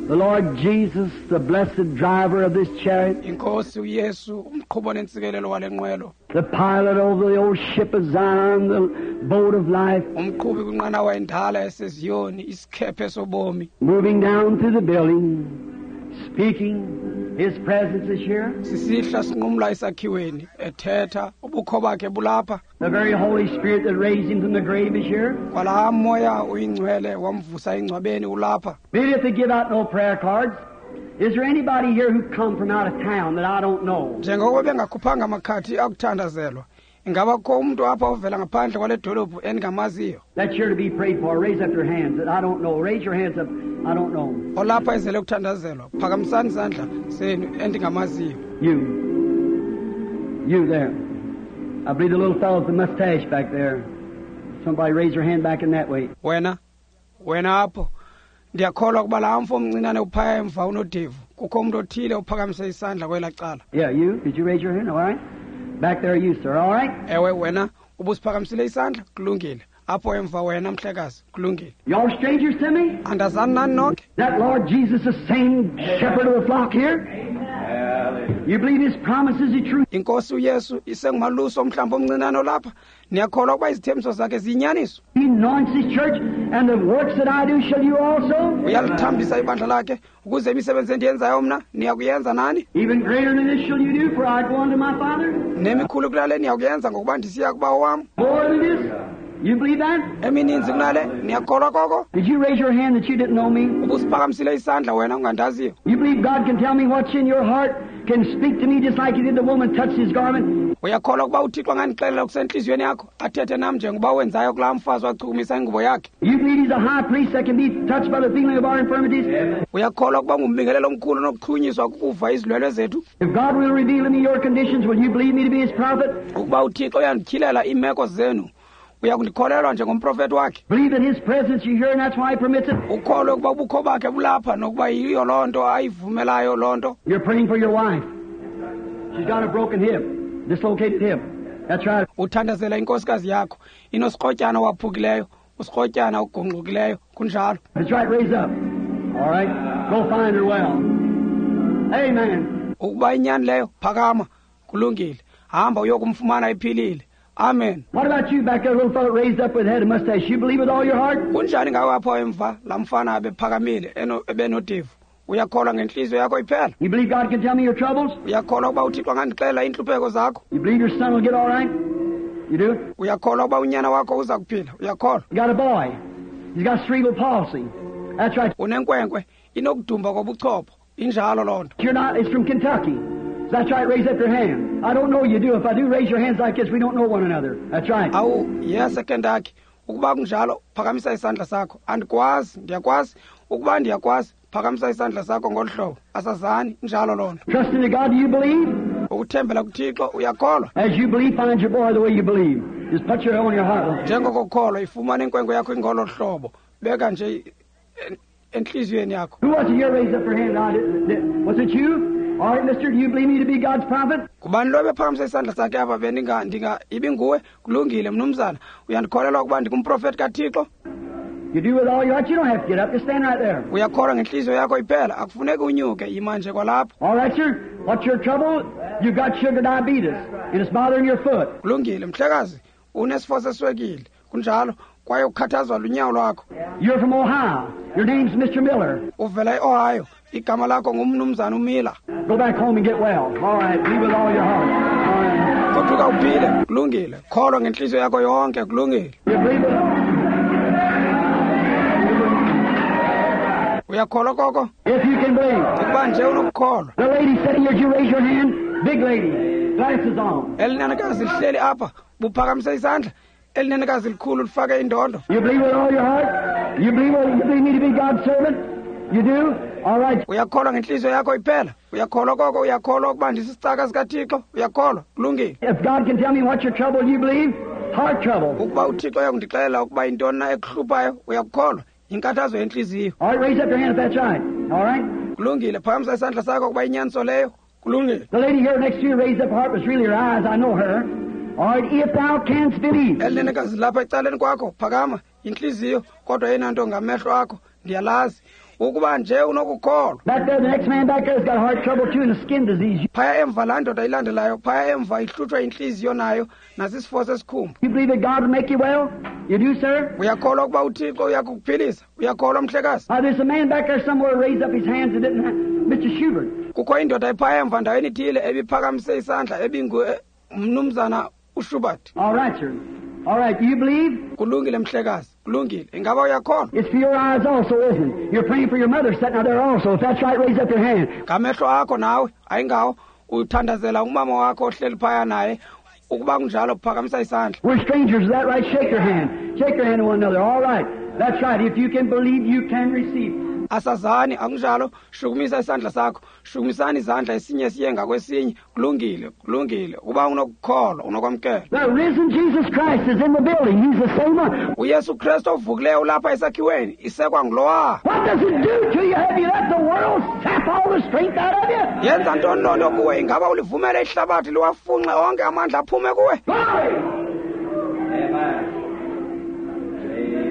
The Lord Jesus, the blessed driver of this chariot, Inkosi uYesu umqhubo nentsikelelo wale nqwelo, the pilot over the old ship of Zion, the boat of life, umqhubi kwinqanawa endala yaseZiyoni, isikhephe sobomi, moving down through the building, speaking, His presence is here. Sisihla sinqumla esakhiweni ethetha, ubukho bakhe bulapha. The very Holy Spirit that raised him from the grave is here. Kwalaa moya uyingcwele wamvusa engcwabeni ulapha. Maybe if they give out no prayer cards, is there anybody here who come from out of town that I don't know? Njengoko bengakhuphanga amakhadi akuthandazelwa, ingaba kukho umntu apha ovela ngaphandle kwale dolophu endingamaziyo That's here to be prayed for. Raise up your hands that I don't know. Raise your hands up. I don't know. Olapha ezele kuthandazelwa? Phakamisani izandla zenu endingamaziyo. You. You there. I believe the little fellow with the mustache back there. Somebody raise their hand back in that way. Wena, wena apho, ndiyakholwa ukuba laa mfo omncinane uphaya emva unodevu, kukho umntu othile ophakamise isandla kwelaa cala. Yeah, you. Did you raise your hand? All right. Back there, you, sir. All right. Ewe wena, ubusiphakamisile isandla? Kulungile. Apho emva wena mhlekazi, kulungile. Y'all strangers to me? Andazani nani nonke? That Lord Jesus, the same shepherd of the flock here? You believe his promises are true? Inkosi uYesu isengumalusi omhlambi omncinane olapha? Niyakholwa ukuba izithembiso zakhe ziyinyaniso? He anoints his church, and the works that I do shall you also? Uyalithambisa ibandla lakhe, ukuze imisebenzi endiyenzayo mna niyakuyenza nani. Even greater than this shall you do, for I go unto my Father. Nemikhulu kunale niyakuyenza, ngokuba ndisiya kubawo wam. More than this? You believe that? Emininzi kunale, niyakholwa koko? Did you raise your hand that you didn't know me? Ubusiphakamisile isandla wena ungandaziyo? You believe God can tell me what's in your heart, can speak to me just like he did the woman touched his garment? Uyakholwa ukuba uThixo angandixelela okusentliziyweni yakho, athethe nam njengoba wenzayo kulaa mfazi wachukumisa ingubo yakhe? You believe he's a high priest that can be touched by the feeling of our infirmities? Uyakholwa ukuba ngumbingelelo omkhulu onokuchunyiswa kukuva izilwelwe zethu? If God will reveal to me your conditions, will you believe me to be his prophet? Ukuba uThixo uyandityhilela iimeko zenu, uyakundikholelwa njengomprofethi wakhe? Believe that his presence you hear, and that's why he permits it? Ukholwe ukuba ubukho bakhe bulapha nokuba yiyo loo nto ayivumelayo loo nto? You're praying for your wife. She's got a broken hip, dislocated hip. That's right. Uthandazela inkosikazi yakho, inosikrotyana owaphukileyo, usikrotyana ogungqukileyo, kunjalo. That's right. Raise up. All right. Go find her well. Amen. Ukuba inyani leyo, phakama. Kulungile. Hamba uyokumfumana iphilile. Amen. What about you back there, little fellow raised up with head and mustache? You believe with all your heart? Kunjani ngawe apho emva laa mfana abephakamile ebenodevu? Uyakholwa ngenhliziyo yakho iphela? You believe God can tell me your troubles? Uyakholwa ukuba uThixo angandixelela iintlupheko zakho? You believe your son will get all right? You do? Uyakholwa ukuba unyana wakho uza kuphila? Uyakholwa? You got a boy. He's got cerebral palsy. That's right. Unenkwenkwe inokudumba kobuchopho. Injalo loo nto. You're not, it's from Kentucky. That's right, raise up your hand. I don't know you do. If I do, raise your hands like this. We don't know one another. That's right. Awu, yes, eKentucky. Ukuba kunjalo, phakamisa isandla sakho. Andikwazi, ndiyakwazi. Ukuba ndiyakwazi, phakamisa isandla sakho ngolu hlobo. Asazani, injalo loo nto. Trust in God, do you believe? Ukuthembela kuThixo, uyakholwa? As you believe, find your boy the way you believe. Just put your on your heart. Njengokukholwa, ifumane inkwenkwe yakho ingolo hlobo. Beka nje enhliziyweni yakho. Who was it here raised up her hand? I did, was it you? All right, mister, do you believe me to be God's prophet? Kubani lo bephakamisa isandla sakhe apha bendinga ndinga ibinguwe? Kulungile mnumzana. Uyandikholelwa ukuba ndingumprofeti kaThixo? You do with all your heart. You don't have to get up. Just stand right there. Uyakholwa ngenhliziyo yakho iphela. Akufuneki unyuke, yima nje kwalapho. All right, sir. What's your trouble? You've got sugar diabetes and it's bothering your foot. Kulungile, mhlekazi. Unesifo seswekile. Kunjalo. Kwaye ukhathazwa lunyawo lwakho. You're from Ohio. Your name's Mister Miller. Uvela eOhio. Igama lakho ngumnumzana uMiller. Go back home and get well. All right, believe with all your heart. All right. Goduka uphile. Kulungile. Kholwa ngenhliziyo yakho yonke. Kulungile. You believe it? Uyakholwa koko? If you can believe. Ukuba nje unokukholwa. The lady sitting here, did you raise your hand? Big lady, glasses on. Elinenekazi lihleli apha, buphakamise isandla. Elinenekazi likhulu lifake indondo. You believe with all your heart? You believe, you believe me to be God's servant? You do? All right. Uyakholwa ngenhliziyo yakho iphela. Uyakholwa koko, uyakholwa ukuba ndisisicaka sikaThixo. Uyakholwa. Kulungile. If God can tell me what's your trouble, you believe? Heart trouble. Ukuba uThixo uyakundixelela ukuba yintoni na ekuhluphayo, uyakukholwa. Inkathazo yenhliziyo. All right, raise up your hand if that's right. All right. Kulungile, phakamisa isandla sakho kuba inyaniso leyo. Kulungile. The lady here next to you raised up her heart was really her eyes. I know her. All right, if thou canst believe. Elinenekazi lapha ecaleni kwakho, phakama inhliziyo, kodwa yena nto ngamehlo akho, ndiyalazi. Ukuba nje unokukholwa. Back there, the next man back there's got heart trouble too and a skin disease. Phaya emva laa ndoda ilandelayo, phaya emva ihlutshwa inhliziyo nayo nasisifo sesikhumba. You believe that God will make you well? You do, sir? Uyakholwa ukuba uThixo uyakukuphilisa? Uyakholwa mhlekazi? Uh, there's a man back there somewhere raised up his hands and didn't. Mister Schubert. Kukho indoda ephaya emva ndaweni ithile ebiphakamise isandla ebingu mnumzana uSchubert. All right, sir. All right, do you believe? Kulungile mhlekazi. Kulungile. Ingaba uyakholwa? It's for your eyes also, isn't it? You're praying for your mother sitting out there also. If that's right, raise up your hand. Ngamehlo akho nawe, ayingawo uthandazela umama wakho ohleli phaya naye. Ukuba kunjalo phakamisa isandla. We're strangers, is that right? Shake your hand. Shake your hand to one another. All right. That's right. If you can believe, you can receive. Asazani akunjalo, shukumisa isandla sakho. Shukumisani izandla esinye siye ngakwesinye. Kulungile, kulungile. Uba unokukholwa, unokwamkela. The risen Jesus Christ is in the building. He's the same one. uYesu Kristu ovukileyo ulapha esakhiweni, isekwa ngulowa. What does it do to you? Have you let the world sap all the strength out of you? Yenza ntoni loo nto kuwe? Ingaba ulivumele ihlabathi liwafunxe onke amandla aphume kuwe? Glory! Amen.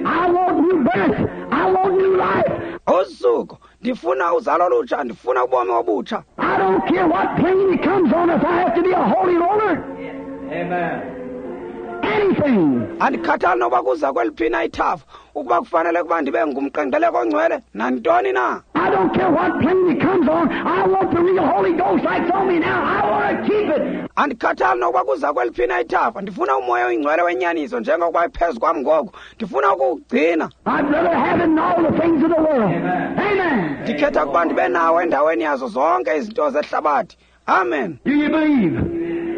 I want new birth. I want new life. Usuku ndifuna uzalo olutsha, ndifuna ubomi obutsha. I don't care what plane it comes on if I have to be a holy roller. Amen. Anything. Andikhathali noba kuza kweliphi na ithafa, ukuba kufanele ukuba ndibe ngumqengeleko ongcwele nantoni na. I don't care what plane it comes on. I want the real Holy Ghost like on me now. I want to keep it. Andikhathali nokuba kuza kweliphi na ithafa, ndifuna umoya oyingcwele wenyaniso njengokuba ephezu kwam ngoku. Ndifuna ukuwugcina. I'd rather have it than all the things of the world. Amen. Amen. Ndikhetha ukuba ndibe nawo endaweni yazo zonke izinto zehlabathi. Amen. Do you believe?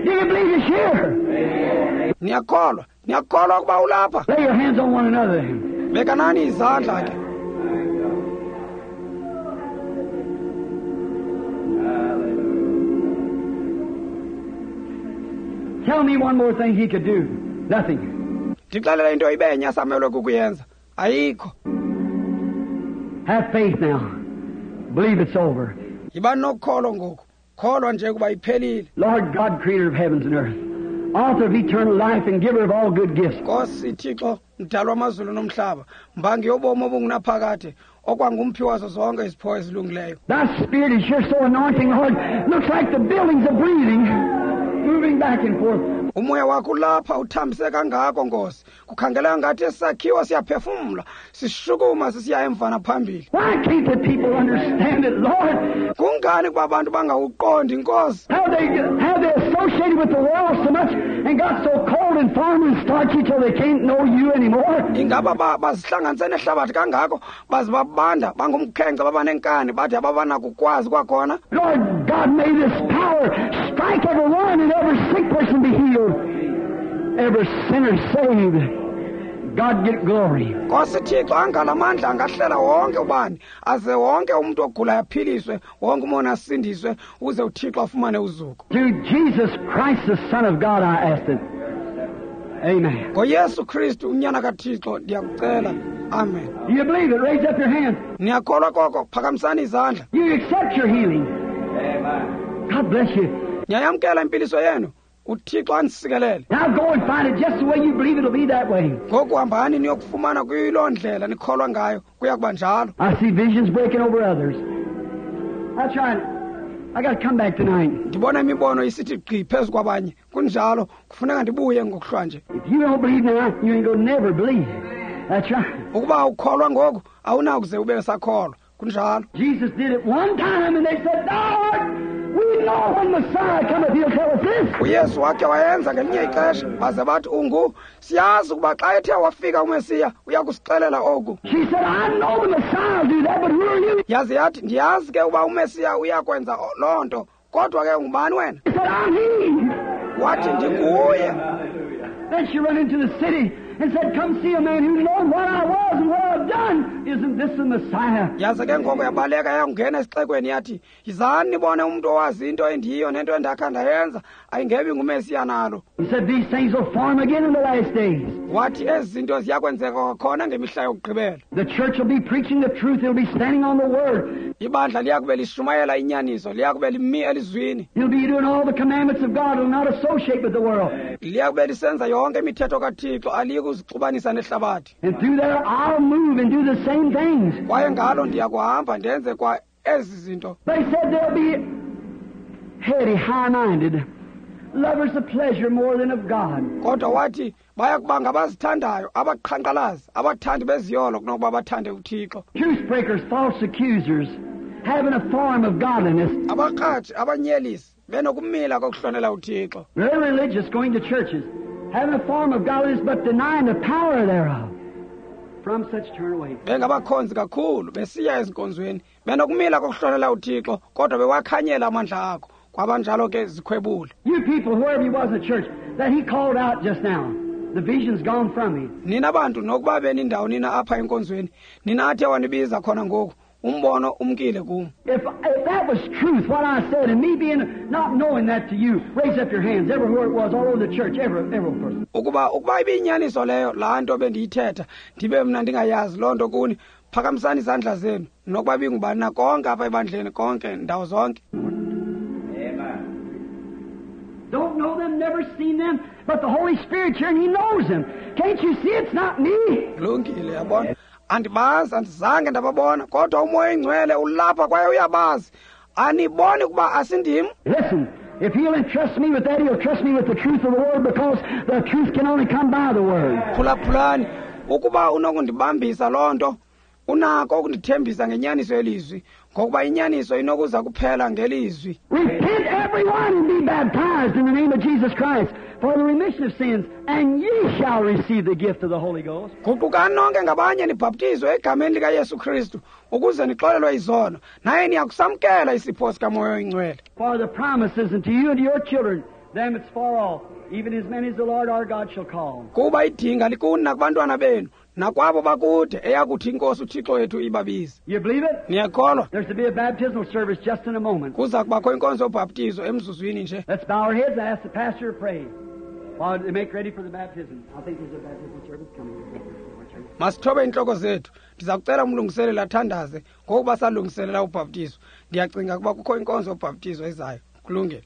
Do you believe it's here? Niyakholwa, niyakholwa ukuba ulapha. Lay your hands on one another. Bekanani izandla ke. Tell me one more thing he could do. Nothing. Ndixelele into ibenye asamelwe kukuyenza. Ayikho. Have faith now. Believe it's over. Yiba nokholo ngoku. Kholwa nje kuba iphelile. Lord God, creator of heavens and earth, author of eternal life and giver of all good gifts. Nkosi Thixo, mdali wamazulu nomhlaba, mbangi yobomi obungunaphakade, okwangumphi wazo zonke izipho ezilungileyo. Thy Spirit is here so anointing, Lord. Looks like the buildings are breathing, moving back and forth. Umoya wakho ulapha uthambise kangako, Nkosi. Kukhangeleka ngathi esakhiwo siyaphefumla, sishukuma sisiya emva naphambili. Why can't the people understand it, Lord? Kungani kuba abantu bangawuqondi, Nkosi? How they how they associated with the world so much and got so cold and firm and starchy till they can't know you anymore? Ingaba bazihlanganise nehlabathi kangako, baze babanda bangumkhenkce baba nenkani, bathi ababanakukwazi kwakhona. Lord God, may this power strike every one and every sick person be healed, every sinner saved. God get glory. Nkosi Thixo, angalamandla angahlela wonke ubani, aze wonke umuntu ogulayo aphiliswe, wonke umoni asindiswe, uze uThixo afumane uzuko. Through Jesus Christ, the Son of God, I ask it. Amen. NgoYesu Kristu unyana kaThixo ndiyakucela. Amen. Do you believe it? Raise up your hands. Niyakholwa koko? Phakamisani izandla. You accept your healing. Amen. God bless you. Niyayamkela impiliso yenu. uThixo anisikelele. Now go and find it just the way you believe it'll be that way. Ngoku hambani niyokufumana kuyiloo ndlela nikholwa ngayo, kuya kuba njalo. I see visions breaking over others. That's right. I got to come back tonight. Ndibona imibono isithi gqi phezu kwabanye. Kunjalo, kufuneka ndibuye ngokuhlwanje. If you don't believe now, you ain't gonna never believe. That's right. Ukuba ukholwa ngoku, awunakuze ube sakholwa. Kunjalo. Jesus did it one time and they said, Lord, we know when Messiah cometh, he'll tell us this. uYesu wakhe wayenza ngelinye ixesha, baze bathi ungu, siyazi ukuba xa ethe wafika uMesiya uya kusixelela oku. She said, I know the Messiah will do that, but who are you? Yaze yathi, ndiyazi ke uba uMesiya uya kwenza loo nto, kodwa ke ungubani wena? He said, I'm he. Wathi, ndinguye. Then she ran into the city and said, come see a man who knows what I was and what I've done. Isn't this the Messiah? Yaze ke ngoko yabaleka yangena esixekweni yathi, yizani nibone umuntu owazi into endiyiyo nento endakha ndayenza, ayingebi nguMesiya nalo. He said, these things will form again in the last days. Wathi ezi zinto ziyakwenzeka kwakhona ngemihla yokugqibela. The church will be preaching the truth. It'll be standing on the word. Ibandla liyakube lishumayela inyaniso, liyakube limi elizwini. It'll be doing all the commandments of God. It'll not associate with the world. Liyakube lisenza yonke imithetho kaThixo, aliyikuzixubanisa nehlabathi. And through there I'll move and do the same things. Kwaye ngalo ndiyakuhamba ndenze kwa ezi zinto. They said they'll be heady, high-minded, lovers of pleasure more than of God. Kodwa wathi baya kuba ngabazithandayo, abaqhankqalazi, abathandi beziyolo kunokuba bathande uThixo. Truth breakers, false accusers, having a form of godliness. Abakratshi, abanyelisi, benokumila kokuhlonela uThixo. Very religious, going to churches, having a form of godliness but denying the power thereof. From such turn away. Bengabakhonzi kakhulu, besiya ezinkonzweni, benokumila kokuhlonela uThixo, kodwa bewakhanyela amandla akho. Kwabanjalo ke zikhwebule. You people, whoever you was in the church, that he called out just now, the vision's gone from me. Nina bantu nokuba benindawo nina apha enkonzweni, nina athe wanibiza khona ngoku, umbono umkile kum. If, if that was truth, what I said, and me being not knowing that to you, raise up your hands everywhere it was, all over the church, every every person. Ukuba ukuba ibiyinyaniso leyo laa nto bendiyithetha, ndibe mna ndingayazi loo nto kuni, phakamisani izandla zenu, nokuba bingubani na konke apha ebandleni, konke ndawo zonke. Don't know them, never seen them, but the Holy Spirit's here and He knows them. Can't you see it's not me? Kulungile, yabona. Andibazi, andizange ndababona, kodwa uMoya oyiNgcwele ulapha kwaye uyabazi. Aniboni ukuba asindim? Listen, if He'll entrust me with that, He'll trust me with the truth of the Word, because the truth can only come by the Word. Phulaphulani, ukuba unokundibambisa loo nto, unako ukundithembisa ngenyaniso yelizwi, ngokuba inyaniso inokuza kuphela ngelizwi. Repent everyone and be baptized in the name of Jesus Christ for the remission of sins, and ye shall receive the gift of the Holy Ghost. Guqukani nonke ngabanye nibhaptizwe egameni likaYesu Kristu ukuze nixolelwe izono, naye niyakusamkela isipho sikaMoya oyiNgcwele. For the promises unto you and to your children, them it's far off, even as many as the Lord our God shall call. Kuba idinga likuni nakubantwana benu, nakwabo bakude, eyakuthi iNkosi uThixo wethu ibabize. You believe it? Niyakholwa? There's to be a baptismal service just in a moment. Kuza kubakho inkonzo yobhaptizo emzuzwini nje. Let's bow our heads and ask the pastor to pray while they make ready for the baptism. I think there's a baptismal service coming. Masithobe intloko zethu. Ndiza kucela umlungiseleli athandaze ngokuba salungiselela ubhaptizo. Ndiyacinga ukuba kukho inkonzo yobhaptizo ezayo. Kulungile.